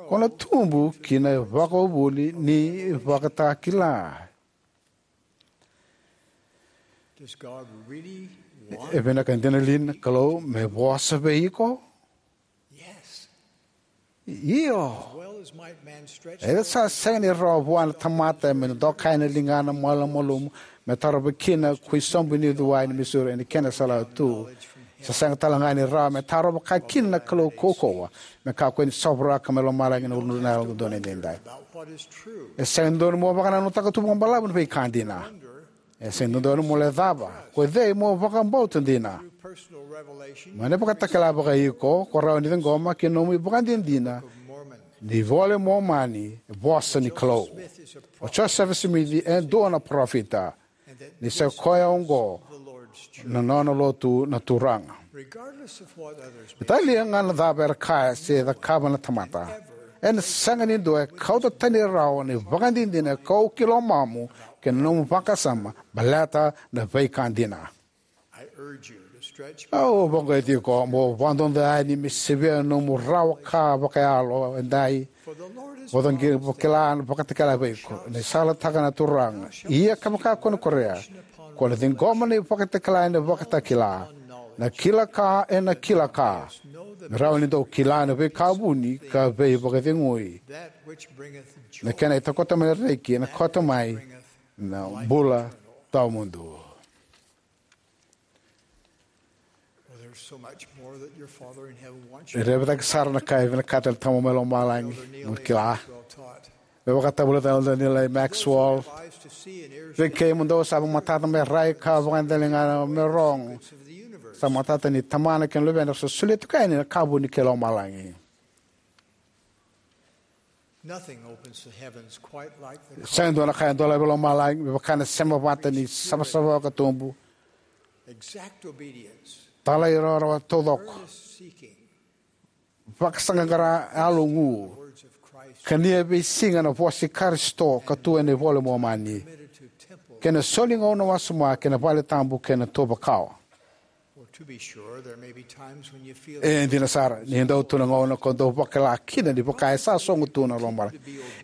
ko na tubu ki na ivakavuvuli ni ivakatakila. E vinaka dina li na Kalou me vosa vei iko? Io. E sa sega ni rawa vua na tamata me dokai na ligana malumalumu me tarova kina ko i sobu ni uciwai ni Missouri ena kena salawa tu. Sa sega tale ga ni rawa me tarova ka kina na Kalou kaukauwa me kakua ni sovaraka mai lomalagi na uluna na Yalododonu Edaidai. E sega ni dodonu mo vakanananutaka tu vakabalavu na veika dina. E sega ni dodonu mo lecava ko cei mo vakabauta dina. Mai na ivakatakila vakaiko ko rawa ni ciqoma kei na nomu ivakadinadina Ni iVola i Momani e vosa ni Kalou. O Josefa Simici e dua na parofita. Ni sa koya oqo na nona lotu na Turaga. Italia ga na cava era kaya se cakava na tamata, ena sega ni dua e kauta tani rawa na ivakadinadina e kau ki lomamu kei na nomu vakasama baleta na veika dina. Au vakauqeti iko mo vakadodoni me sevia na nomu rawa ka vakayalo edai. Mo cagi vakila na vakatakila vei iko na isalataka na Turaga. Ia kevaka ko na korea, ko na ciqoma na ivakatakila ena Vakatakila, na kila ka ena kila ka, me rawa ni dau kila na veika vuni ka veivakacegui, na kena itakoto mai na reki ena koto mai na bula tawamudu. Well, there's so much more that your Father in heaven wants you E to revitaki sara na ka e vinakata na Tamamudou mai lomalagi. Elder Neil Mo A. kila. Maxwell taught, me vakatavulica na Elder Neil A. Maxwell. Lives to see and ears to Vei kei mo dou sa matata me rai ka vakadaliga me rogo. Of the universe. Sa matata ni Tamana kei na Luvena sa solia tiko yani na ka vuni kei lomalagi. Nothing opens the heavens quite like the Sega dua na ka e dolavi lomalagi me vaka na sema vata ni savasava ka tubu. Exact obedience, Talairawarawa taucoko, earnest seeking, vakasaqaqara yalogu, words of Christ, kania veisiga na vosa i Karisito ka tu ena iVola i Momani, committed to temple. Kei na soli gauna wasoma kei na vale tabu kei na tuvakawa. Well, to be sure, there may be times when you feel E dina sara ni dau tu na gauna ko dau vakila kina ni vaka e sa sogo tu na lomana.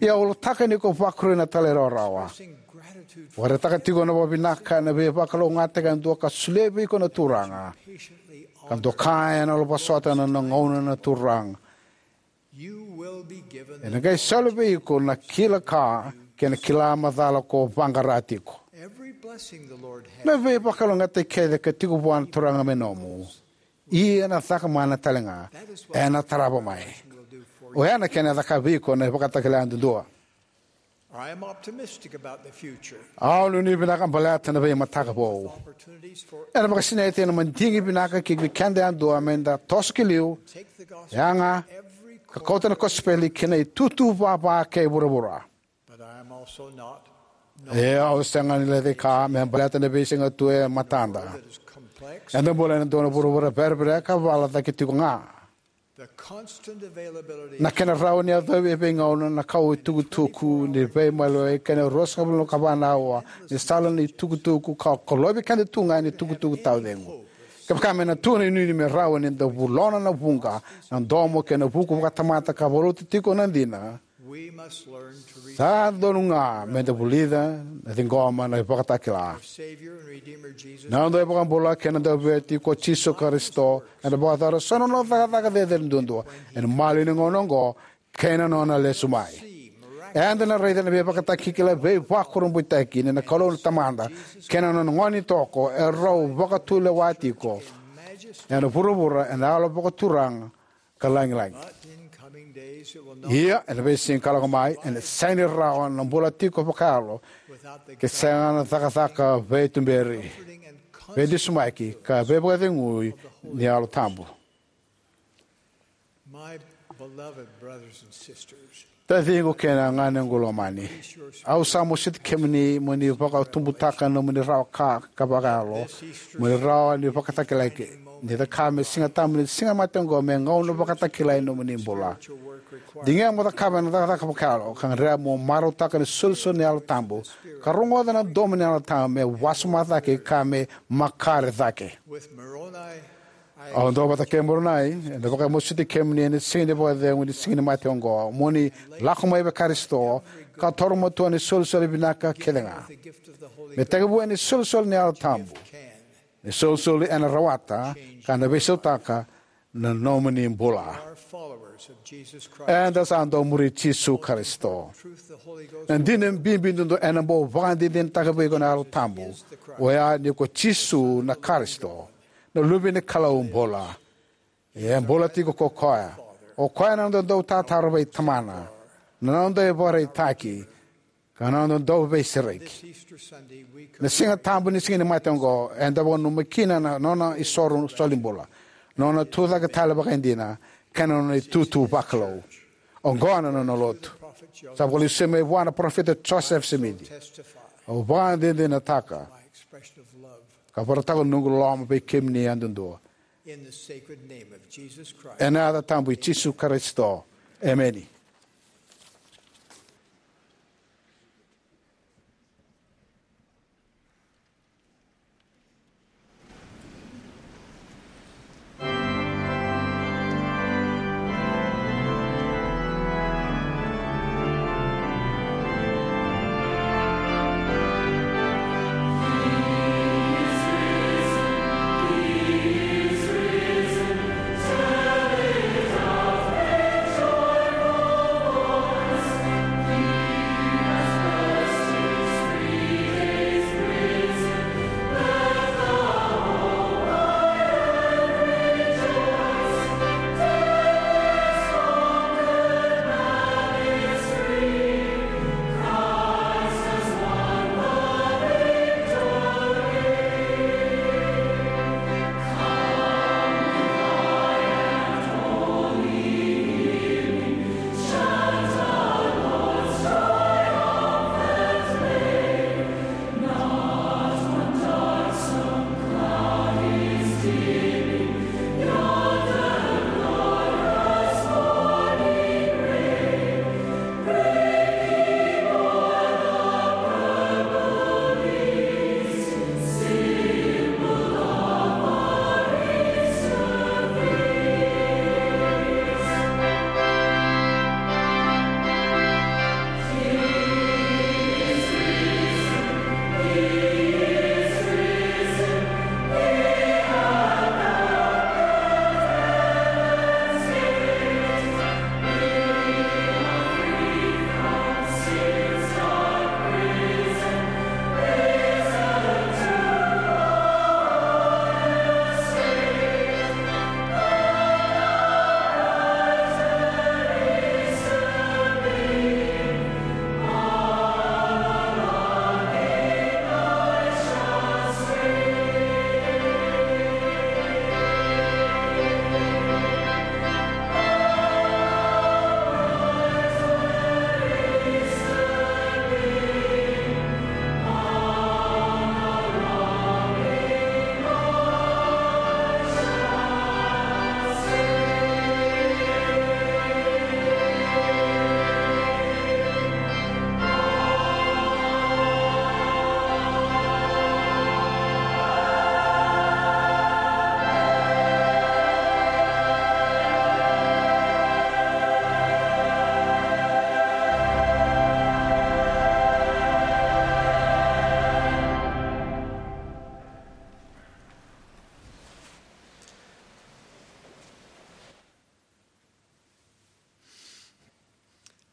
Ia ulutaka ni ko vakarui na talairawarawa. Expressing gratitude for Vakaraitaka tiko na vakavinaka na veivakalougatataki yadua ka solia vei iko na Turaga. Patiently Ka honor doka ena loloma vosota na nona gauna na Turaga. You will be given Ena the qai soli vei iko na kila ka kei na kila macala ko vaqara tiko. Every blessing the Lord has Na veivakalougatataki kece ka tiko vua na Turaga me nomu. Ia na caka mana talega. Ena tarava mai. Will do for you. Oya na kena caka vei iko na ivakatakila yadudua. I am optimistic about the future. Au nuinui vinaka baleta na veimataka vou. Opportunities for Ena vakasinaiti ena madigi vinaka ki vei keda yadua me da toso ki liu, Take the gospel yaga, to every ka kauta na kosipeli ki na itutu vava kei vuravura. But I am also not E au sega ni lecaika me baleta na veisiga tu e matada. That is complex. Eda bula ena dua na vuravura verevereka vala cake tiko ga. The constant availability Na kena rawa ni yacovi e veigauna na kau itukutuku ni veimaliwai kei na ruasagavulu ka va na aua ni sala ni tukutuku ka kolovi keda tu ga ni tukutuku taucegu. Kevaka me na tu na inuinui me rawa ni da vulona na vuqa, na domo kei na vuku vakatamata ka valuta tiko na dina, We must learn to receive sa donu ga me da vulica na ciqoma na ivakatakila. Savior and Redeemer Jesus. Na noda iVakabula kei na Dauveivueti ko Jisu Karisito, ena vakayacora so na nona cakacaka cecere duadua ena maliwa ni gauna oqo kei na nona lesu mai. Eda na raica na veivakatakila veivakurabuitaki ni na Kalou na Tamada kei na nona gone toko e rau vakatulewa tiko ena vuravura ena yalo vakaturaga ka lagilagi. But in coming days it will no Ia, ena veisiga ka lako mai, ena sega ni rawa na bula tiko vakayalo without the ke sega na cakacaka veituberi, comforting and constant veidusimaki, ka veivakacegui ni Yalo Tabu. My beloved brothers and sisters, Taciqu kei na ganequ lomani, au sa masuti kemuni mo ni vakatubutaka na nomuni rawa ka, ka vakayalo, mo ni rawa ni vakatakilai, ni caka me Siga Tabu ni Siga Mate oqo me gauna vakatakilai ni nomuni bula. Digia mo cakava na cakacaka vakayalo, ka gadreva mo marautaka na isolisoli ni Yalo Tabu, ka rogoca na domo ni Yalo Tabu me wasoma cake ka me makare cake. With Moroni, Au dau vata kei Moronai, ena vakamasuti kemuni ena siga ni vakacegu ni Siga ni Mate oqo, mo ni lako mai vei Karisito, ka toro matua ni solisoli vinaka kece ga. Me tekivu ena isolisoli ni Yalo Tabu. Na isolisoli ena rawata, ka na veisautaka na nomuni bula. Eda sa dau muri Jisu Karisito. Na dina bibi duadua ena bau vakadinadinataka vei iko na Yalo Tabu, oya ni ko Jisu na Karisito, na Luve ni Kalou bula. E bula tiko ko koya. O koya na noda dautataro vei Tamana, na noda ivakaraitaki, ka na noda dauveisereki. Na Siga Tabu ni Siga ni Mate oqo, eda vakananuma kina na nona isoro solibula, nona tucake tale vakaidina, kei na nona itutu vakalou. Oqo na nona lotu. Sa vakalesuya mai vua na parofita Joseph Smith. Au vakadinadinataka ka vakaraitaka na noqu loloma vei kemuni yadudua. Ena yaca tabu i Jisu Karisito. Emeni.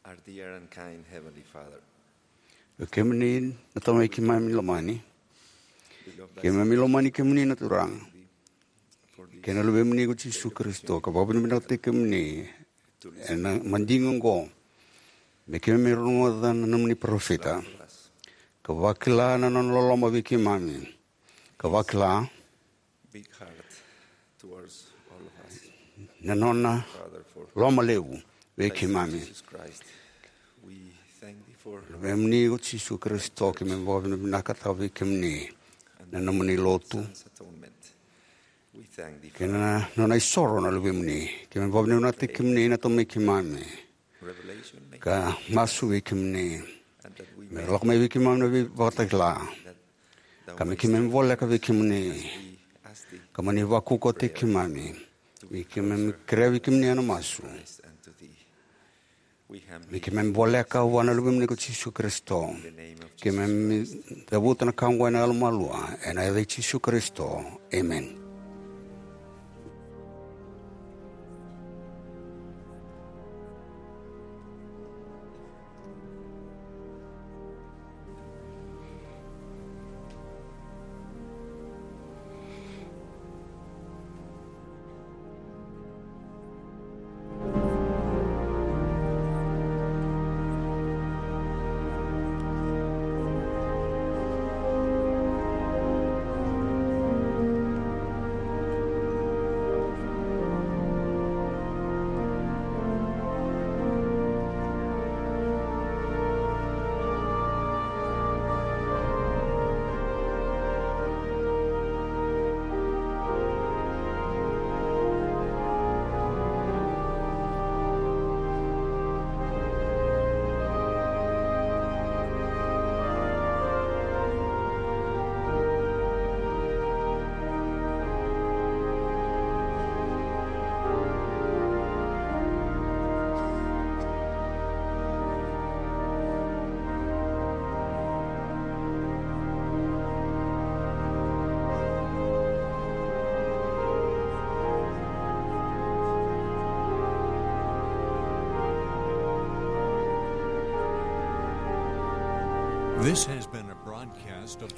Our dear and kind Heavenly Father, o kemuni na Tamai keimami lomani, keimami lomani kemuni na Turaga kei na Luvemuni ko Jisu Karisito, ka vakavinavinakataki kemuni ena madigi oqo me keimami rogoca na nomuni parofita, ka vakila na nona loloma vei keimami, ka vakila na nona loma levu vei keimami. Luvemuni ko Jisu Karisito, keimami vakavinavinakataka vei kemuni na nomuni lotu kei na nona isoro na Luvemuni. Keimami vakavinavinakataki kemuni na Tamai keimami, ka masu vei kemuni me lako mai vei keimami na veivakatakila, ka me keimami voleka vei kemuni, ka mani vakaukauwataki keimami. Me keimami kerea vei kemuni ena masu, me keimami voleka vua na Luvemuni ko Jisu Karisito. Keimami cavuta na ka oqo ena yalomalua, ena yaca i Jisu Karisito. Emeni.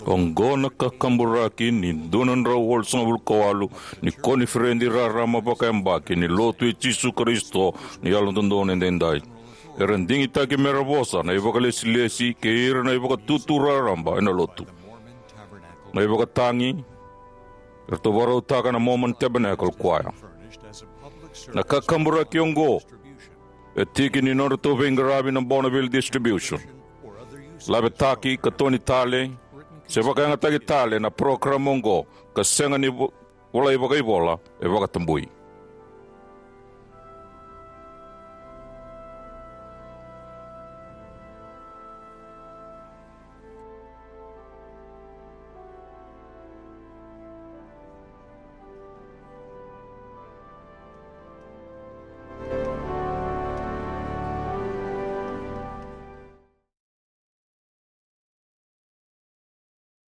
Oqo na kakaburaki ni dua na drau walusagavulu ka walu ni koniferedi raraba vakayabaki ni Lotu i Jisu Karisito ni Yalododonu Edaidai. Era digitaki mera vosa na ivakalesilesi kei ira na ivakatutu raraba ena Lotu. Na ivakatagi eratou vakarautaka na Mormon Tabernacle Choir. Na kakaburaki oqo e tiki ni nodratou veiqaravi na Bonneville Distribution, lavetaki ka toni tale, se vakayagataki tale na parokaramu oqo, ka sega ni vo-, volai vakaivola, e vakatabui.